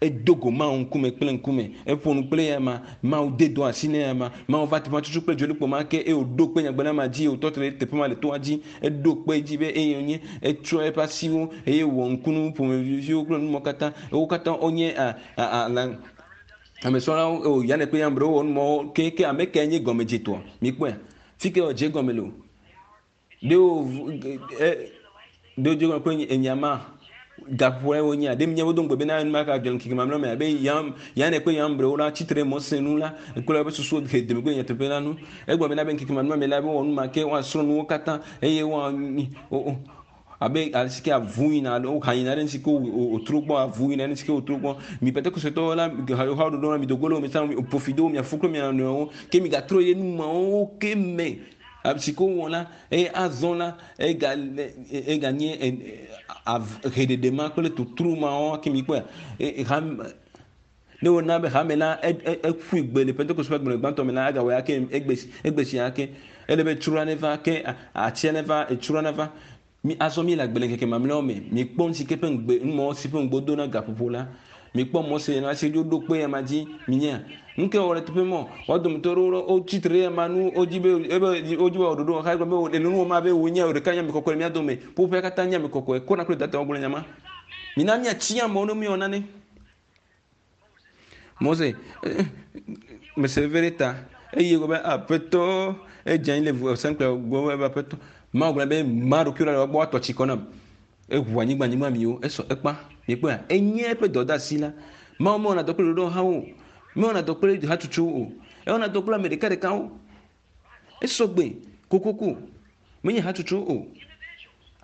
Edo go Mawu ŋkume kple ŋkume, eƒo nu kple ya ma, Mawu de dɔ asi ne ya ma, Mawu va teƒe ma tutu kple dzolikpo ma ke eye wòɖo kpe nyagbe na ma dzi, wòtɔ te ɖe teƒe ma le toa dzi, eɖo kpe dzi be eye wònye, etsɔ eƒe asiwo eye wòwɔ ŋkunu ƒomeviwo kple numɔwo katã, wo katã wonye a, a, a, la, ame srɔ̃lawo, o, Yane kple Yambre wowɔ numɔwo ke, ke ame kae nye gɔmedzetɔa? Mikpɔe, fi ke wòdze egɔme le o. Ɖe wo, e, ɖe wòdze egɔme kple enyama gaƒoƒo wonye ɖe míawo do ŋugbe bena nu ma ka dzɔ ŋkeke mamlɛ me abe Yam, Yane kple Yambre wo la tsitre Mose nu la, kple eƒe susuwo he dome kple nyateƒe la nu. Egblɔ bena be ŋkeke mamlɛ me la be wowɔ nu ma ke, woasrɔ̃ nuwo katã eye woa, wo, wo, abe ale si ke avu yina alo woha yina ɖe nu si ke wòtrɔ gbɔ, avu yina ɖe nu si ke wòtrɔ gbɔ. Mi Pentekostetɔwo la, hawo ɖoɖo la, mi do go le wo me sa, mi ƒo fi do mia fo kple mia nɔewo, ke migatrɔ ye nu mawo ke me. Ame si ke wowɔ la, eye azɔ la, ega, eganye, heɖeɖe ma kple totro mawo ke mi kpɔe. E, ham, ne wona be hame la, e, e, eƒui gbe le Pentekoste ƒe agbalẽ gbãtɔ me la, agawɔe ake, egbe, egbe sia ake. Ele be tsroa neva ke, atia neva, etsroa neva. Mi azɔ mi le agbe le ŋkeke mamlɛawo me. Mi kpɔ nu si ke ƒe ŋugbe, numɔwo si ƒe ŋugbe do na gaƒoƒo la. Mi kpɔ Mose la si ɖo kpe ya ma dzi, mi nya. Nu ke wɔ le teƒe mɔ, woa dometɔ ɖewo wotsi tre ɖe ya ma nu, wodzi be, ebe, wodzi be woɖoɖo xa gblɔ be wo, enu ma be wonye wò ɖeka nye ame kɔkɔe le mía dome. Ƒoƒea katã nye ame kɔkɔe. Kona kple dada wogblɔ nya ma. Mina míatsi amewo ne míewɔ nane. Mose, mese veve ɖe ta. Eye gblɔ be aƒetɔ, edze anyi le vɔsamkpe gbɔ be aƒetɔ. Mawu gblɔ be ma ɖokuiwo ɖa le wogbɔ woatɔ tsi kɔ nam. Eʋu anyigba anyigba miwo, esɔ ekpa. Mikpɔe, enye eƒe dɔdeasi la. Mawu mewɔna dɔ kple ɖoɖo hawo o. Mewɔna dɔ kple hatsotsowo o. Ewɔna dɔ kple ame ɖekaɖekawo. Esɔ gbe kokoko. Menye hatsotsowo o.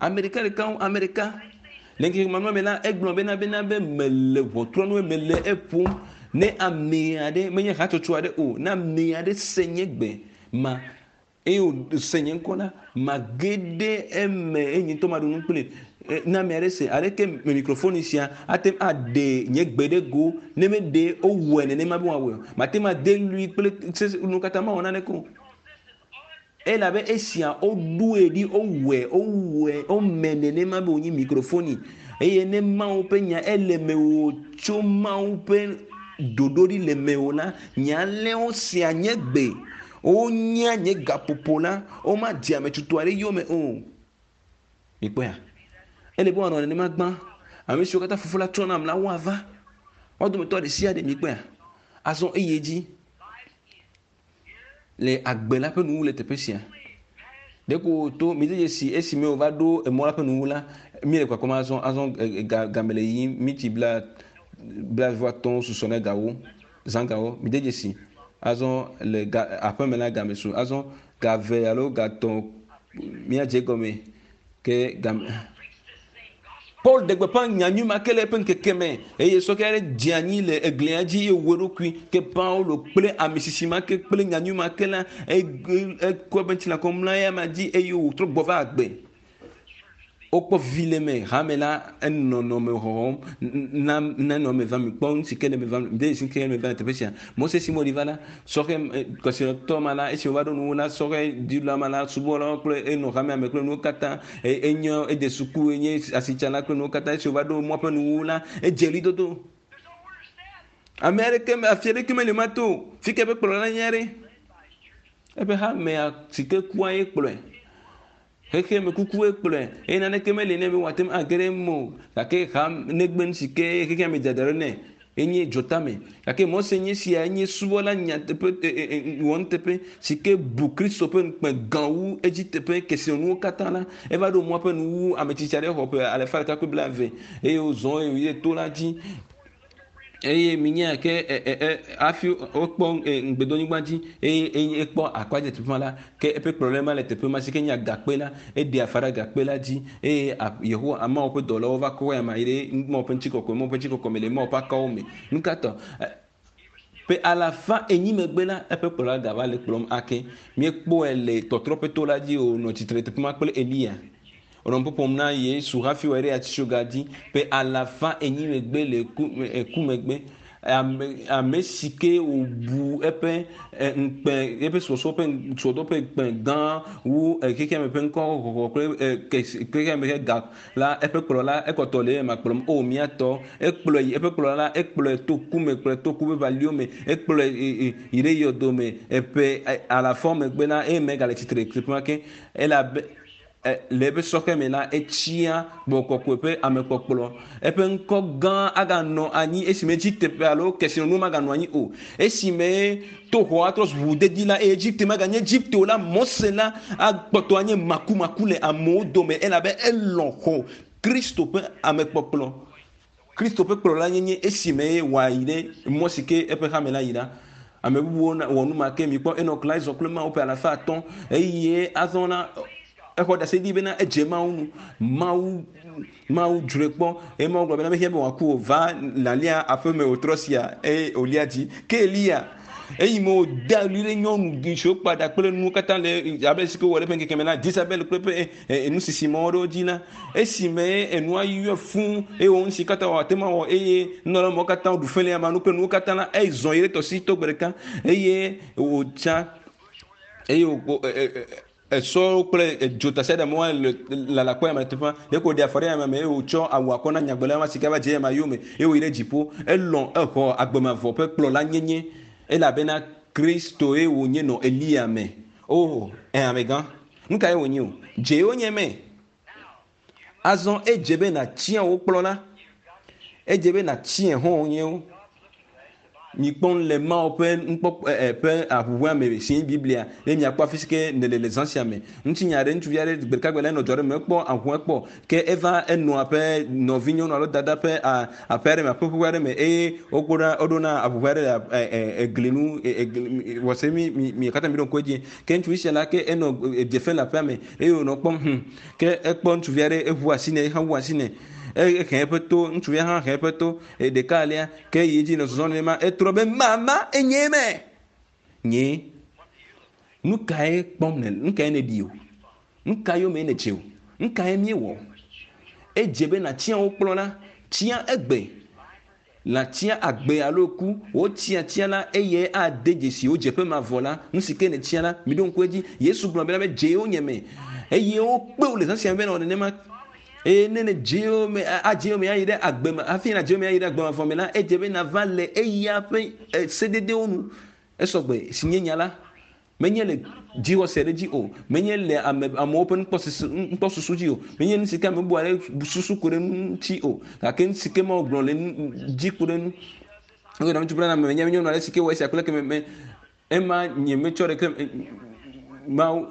Ame ɖekaɖekawo, ame ɖeka. Le ŋkeke mamlɛ me la, egblɔ bena bena be mele ʋɔtrɔ nu, mele eƒom. Ne ame aɖe, menye hatsotso aɖe o, ne ame aɖe se nye gbe ma, eye wòse nye ŋkɔ la, mage ɖe eme eye nye ŋutɔ maɖu nu kpli. Ne ame aɖe se, aleke mikrofoni sia ate ŋu aɖe nye gbe ɖe go, ne meɖe wowɔe nenema be woawɔe o. Mate ŋu ade lui kple sese nu katã mawɔ naneke o. Elabe esia woɖoe ɖi, wowɔe, wowɔe, wome nenema be wònye mikrofoni. Eye ne Mawu ƒe nya ele mewò tso Mawu ƒe ɖoɖo ɖi le mewò la, nye alẽwo sea nye gbe. Wonyea nye gaƒoƒo la, womadze ame tutu aɖe yome o. Mikpɔea? Ele be woanɔ nenema gbã. Ame siwo katã fofo la trɔ nam la, woava. Woa dometɔ ɖe sia ɖe mikpɔea? Azɔ eye dzi le agbe la ƒe nuwu le teƒe sia. Ɖeko to mi de dzesi esime wòva ɖo emɔ la ƒe nuwu la, mi le kpakpam azɔ, azɔ, e, ga, game le yiyim, mi tsi bla Blaeve susɔ ne gawo zã gawo mi de dzesi azɔ le ga aƒeme la game su azɔ gave alo gatɔ̃ míadze gɔme ke game. Paul ɖe gbeƒã nyanyui ma ke le eƒe ŋkeke me eye sɔkɛ aɖe dze anyi le eglia dzi eye wòwu eɖokui ke Paulo kple ame sisi ma ke kple nyanyui ma ke la ekɔ eƒe ŋutilã kɔ mlɔ eya ma dzi eye wòtrɔ gbɔ va agbe. Wokpɔ vi le me hame la enɔnɔme xɔxɔm na nenɔ me vam kpɔ nu si ke le me vam de si ke le me vam le teƒe sia. Mose si mo va la sɔhɛ kɔsiɖetɔ ma la esi wòva ɖo nuwo la sɔhɛ dziɖula ma la subɔlawo kple enɔ hamea me kple nuwo katã enye ede suku enye asitsala kple nuwo katã esi wòva ɖo mɔ ƒe nuwo la edze ɣlidodo. Ame aɖeke afi aɖeke meli ma to fi ke eƒe kplɔla nye aɖe. Eƒe hamea si ke kua ye kplɔe. Xexe me kukuwoe kplɔe eye naneke meli nɛ be wòate ŋu age ɖe eme o gake ha negbe nu si ke xexea me dzadzra ɖo nɛ enye dzotame gake Mose nye sia enye subɔla nyateƒe wɔnuteƒe si ke bu Kristo ƒe ŋukpe gã wu edzi teƒe kesinɔnuwo katã la eva ɖo mɔ ƒe nuwu ame tsitsi aɖe xɔ ƒe alafa ɖeka kple blaeve eye wòzɔ eye wòyi ɖe to la dzi eye minya ke hafi wokpɔ ŋugbedonyigba dzi eye eye ekpɔ akpadze teƒe ma la ke eƒe kplɔla ma le teƒe ma si ke nye agakpe la eɖe afa ɖe agakpe la dzi eye Yehowa Mawu ƒe dɔlawo va kɔ ya ma yi ɖe Mawu ƒe ŋutikɔkɔe Mawu ƒe ŋutikɔkɔe me le Mawu ƒe akawo me. Nu ka tɔ? Ƒe alafa enyi megbe la eƒe kplɔla gava le kplɔm ake. Míekpɔe le tɔtrɔ ƒe to la dzi wònɔ tsitre teƒe ma kple Eliya. Wònɔ ƒoƒom na Yesu hafi wòayi ɖe atitsoga dzi ƒe alafa enyi megbe le ku ku megbe. Ame ame si ke wòbu eƒe ŋukpe eƒe subɔsubɔ ƒe subɔsubɔ ƒe ŋukpe gã wu xexea me ƒe ŋkɔxɔxɔ kple xexea me ƒe ga la eƒe kplɔla ekpɔtɔ le ema kplɔm o míatɔ ekplɔe yi eƒe kplɔla la ekplɔe to ku me kplɔe to ku ƒe valiwo me ekplɔe yi ɖe yɔdo me eƒe alafa megbe la eye megale tsitre teƒe ma ke elabe le eƒe sɔhɛ me la etsia gbɔkɔkɔe ƒe amekpɔkplɔ eƒe ŋkɔ gã aganɔ anyi esime Egipte ƒe alo kesinɔnuwo maganɔ anyi o esime to xɔ atrɔ zu ʋuʋudedi la eye Egipte maganye Egipte o la Mose la akpɔtɔ anye makumaku le amewo dome elabe elɔ̃ xɔ Kristo ƒe amekpɔkplɔ Kristo ƒe kplɔla nyenye esime wòayi ɖe mɔ si ke eƒe hame la yi la. Ame bubuwo wɔ nu ma ke mikpɔ Enok la ezɔ kple Mawu ƒe alafa atɔ̃ eye azɔ la exɔ ɖase ɖi bena edze Mawu nu Mawu Mawu dzroe kpɔ eye Mawu gblɔ bena mehia be wòaku o va nàlia aƒeme wòtrɔ sia eye wòlia dzi ke Eliya eyi me wòde ɣli ɖe nyɔnu siwo kpa ɖa kple nuwo katã le abe si ke wòwɔ le eƒe ŋkeke me la Jezabel kple eƒe nusisi mɔwo ɖewo dzi la esime enua yɔe fũu eye wòwɔ nu si katã wòate ŋu awɔ eye nunɔla mawo katã ɖu fe le ama nu kple nuwo katã la ezɔ yi ɖe tɔsisi to gbe ɖeka eye wòtsa eye wò esɔwo kple dzotasiaɖamwo le lalakpɔ ya me teƒea ɖeko wòɖe afɔ ɖe ya me eye wòtsɔ awu akɔ na nyagblɔla ma si ke va dze ya ma yome eye wòyi ɖe dziƒo elɔ̃ exɔ agbemavɔ ƒe kplɔla nyenye elabena Kristoe wònye nɔ Eliya me. O ɛ amegã nu kae wònye o dze wonye me azɔ edze be nàtia wò kplɔla edze be nàtia hã nyewo mikpɔ le Mawu ƒe nukpɔkpɔ ƒe aʋuʋua me si nye Biblia ne miakpɔ afi si ke nele le zã sia me ŋutinya aɖe ŋutsuvi aɖe gbe ɖeka gbe la enɔ dzɔ ɖe me ekpɔ aʋua kpɔ ke eva enɔa ƒe nɔvinyɔnu alo dada ƒe aƒe aɖe me aƒe ƒe aɖe me eye wokpɔ ɖa woɖona aʋuʋua aɖe le egli nu egli wɔse mi mi mi katã mi ɖo ŋku edzi ke ŋutsuvi sia la ke enɔ dze fem le aƒea me eye wònɔ kpɔm hum ke ekpɔ ŋutsuvi aɖe eʋu asi nɛ eha wu asi nɛ ehe eƒe to ŋutsuvia hã he eƒe to ɖeka alea ke yi edzi nɔ zɔzɔm nenema etrɔ be mama enye me nye nu kae kpɔm ne nu kae nèɖi o nu ka yome nèdze o nu kae míewɔ edze be nàtia wo kplɔ la tia egbe nàtia agbe alo ku wotia tia la eye ade dzesi wo dzeƒe mavɔ la nu si ke nètia la miɖo ŋku edzi Yesu gblɔ bena be dze wo nye me eye wokpe wo le zã sia me be nɔ nenema eye ne ne dze wo me adze wo me ayi ɖe agbe me hafi na dze wo me ayi ɖe agbe mavɔ me la edze be nava le eya ƒe sededewo nu esɔgbe si nye nya la menye le dzixɔse ɖe dzi o menye le ame amewo ƒe nukpɔsusu nukpɔsusu dzi o menye nu si ke ame bubu aɖe susu ku ɖe ŋuti o gake nu si ke Mawu gblɔ le dzi ku ɖe nu eye na ŋutsu bla na me menye nyɔnu aɖe si ke wɔ esia kple ke me ema nye metsɔ ɖeke Mawu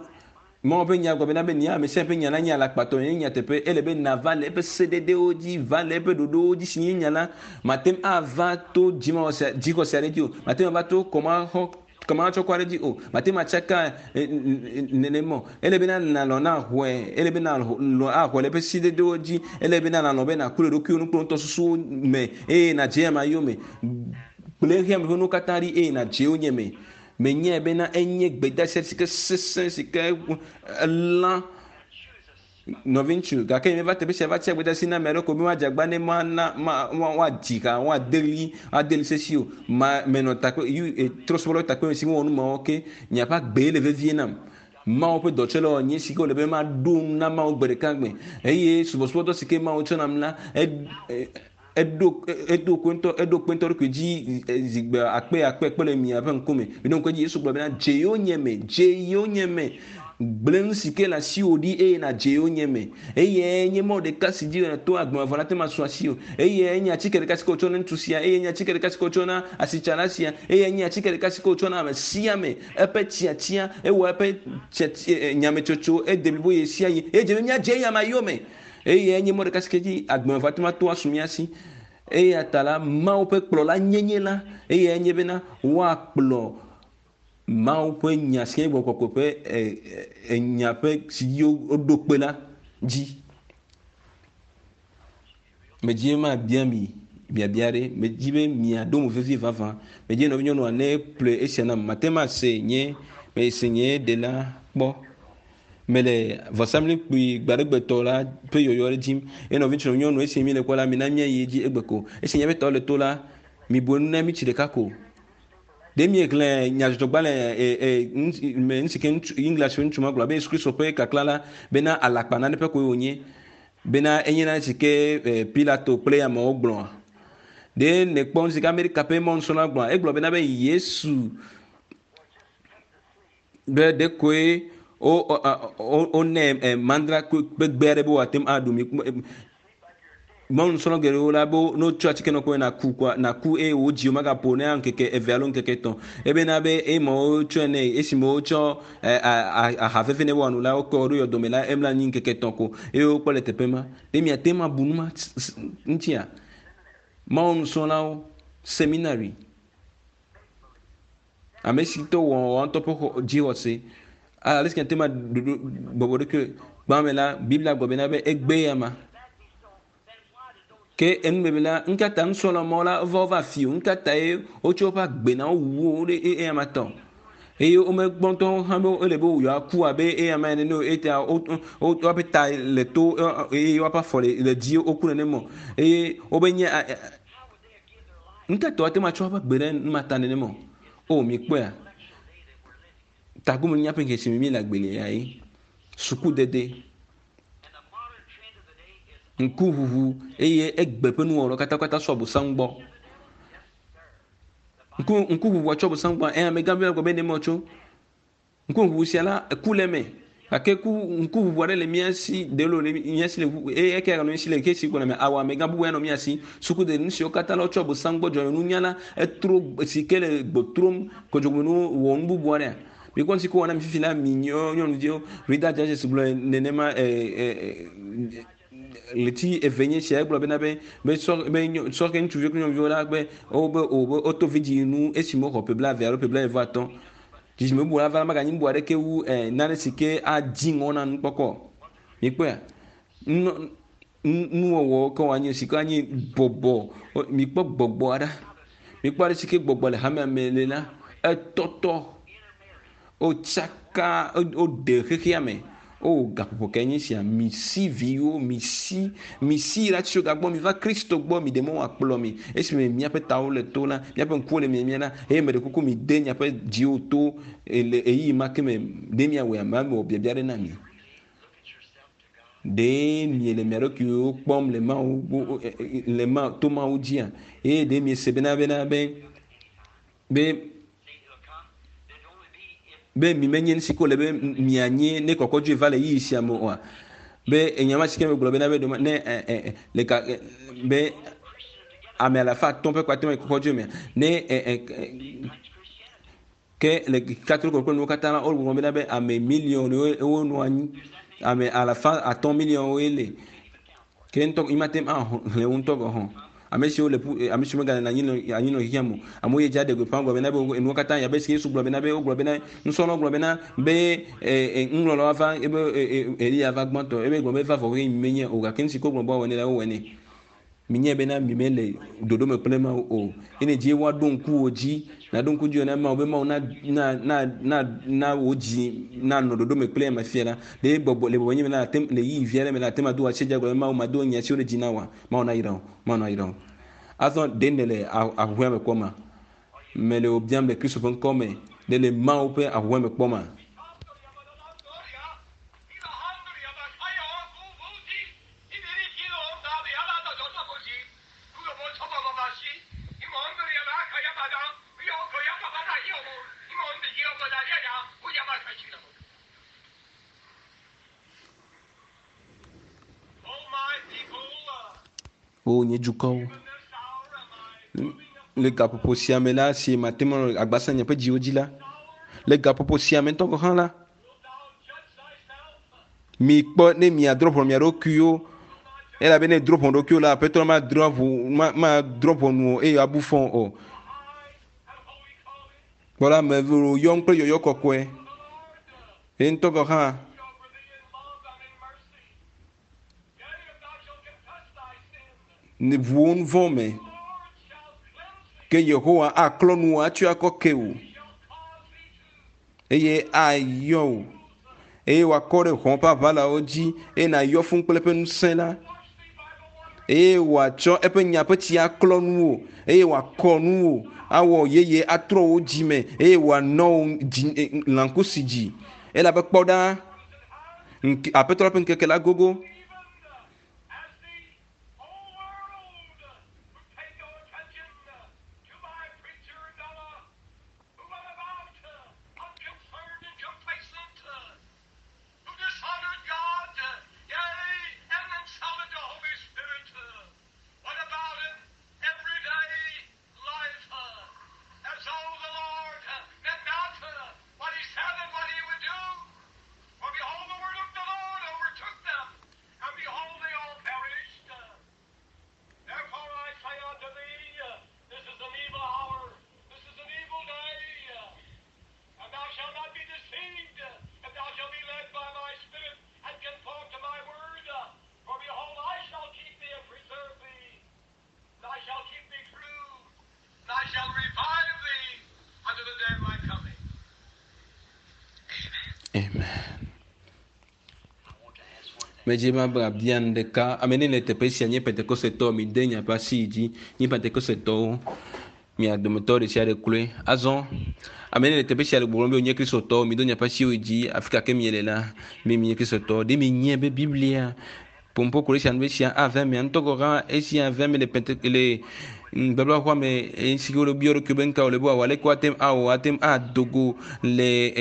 Mawu ƒe nya gblɔ bena be nya ame sia ƒe nya la nye alakpatɔ nye nyateƒe. Ele be nava le eƒe sededewo dzi, va le eƒe ɖoɖowo dzi si nye nya la. Mate ŋu ava to dzixɔse dzixɔse aɖe dzi o. Mate ŋu ava to kɔmaxɔ kɔmatsɔkɔ aɖe dzi o. Mate ŋu atsaka nenema o. Ele bena nalɔ̃ na xɔe. Ele bena nalɔ̃ axɔe le eƒe sededewo dzi. Ele bena nalɔ̃ be nàku le ɖokuiwò nu kple ŋutɔsusuwo me eye nàdze ame yome. Gblẽ xexea me ƒe nuwo katã ɖi eye nàdze wo nye me. Menyae bena enye gbedeasi si ke sesẽ si ke elã nɔviŋutsu gake meva teƒe sia va tia gbedeasi na ame aɖewo ko be woadze agba ne mana ma woadzi ha woade ɣli ade ɣli sesi o. Ma menɔ takpe yu trɔsubɔlawo takpe si wowɔ nu mawo ke nye ƒe agbee le vevie nam. Mawu ƒe dɔtsɔlawo nye si ke wòle be maɖo nu na Mawu gbe ɖeka gbe eye subɔsubɔdɔ si ke Mawu tsɔ nam la eɖo eɖo kpe ŋutɔ eɖo kpe ŋutɔ ɖokui dzi zigbe akpe akpe kpe le miaƒe ŋkume. Mi ɖo ŋku edzi Yesu gblɔ bena dze yonyeme dze yonyeme gblẽ nu si ke le asiwò ɖi eye nàdze yonyeme eye nye mɔ ɖeka si dzi to agbemavɔ la te ma su asiwò eye nye atike ɖeka si ke wotsɔ na ŋutsu sia eye nye atike ɖeka si ke wotsɔ na asitsala sia eye nye atike ɖeka si ke wotsɔ na ame sia ame eƒe tiatia ewɔ eƒe tiatia nyametsotso ede blibo ɣe sia ɣi eye dze be míadze eya ma yome eye nye mɔ ɖeka si ke dzi agbemavɔ te ma to asu mía si. Eya ta la Mawu ƒe kplɔla nyenye la eye nye bena woakplɔ Mawu ƒe nya si nye gbɔgbɔ kɔkɔe ƒe enya ƒe si dzi woɖo kpe la dzi. Medzi be mabia mi biabia ɖe. Medzi be miaɖo mo vevie vavã. Medzi be nɔvinyɔnua ne ƒle esia nam. Mate ŋu ase nye mese nye ɖela kpɔ. Mele vɔsamlekpui gbaɖegbetɔ la ƒe yɔyɔ ɖe dzim. Eye nɔvi ŋutsu nyɔnu esi mi le kpɔ la mina míayi edzi egbe ko. Esi miaƒe tɔ le to la, mibu enu na mi tsi ɖeka ko. Ɖe miexlẽ nyadzɔdzɔgbalẽ e e me nu si ke ŋutsu English ŋutsu ma gblɔ be Yesu Kristo ƒe kakla la bena alakpa nane ƒe koe wònye. Bena enye nane si ke Pilato kple amewo gblɔa. Ɖe nèkpɔ nu si ke Amerika ƒe mɔnusrɔ̃la gblɔa? Egblɔ bena be Yesu be ɖe koe wo wo wonɛ mandra ƒe gbe aɖe be wòate ŋu aɖu mi. Mɔnusrɔ̃la geɖewo la be ne wotsɔ atike nɔ koe nàku koa nàku eye wò dziwo magaƒo ne ŋkeke eve alo ŋkeke etɔ̃. Ebena be eme wotsɔe nɛ esime wotsɔ aha veve ne woanu la wokɔ ɖo yɔdome la emla anyi ŋkeke etɔ̃ ko eye wokpɔ le teƒe ma. Ɖe miate ŋu abu nu ma ŋutia? Mawu nusrɔ̃lawo seminary ame si tɔ wɔ woa ŋutɔ ƒe dzixɔse ale si miate ŋu aɖo bɔbɔ ɖokui gbã me la Biblia gblɔ bena be egbe ya ma. Ke enumebe la ŋkata nusrɔ̃la mawo la wova wova fi o ŋkata ye wotsɔ woƒe agbe na wowu wo ɖe eya ma tɔ eye womegbɔ ŋutɔ hã be ele be yewoaku abe eya ma ene o eya wo woƒe ta le to eye woƒe afɔ le le dzi woku nenema o eye wobe nye ŋkata woate ŋu atsɔ woƒe agbe ɖe nu ma ta nenema o. O mikpɔea tagome míaƒe ŋkeke si me míele agbe le ya ye sukudede ŋkuʋuʋu eye egbe ƒe nuwɔwɔ katã katã sɔ Abosam gbɔ. Ŋku ŋkuʋuʋua tsɔ Abosam gbɔ eye amegã bi gblɔ be ne tso. Ŋkuʋuʋu sia la eku le eme gake ku ŋkuʋuʋu aɖe le mía si ɖe le mía si le eye eke ganɔ mía si le ke si gbɔna me awɔ amegã bubu ya nɔ mía si. Sukudede nu siwo katã la wotsɔ Abosam gbɔ dzɔdzɔmenunya la etro si ke le gbɔtrom kodzogbenuwo wɔ nu bubu aɖea. Mikpɔ nu si ke wɔna mi fifi la mi nyɔnuviwo Rita Judges gblɔ nenema ɛ ɛ ɣleti eve nye sia egblɔ bena be be sɔ be sɔ ke ŋutsuviwo kple nyɔnuviwo la be wo be o be woto vidzi nu esime woxɔ ƒe blaeve alo ƒe blaeve atɔ̃. Dzidzime bubu la va la maganyi bubu aɖeke wu ɛ nane si ke adzi ŋɔ na nukpɔkpɔ. Mikpɔea nu nuwɔwɔ ke woanyi si ke anyi bɔbɔ mikpɔ gbɔgbɔ aɖe mikpɔ ale si ke gbɔgbɔ le hamea me le la etɔtɔ wotsaka woɖe xexea me. O gaƒoƒo ke nye sia misi viwo misi misi la tso gagbɔ mi va Kristo gbɔ mi ɖe mɔ wòakplɔ mi esime miaƒe tawo le to la miaƒe ŋkuwo le miamia la eye me ɖe kuku mi de miaƒe dziwo to le ɣeyiɣi ma ke me ɖe miawɔe ame wɔ biabia ɖe na mi. Ɖe miele mia ɖokuiwo kpɔm le Mawu le ma to Mawu dzia eye ɖe miese bena bena be be be mi menye nu si ke wòle be mianye ne kɔkɔdzoe va le ɣeyiɣi sia me oa be enya ma si ke megblɔ bena be ɖe ne ɛ ɛ le ka be ame alafa atɔ̃ ƒe kpate me kɔkɔdzoe mea ne ɛ ɛ ke Ke le katoliko kple nuwo katã la wogblɔ bena be ame miliɔnwo wonɔ anyi ame alafa atɔ̃ miliɔnwoe le ke ŋutɔ imate ŋu axlẽ wo ŋutɔ gɔ̃ hã ame siwo le ƒu ame siwo megale anyi nɔ anyi nɔ xexea me o amewo yi dzi aɖe gbeƒã gblɔ bena be enuwo katã yabe si Yesu gblɔ bena be wogblɔ bena nusrɔ̃lawo gblɔ bena be e nuŋlɔlawo va ebe Eliya va gbãtɔ ebe gblɔ be va vɔ ɣeyiɣi menye o gake nu si ke wogblɔ be woawɔ nɛ la wowɔe nɛ. Minye bena mi mele ɖoɖo me kple Mawu o. Ene dzi woaɖo ŋku wo dzi naɖo ŋku dzi na Mawu be Mawu na na na na na wo dzi nanɔ ɖoɖo me kple ame fia la. Le gbɔgbɔ le bɔbɔ nye me la ate le yi via ɖe me la ate ma do atsi dza gblɔ be Mawu ma do nya siwo ɖe dzi na wa. Mawu na yra wo. Mawu na yra wo. Azɔ ɖe ne le ahuhɔe me kpɔma. Mele wo biam le Kristo ƒe ŋkɔ me. Ɖe le Mawu ƒe ahuhɔe me kpɔma. O nye dukɔwo. Le gaƒoƒo sia me la si mate ŋu anɔ agbasa nye ƒe dziwo dzi la le gaƒoƒo sia me ŋutɔ gɔ̃ hã la mi kpɔ ne miadrɔ̃ ʋɔnu mia ɖokuiwo elabe ne drɔ̃ ʋɔnu ɖokuiwo la aƒetɔ la madrɔ̃ ʋu ma madrɔ̃ ʋɔnu o eye abu fɔ o. Kpɔ la ame yɔm kple yɔyɔ kɔkɔe ye ŋutɔ gɔ̃ hã ne ʋuwo nu vɔ̃ me ke Yehowa aklɔ nu atsɔ akɔ ke wò eye ayɔ wò eye wòakɔ ɖe hɔ̃ ƒe aʋalawo dzi eye nàyɔ fũu kple eƒe ŋusẽ la eye wòatsɔ eƒe nya ƒe tsi aklɔ nu wò eye wòakɔ nu wò awɔ yeye atrɔ wò dzime eye wòanɔ wò dzi lãkusi dzi elabe kpɔ ɖa aƒetɔ la ƒe ŋkeke la gogo. Medzi ma be abia nu ɖeka ame ne le teƒe sia nye Pentekosetɔ mi de miaƒe asi dzi nye Pentekosetɔwo mia dometɔ ɖe sia ɖe kloe. Azɔ ame ne le teƒe sia le gbɔgblɔm be wonye Kristotɔwo mi do miaƒe asiwo dzi afi ka ke miele la mi mi nye Kristotɔ ɖe mi nye be Biblia pompo ko ɖe sia nu be sia ave mia ŋutɔ gɔ̃ hã esia ave me le Pente le nubablaxɔa me esi ke wole biɔ ɖokuiwo be nu ka wòle be wòawɔ aleke woate ŋu awɔ ate ŋu ado go le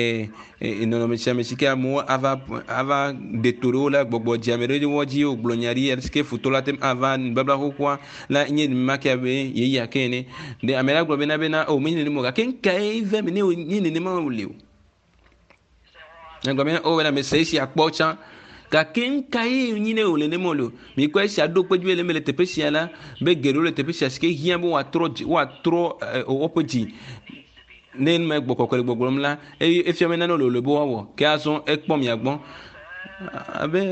e nɔnɔme sia me si ke amewo ava ava ɖe to ɖe wo la gbɔgbɔ dziame ɖe wo dzi wogblɔ nya ɖi si ke futɔ la ate ŋu ava nubabla xoxoa la nye nenema ke abe yeya ke ene. Ɖe ame la gblɔ bena bena o menye nenema o gake nu kae ve me ne nye nenema wòle o. Egblɔ bena o bena mese esia kpɔ tsã gake nu kae nyi ne wòle nenema wòle o. Mikpɔ esia ɖo kpe dzi be le eme le teƒe sia la be geɖewo le teƒe sia si ke hiã be woatrɔ dzi woatrɔ woƒe dzi ne nu me gbɔ kɔkɔe le gbɔgblɔm la eye efia be nane wòle be woawɔ ke azɔ ekpɔ mia gbɔ abe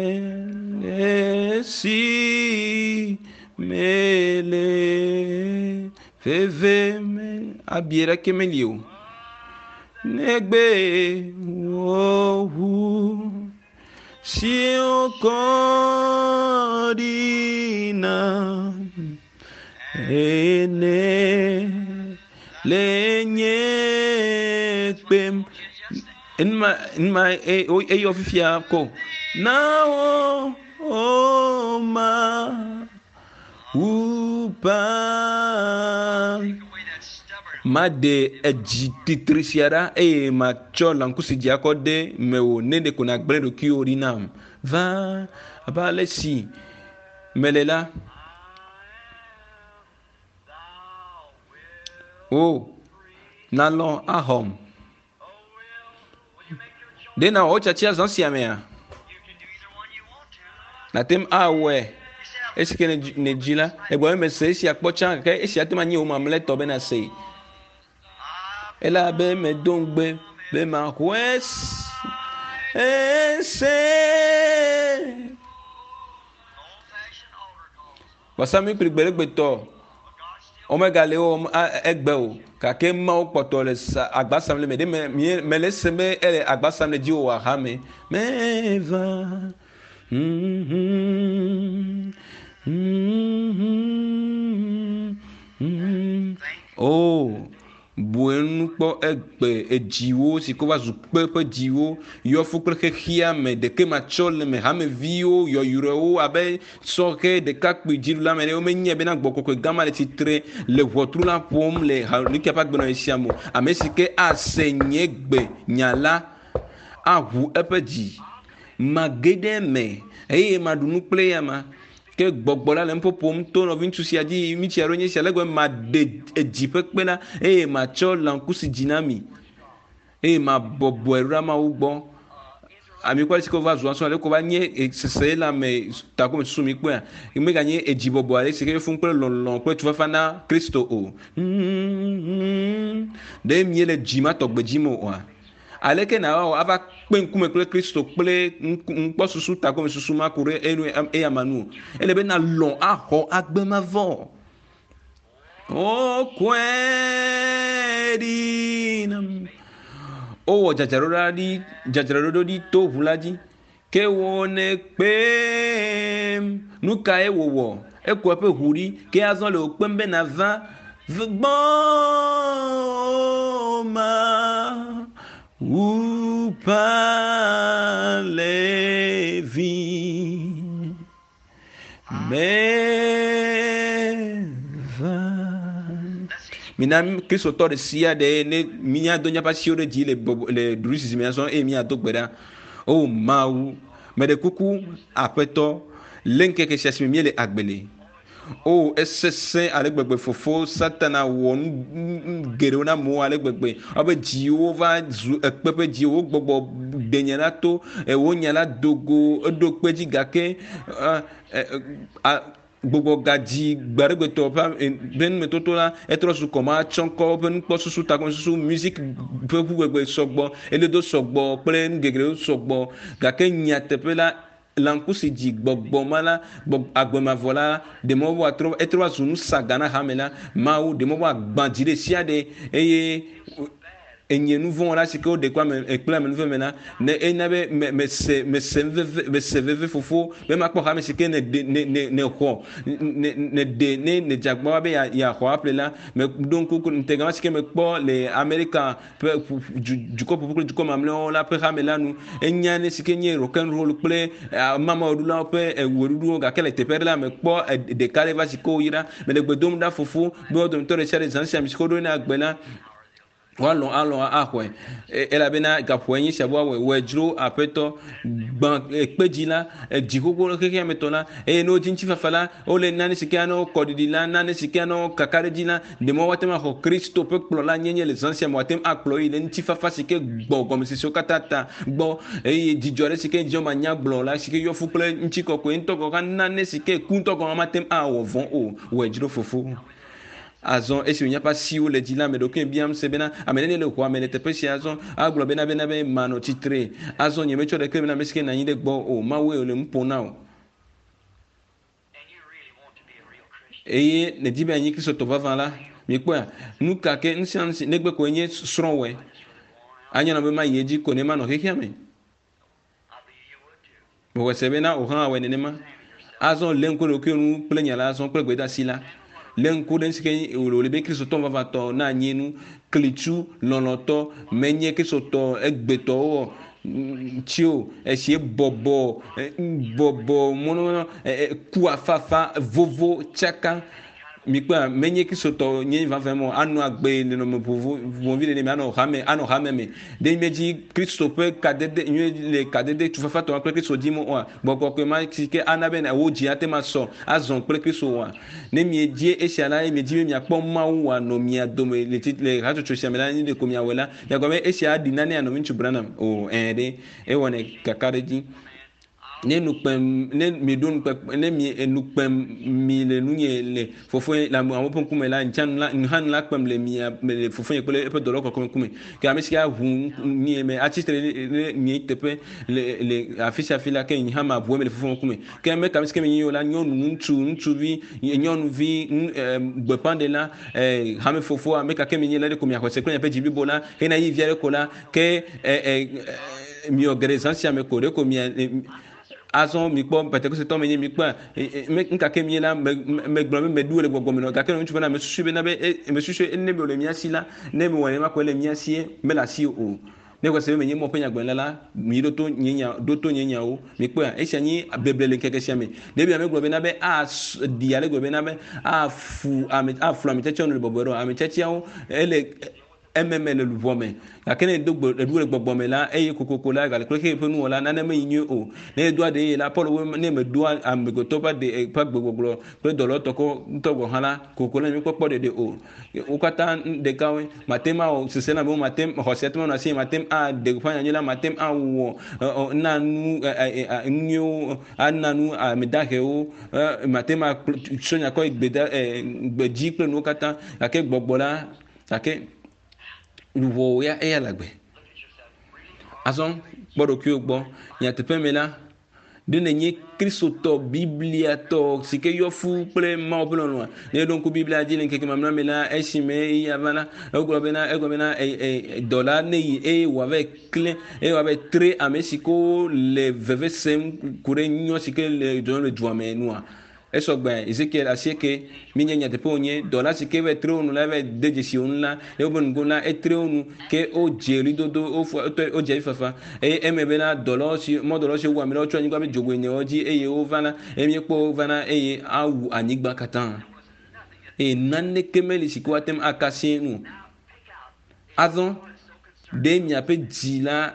esi mele veve me abi ɖeke meli o negbe wò ʋu si wokɔ ɖi nam ene le nye kpem. Numa numa eyɔ fifia ko na wo o ma upa ma de edzi titri sia ɖa eye matsɔ lãkusi dzi akɔ de mewò ne ɖeko nàgblẽ ɖokuiwò ɖi nam va abe ale si mele la o nalɔ̃ axɔm. Ɖe na wɔ tiatia zã sia mea? Nate ŋu awɔe esi ke ne dzi la egblɔ be mese esia kpɔ tsã gake esia te ma nye wò mamlɛtɔ be nase. Elabe medo ŋugbe be maxɔe ese. Vɔsamlekpui gbeɖegbetɔ womegale wɔm egbe o gake Mawu kpɔtɔ le sa agba sam le me ɖe me mie mele esem be ele agba sam le dziwò wɔ hame meva. Mm-hmm. Mm-hmm. Mm-hmm. Oh, bu enu kpɔ egbe edziwo si ko va zu kpe ƒe dziwo yɔ fu kple xexea me ɖeke matsɔ le me hameviwo yɔyrɔewo abe sɔhɛ ɖekakpui dziɖula me ɖe womenye bena gbɔkɔkɔe gã ma le tsitre le ʋɔtru la ƒom le nukia ƒe agbenɔɣi sia me o. Ame si ke ase nye gbe nya la aʋu eƒe dzi mage ɖe eme eye maɖu nu kple ya ma. Ke gbɔgbɔ la le nuƒoƒom to nɔviŋutsu sia dzi ŋutsu aɖewo nye sia le gbe maɖe edzi ƒe kpe la eye matsɔ lãkusi dzi na mi eye mabɔbɔe ɖo ɖe Mawu gbɔ. Ame kpɔ ale si ke wova zu asɔ ale ko va nye sese la me takome susu mi kpɔa meganye edzibɔbɔ ale si ke fún kple lɔlɔ kple tufafa na Kristo o. Ɖe miele dzi ma tɔgbe dzi me oa? Aleke na wɔ ava kpe ŋkume kple Kristo kple ŋkpɔsusu takome susu ma ku ɖe enu eya ma nu o. Ele be na lɔ̃ axɔ agbe mavɔ. O kɔe ɖi nam. Wowɔ dzadzraɖo ɖi dzadzraɖo ɖi to ʋu la dzi. Ke wò ne kpem. Nu kae wòwɔ? Eku eƒe ʋu ɖi. Ke azɔ le wò kpem be nava gbɔ ma. Upa levi meva. Mina Kristotɔ ɖe sia ɖe ne míado míaƒe asiwo ɖe dzi le bɔbɔ le ɖuɖusi me azɔ eye míado gbe ɖa. O Mawu, meɖe kuku Aƒetɔ le ŋkeke sia si me míele agbe le. O esesẽ ale gbegbe fofo Satana wɔ nu geɖewo na amewo ale gbegbe abe dziwo va zu ekpe ƒe dziwo gbɔgbɔ ɖe nya la to wo nya la dogo eɖo kpe dzi gake gbɔgbɔ gadzi gbe aɖe gbetɔ ƒe ƒe numetoto la etrɔ zu kɔma tsɔŋkɔ ƒe nukpɔsusu takɔmesusu music ƒe ʋu gbegbe sɔgbɔ eledo sɔgbɔ kple nu geɖewo sɔgbɔ gake nyateƒe la lãkusi dzi gbɔgbɔ ma la agbemavɔ la ɖe mɔ woatrɔ etrɔ va zu nu saga na hame la Mawu ɖe mɔ woagbã dzi ɖe sia ɖe eye enye nu vɔ̃ la si ke woɖe kple ame kple amenuveve me la ne ena be me mese mese veve mese veve fofo be makpɔ hame si ke ne ɖe ne ne ne xɔ ne ne ɖe ne ne dze agbagba be ya yaxɔ aƒle la me ɖo ŋku ŋutega si ke mekpɔ le Amerika ƒe du dukɔ ƒoƒu kple dukɔ mamlɛwo la ƒe hame la nu enya ne si ke nye rock and roll kple mamaɖulawo ƒe wɔɖuɖuwo gake le teƒe aɖe la mekpɔ ɖeka ɖe va si ke woyra mele gbe dom ɖa fofo be wo dometɔ ɖe sia ɖe zã sia ame si ke woɖo ne agbe la woalɔ̃ alɔ̃ axɔe elabena gaƒoe nye sia be woawɔe wɔe dzro Aƒetɔ gbã kpe dzi la edzi xoxo le xexea me tɔ la eye ne wodzi ŋutifafa la wole nane si ke ana wo kɔɖiɖi la nane si ke ana wo kaka ɖe dzi la ɖe mɔ woate ŋu axɔ Kristo ƒe kplɔla nyenye le zã sia me woate ŋu akplɔ yi le ŋutifafa si ke gbɔ gɔmesesiwo katã ta gbɔ eye dzidzɔ aɖe si ke dzidzɔ manyagblɔ la si ke yɔ fu kple ŋutikɔkɔe ŋutɔ gɔ̃ hã nane si ke ku ŋutɔ gɔ̃ hã mate ŋu awɔ vɔ̃ o wɔe dzro fofo. Azɔ esi wònye ƒe asiwo le dzi la ame ɖokui biam se bena ame nene le xɔa me le teƒe sia azɔ agblɔ bena bena be manɔ tsitre azɔ nye metsɔ ɖeke bena ame si ke nɔ anyi ɖe gbɔ o Mawue wòle nu ƒom na o. Eye nedi be anyi Kristotɔ vavã la mikpɔa nu ka ke nu sia nu si negbe koe nye srɔ̃wɔe anye nɔ be mayi edzi ko ne manɔ xexea me. Mexɔe se bena wò hã awɔe nenema. Azɔ lé ŋku ɖe ɖokuiwò ŋu kple nya la azɔ kple gbedeasi la. Le ŋku ɖe si ke wòle be Kristotɔ vavãtɔ na nye nu klitsu lɔlɔ̃tɔ menye Kristotɔ egbetɔwo tsi o esie bɔbɔ bɔbɔ mɔnɔ ku afafa vovo tsaka Mikpɔa menye kristotɔ nye vavã mɔ anɔ agbe nɔnɔme vovovi le ne me anɔ hame anɔ hame me ɖe mi dzi kristo ƒe kadede nyuie le kadede tufafatɔ kple kristo dzi mo oa gbɔgbɔ kɔkɔe ma si ke ana be wo dzi ate ma sɔ azɔ kple kristo oa ne miedzi esia la ye miedzi be miakpɔ mawu wòanɔ mia dome le ti le hatsotso sia me la ne ɖeko miawɔe la miagblɔ be esia aɖi nane anɔ ŋutsu Branham o ɛɛ ɖe ewɔnɛ kaka ɖe dzi ne nukpem ne mi ɖo nukpe ne mi nukpem mi le nunye le fofonye le amewo ƒe ŋkume la ntsa nu la hã nu la kpem le mia le fofonye kple eƒe dɔlɔ kɔkɔe ŋkume ke ame si ke aʋu mie me atsitre ɖe mie teƒe le le afi sia afi la ke nye hã ma ʋu eme le fofonye ŋkume ke ame ka ame si ke menye o la nyɔnu ŋutsu ŋutsuvi nyɔnuvi gbeƒãɖela hame fofo ame ka ke menye la ɖe ko miaxɔ se kple miaƒe dzi blibo la hena yi vi aɖe ko la ke miwɔ geɖe zã sia me ko ɖe ko mia azɔ mikpɔ pentekoste menye mikpɔ ŋkake mi la megblɔ be meɖu le gbɔgbɔ me nɔ gake ŋutsu bena mesusu bena be mesusu ne me le mia si la ne mewɔ nenema ko le mia sie mele asi o ne kɔ se be menye mɔ ƒe nyagblɔla la mi ɖo to nye nya ɖo to nye nyawo mikpɔa esia nyi beble le ŋkeke sia me ɖevia megblɔ bena be aɖi ale gblɔ bena be afu ame aflu ame tiatiawo nu le bɔbɔe ɖo ame tiatiawo ele ememe le luʋɔ me gake ne edo gbe eɖu le gbɔgbɔ me la eye kokoko la gale kple xe ƒe nuwɔla nane meyi nyuie o ne edoa ɖe ye la Paul wo ne medoa amegbetɔ ƒe ɖe ƒe gbegbɔgblɔ kple dɔlɔtɔ kɔ ŋutɔ gɔ hã la kokoko la míekpɔkpɔ ɖeɖe o wo katã ɖekawoe mate ma wɔ sese na be mate xɔse te ma nɔ asi mate aɖe gbeƒã nyanyui la mate awɔ na nu nunyuiwo ana nu ame dahewo mate ma tsɔ nya kɔ gbeda gbedzi kple nuwo katã gake gbɔgbɔ la gake luʋɔwo ya eya le agbe azɔ kpɔ ɖokuiwo gbɔ nyateƒe me la ɖe nenye kristotɔ bibliatɔ si ke yɔ fu kple mawu ƒe lɔlɔ̃a ne ɖo ŋku biblia dzi le ŋkeke mamlɛ me la esime eya va la egblɔ bena egblɔ bena dɔla ne yi eye wòava klẽ eye wòava tre ame si ke le veve sem ku ɖe nyɔ si ke le dzɔdzɔm le dua me nua esɔgbe Ezekiel asieke minye nyateƒe wònye dɔla si ke va tre wo nu la va de dzesi wo nu la le woƒe nugo la etre wo nu ke wodze ɣlidodo wofɔ wotɔ wodze avifafa eye eme bena dɔlawo si mɔdɔlawo si wu ame la wotsɔ anyigba ƒe dzogoe enewo dzi eye wova la eye míekpɔ wo vana eye awu anyigba katã eye naneke meli si ke woate ŋu aka sie nu azɔ ɖe miaƒe dzi la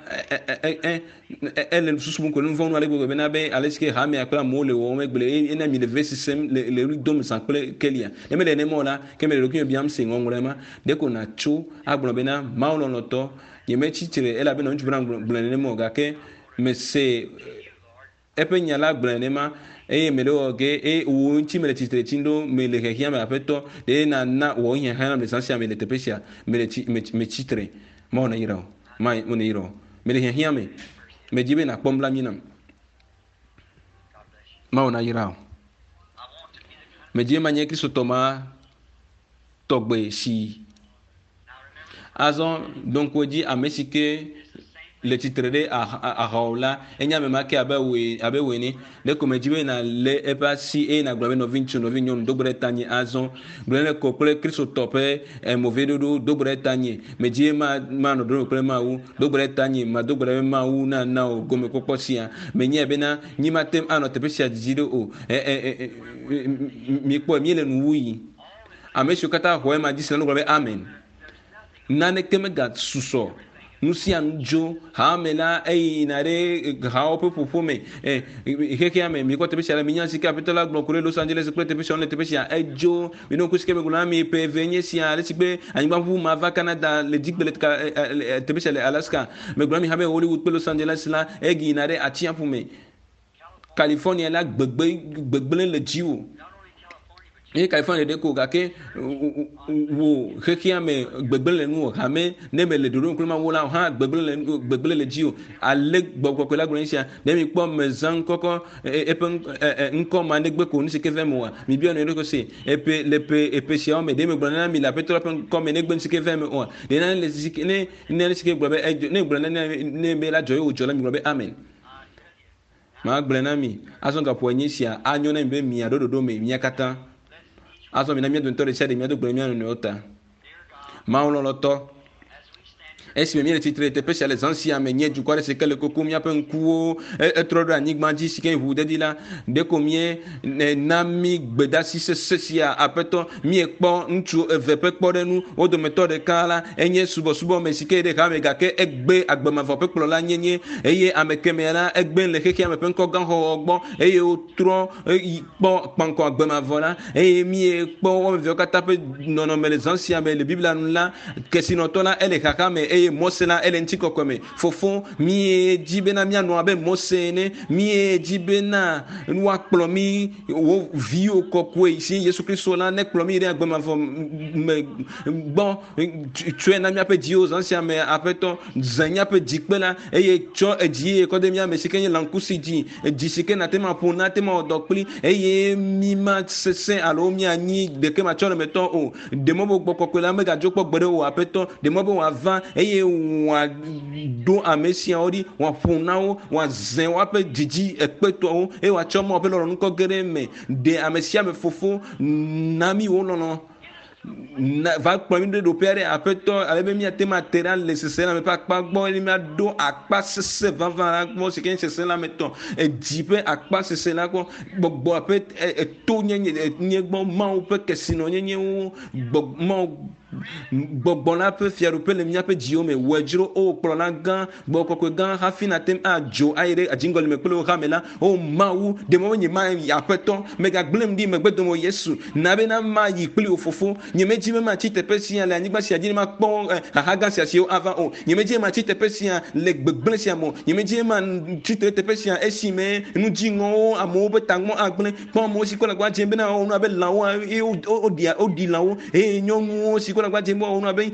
ele susu mu ko nu vɔ̃ nu ale gbegbe bena be ale si ke hamea kple amewo le wɔwɔm egble ena mi le ve sisem le le ɣli dom zã kple kelia ne mele nenema o la ke mele ɖokuinye biam se ŋɔŋlɔe ma ɖe ko natso agblɔ bena mawu lɔlɔ̃tɔ nyemetsi tre elabena ŋutsu bena gblɔ nenema o gake mese eƒe nya la gblɔ nenema eye mele wɔ ge eye wò ŋuti mele tsitre tsim ɖo mele xexea me aƒetɔ ɖe nana wɔ hiãhiã nam le zã sia me le teƒe sia mele tsi metsi tre mawu neyra o mawu neyra o mele hiãhiã me medzi be nakpɔ nublanui nam mawu nayra o medzi be manye kristotɔ ma tɔgbe si azɔ ɖo ŋku edzi ame si ke le tsitre ɖe ahawo la enye ame ma ke abe wòe abe wòe ne ɖe ko medzi be nalé eƒe asi eye nàgblɔ be nɔvi ŋutsu nɔvi nyɔnu do gbe ɖe tanye azɔ gblɔ ne ko kple kristotɔ ƒe moveɖoɖo do gbe ɖe tanye medzi be ma manɔ ɖoɖo kple mawu do gbe ɖe tanye mado gbe ɖe be mawu nana wò gomekpɔkpɔ sia menyae bena nyi mate ŋu anɔ teƒe sia dzidzi ɖo o ɛ ɛ mikpɔe míele nuwu yi ame siwo katã xɔ ema dzi se la gblɔ be amen naneke megasusɔ nu sia nu dzo hame la eyina ɖe hawo ƒe ƒoƒo me ɛ xexea me mikpɔ teƒe sia la minya si ke aƒetɔ la gblɔ ku ɖe Los Angeles kple teƒe sia le teƒe sia edzo mino ŋku si ke megblɔ na mi ƒe eve nye sia ale si be anyigba ʋuʋu ma va Canada le dzigbe le teƒe sia le Alaska megblɔ na mi hã be Hollywood kple Los Angeles la egiyina ɖe atsiaƒu me California la gbegbe gbegblẽ le dziwò eye California ɖe ko gake wo xexea me gbegblẽ le nuwò hame ne mele ɖoɖo kple mawu la hã gbegblẽ le gbegblẽ le dziwò ale gbɔgbɔ kɔkɔe la gblɔ sia ne mikpɔ mezã ŋkɔkɔ eƒe ŋkɔ ma negbe ko nu si ke vɛ me oa mibia nu ɖokui se eƒe le ƒe eƒe siawo me ɖe megblɔ na mi le aƒetɔ la ƒe ŋkɔ me negbe nu si ke vɛ me oa ɖe nane le si ke ne ne si ke gblɔ be edzo ne gblɔ ne ne be la dzɔ ye wòdzɔ la mi gblɔ be amen magblɔe na mi azɔ gaƒoa enyi sia anyo na mi be miaɖo ɖoɖo me mia katã azɔ mina mía dometɔ ɖe sia ɖe míado gbe mía nɔnɔewo ta mawu lɔlɔ̃tɔ Esime míele tsitre le teƒe sia le zã sia me nye dukɔ aɖe si ke le koko míaƒe ŋkuwo etrɔ ɖo anyigba dzi si ke ʋuɖeɖi la ɖeko mie na mí gbedasi sese sia aƒetɔ míekpɔ ŋutsu eve ƒe kpɔɖeŋu wo dometɔ ɖeka la enye subɔsubɔ me si ke ɖe hame gake egbe agbemavɔ ƒe kplɔla nyenye eye ame kemɛ la egbe le xexea me ƒe ŋkɔ gã xɔxɔ gbɔ eye wotrɔ kpɔ kpaŋkɔ agbemavɔ la eye míekpɔ wɔme eveawo katã ƒe nɔnɔme le zã sia me le Biblia nu la kesinɔtɔ la ele xaxa me eye Mose la ele ŋutikɔkɔe me fofo míedzi bena míanɔ abe Mose ene míedzi bena woakplɔ mí wo viwo kɔkɔe si Yesu Kristo la ne kplɔ mí ɖe agbemavɔ me gbɔ tsɔe na míaƒe dziwo zã sia me aƒetɔ zẽ míaƒe dzikpe la eye tsɔ edzi ye kɔ de mía me si ke nye lãkusi dzi edzi si ke nate ma ƒo nate ma wɔ dɔ kpli eye mí ma sesẽ alo míanyi ɖeke matsɔlemetɔ o ɖe mɔ be gbɔ kɔkɔe la megadzo kpɔ gbe ɖe o aƒetɔ ɖe mɔ be wòava eye wòaɖo ame siawo ɖi wòaƒo na wo wòazẽ woaƒe dzidzi ekpetɔwo eye wòatsɔ Mawu ƒe lɔlɔ̃nu kɔ ge ɖe eme ɖe ame sia ame fofo na mí wo lɔlɔ̃ va kplɔ mí ɖe ɖoƒe aɖe aƒetɔ ale be míate ŋu ate ɖa le seselãme ƒe akpa gbɔ eye míaɖo akpa sese vavã la gbɔ si ke nye seselãme tɔ edzi ƒe akpa sese la gbɔ gbɔgbɔa ƒe eto nyenye nye gbɔ Mawu ƒe kesinɔnyenyewo gbɔ Mawu gbɔgbɔ la ƒe fiaɖuƒe le míaƒe dziwo me wɔe dzro o kplɔla gã gbɔ kɔkɔe gã hafi nate ŋu adzo ayi ɖe dziŋgɔli me kple wo hame la o Mawu ɖe mɔ nye ma yi aƒetɔ megagblẽm ɖi megbe dome o Yesu na bena mayi kpli wo fofo nye medzi be matsi teƒe sia le anyigba sia dzi ne makpɔ xaxa gã sia siwo ava o nye medzi be matsi teƒe sia le gbegblẽ sia me o nye medzi be matsi teƒe sia esime nudziŋɔwo amewo ƒe tagbɔ agblẽ kpɔ amewo si kɔ le agba dzem bena wɔwɔ nu abe lãwo eye woɖia woɖi lãwo eye nyɔnuwo si kɔ le agba dzem be wɔwɔ nu abe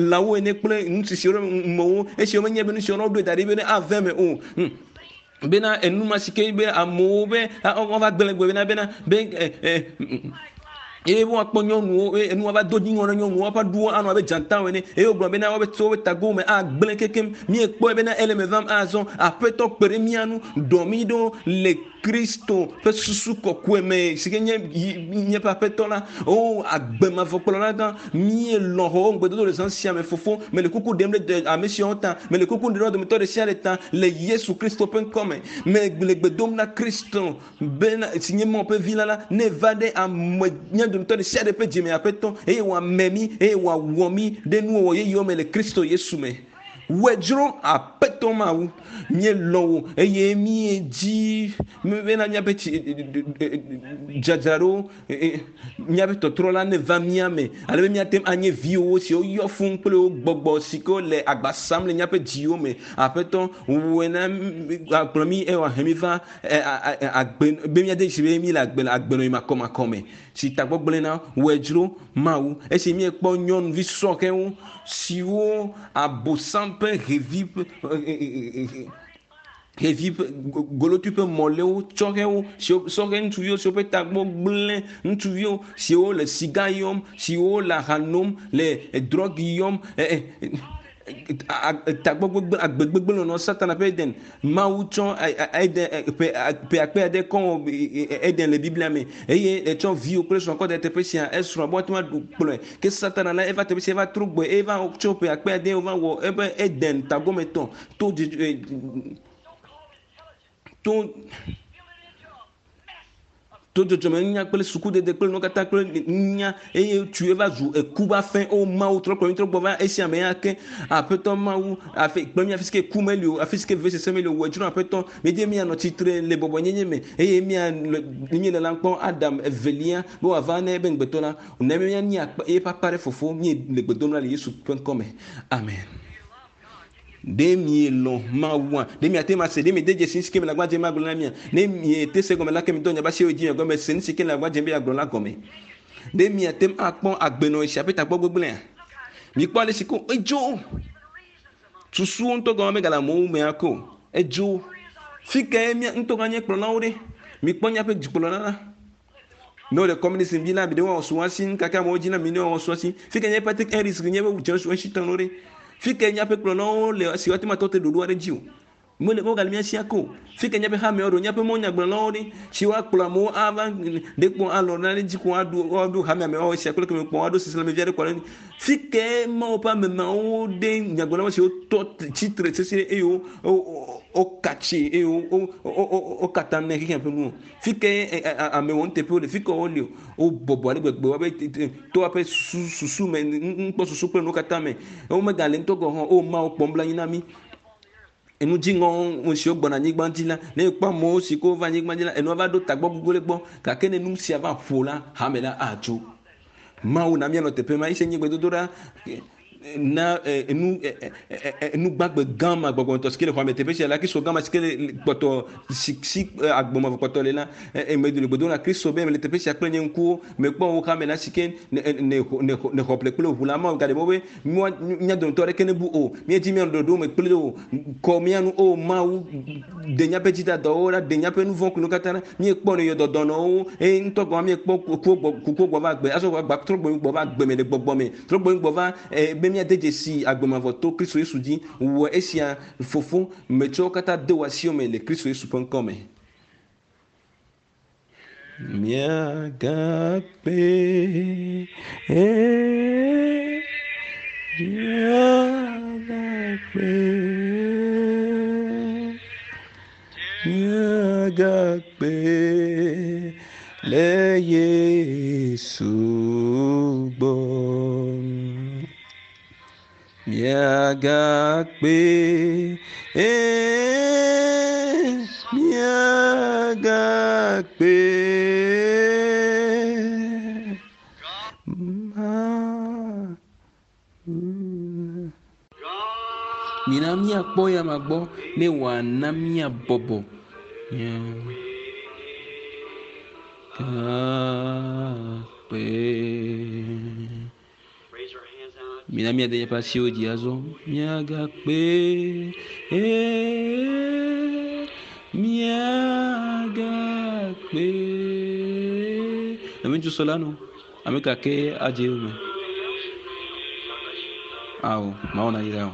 lãwo ene kple ŋutsu siwo mewo esiwo menye be nu siwo woɖoe da ɖi be ne ave me o bena enuma si ke be amewo be wova gblẽ gbe bena bena be eye woakpɔ nyɔnuwo eye enua va do dziŋɔ ɖe nyɔnuwo woƒe ɖuwo anɔ abe dzatawo ene eye wogblɔ bena wobe tso woƒe tagowo me agblẽ kekem míekpɔe bena ele me vam azɔ aƒetɔ kpe ɖe mía ŋu ɖɔ mí ɖo le Kristo ƒe susu kɔkɔe me si ke nye míaƒe aƒetɔ la o agbemavɔ kplɔla gã míelɔ̃ xɔ ŋugbedodo le zã sia me fofo mele kuku ɖem ɖe ame siawo ta mele kuku ɖem ɖe dometɔ ɖe sia ɖe ta le Yesu Kristo ƒe ŋkɔme me le gbe dom na Kristo bena si nye Mawu ƒe vi la la ne va ɖe ame mía dometɔ ɖe sia ɖe ƒe dzime aƒetɔ eye wòame mí eye wòawɔ mí ɖe nuwɔwɔ yeyewo me le Kristo Yesu me. Wɔe dzro aƒetɔ Mawu míelɔ̃ wò eye míedzi bena míaƒe tsi dzadzraɖo míaƒe tɔtrɔ la ne va mía me ale be míate ŋu anye viwo siwo yɔ fũu kple wo gbɔgbɔ si ke le agba sam le míaƒe dziwo me aƒetɔ wɔe na akplɔ mí eye wòahe mí va agbe be míade dzi be mí le agbe agbenɔɣi makɔmakɔ me si tagbɔgblẽ na wɔe dzro Mawu esi míekpɔ nyɔnuvi sɔhɛwo siwo abosam ƒe xevi ƒe xevi ƒe golotui ƒe mɔlewo tsɔhɛwo siwo sɔhɛ ŋutsuviwo siwo ƒe tagbɔ gblẽ ŋutsuviwo siwo le siga yɔm siwo le aha nom le drɔgi yɔm tagbɔ gbegblẽ agbe gbegblẽ nɔnɔ Satana ƒe Eden Mawu tsɔ Eden ƒe ƒe akpe ade kɔ wɔ Eden le Biblia me eye etsɔ viwo kple srɔ̃ kɔ de teƒe sia esrɔ̃ be woate ŋu aɖu kplɔe ke Satana la eva teƒe sia eva trɔ gbɔe eva tso ƒe akpe ade wova wɔ eƒe Eden tagɔmetɔ to to to dzɔdzɔme nunya kple sukudede kple nuwo katã kple nunya eye tsu eva zu eku va fẽ o Mawu trɔ kplɔ mi trɔ gbɔ va esia me ya ke aƒetɔ Mawu afi kplɔ mi afi si ke ku meli o afi si ke vevesese meli o wɔ dzro aƒetɔ míedze míanɔ tsitre le bɔbɔnyenye me eye mía míele la kpɔ Adam evelia be wòava ne ebe ŋugbetɔ la ne míanyi eƒe akpa ɖe fofo míele gbe dom la le Yesu ƒe ŋkɔ me amen. Ɖe mielɔ̃ Mawua ɖe miate ŋu ase ɖe miede dzesi nu si ke mele agba dzem agblɔ na mia ne miete se gɔme la ke mi dɔ miaƒe asiwo dzi miagɔme se nu si ke le agba dzem be yeagblɔ la gɔme ɖe miate ŋu akpɔ agbenɔɣi sia ƒe tagbɔ gbegblẽa mikpɔ ale si ko edzo susuwo ŋutɔ gɔme megale amewo me ako edzo fi kae mía ŋutɔ gã nye kplɔlawo ɖe mikpɔ míaƒe dukplɔla la ne wole communism dzi la mi ɖe woawɔ suwasi kake amewo dzi na mi ne woawɔ suwasi fi ke nye Patrick Harris nye be George Washington ɖe fi ke míaƒe kplɔlawo le si woate ŋu atɔ te ɖoɖo aɖe dzi o Mele mo gal mia sia ko. Fi ke nyabe ha me oro nyabe mo nya gblɔ ɖi. Si wa kplɔ amewo ava ɖe kpɔ alɔ na ɖe dzi ko aɖu aɖu hame ame wo sia kple keme kpɔ aɖo sisile me via ɖe kɔ ɖe. Fi ke mawo ƒe ame mawo ɖe nyagblɔlawo siwo tɔ tsitre sesi eye wo wo katsi eye wo wo wo katã ne xexea ƒe nu. Fi ke ame wɔnuteƒewo le fi ke wole wo bɔbɔ ale gbegbe woabe to woaƒe susu susu me nukpɔ susu kple nuwo katã me. Womegale ŋutɔ gɔ̃ hã o mawo kpɔm bla anyi na mí. Enu dziŋɔ siwo gbɔna anyigba dzi la, ne ekpɔ amewo si ke wova anyigba dzi la, enua va ɖo tagbɔ gbogbo ɖe gbɔ gake ne nu sia va ƒo la, hame la atso. Mawu na míanɔ teƒe ma, ese nye gbedodoɖa na enu enu gbagbe gã ma gbɔgbɔmetɔ si ke le xɔa me teƒe sia la, Kristo gã ma si ke le kpɔtɔ si si agbɔmavɔ kpɔtɔ le la, eme le gbedo na Kristo be mele teƒe sia kple nye ŋkuwo, mekpɔ wo hame la si ke ne ne ne ne xɔ ƒle kple ʋu la, Mawu gaɖe mɔ be mía mía dometɔ aɖeke nebu o, míedzi mía ɖoɖo me kple o, kɔ mía nu o Mawu ɖe míaƒe dzidadawo ɖa, ɖe míaƒe nu vɔ̃ kple katã ɖa, míekpɔ ne yɔ dɔdɔnɔwo eye ŋutɔ gɔ̃ míekpɔ kukuwo gbɔ kukuwo gbɔ va agbe, azɔ gba trɔ gbɔ va agbe me le gbɔgbɔ me, trɔ gbɔ gbɔ va be míade dzesi agbemavɔ to Kristo Yesu dzi, wɔ esia fofo metsɔ wo katã de wò asiwo me le Kristo Yesu ƒe ŋkɔ me. Míagakpe, míagakpe, míagakpe le Yesu gbɔ. Míagakpe, míagakpe. Mina míakpɔ ya ma gbɔ ne wòana míabɔbɔ. Míagakpe. Mina míade míaƒe asiwo dzi azɔ. Míagakpe, míagakpe. Ame ŋutsu sɔ la nu. Ame ka ke adze eyome? Ao, Mawu nayra wò.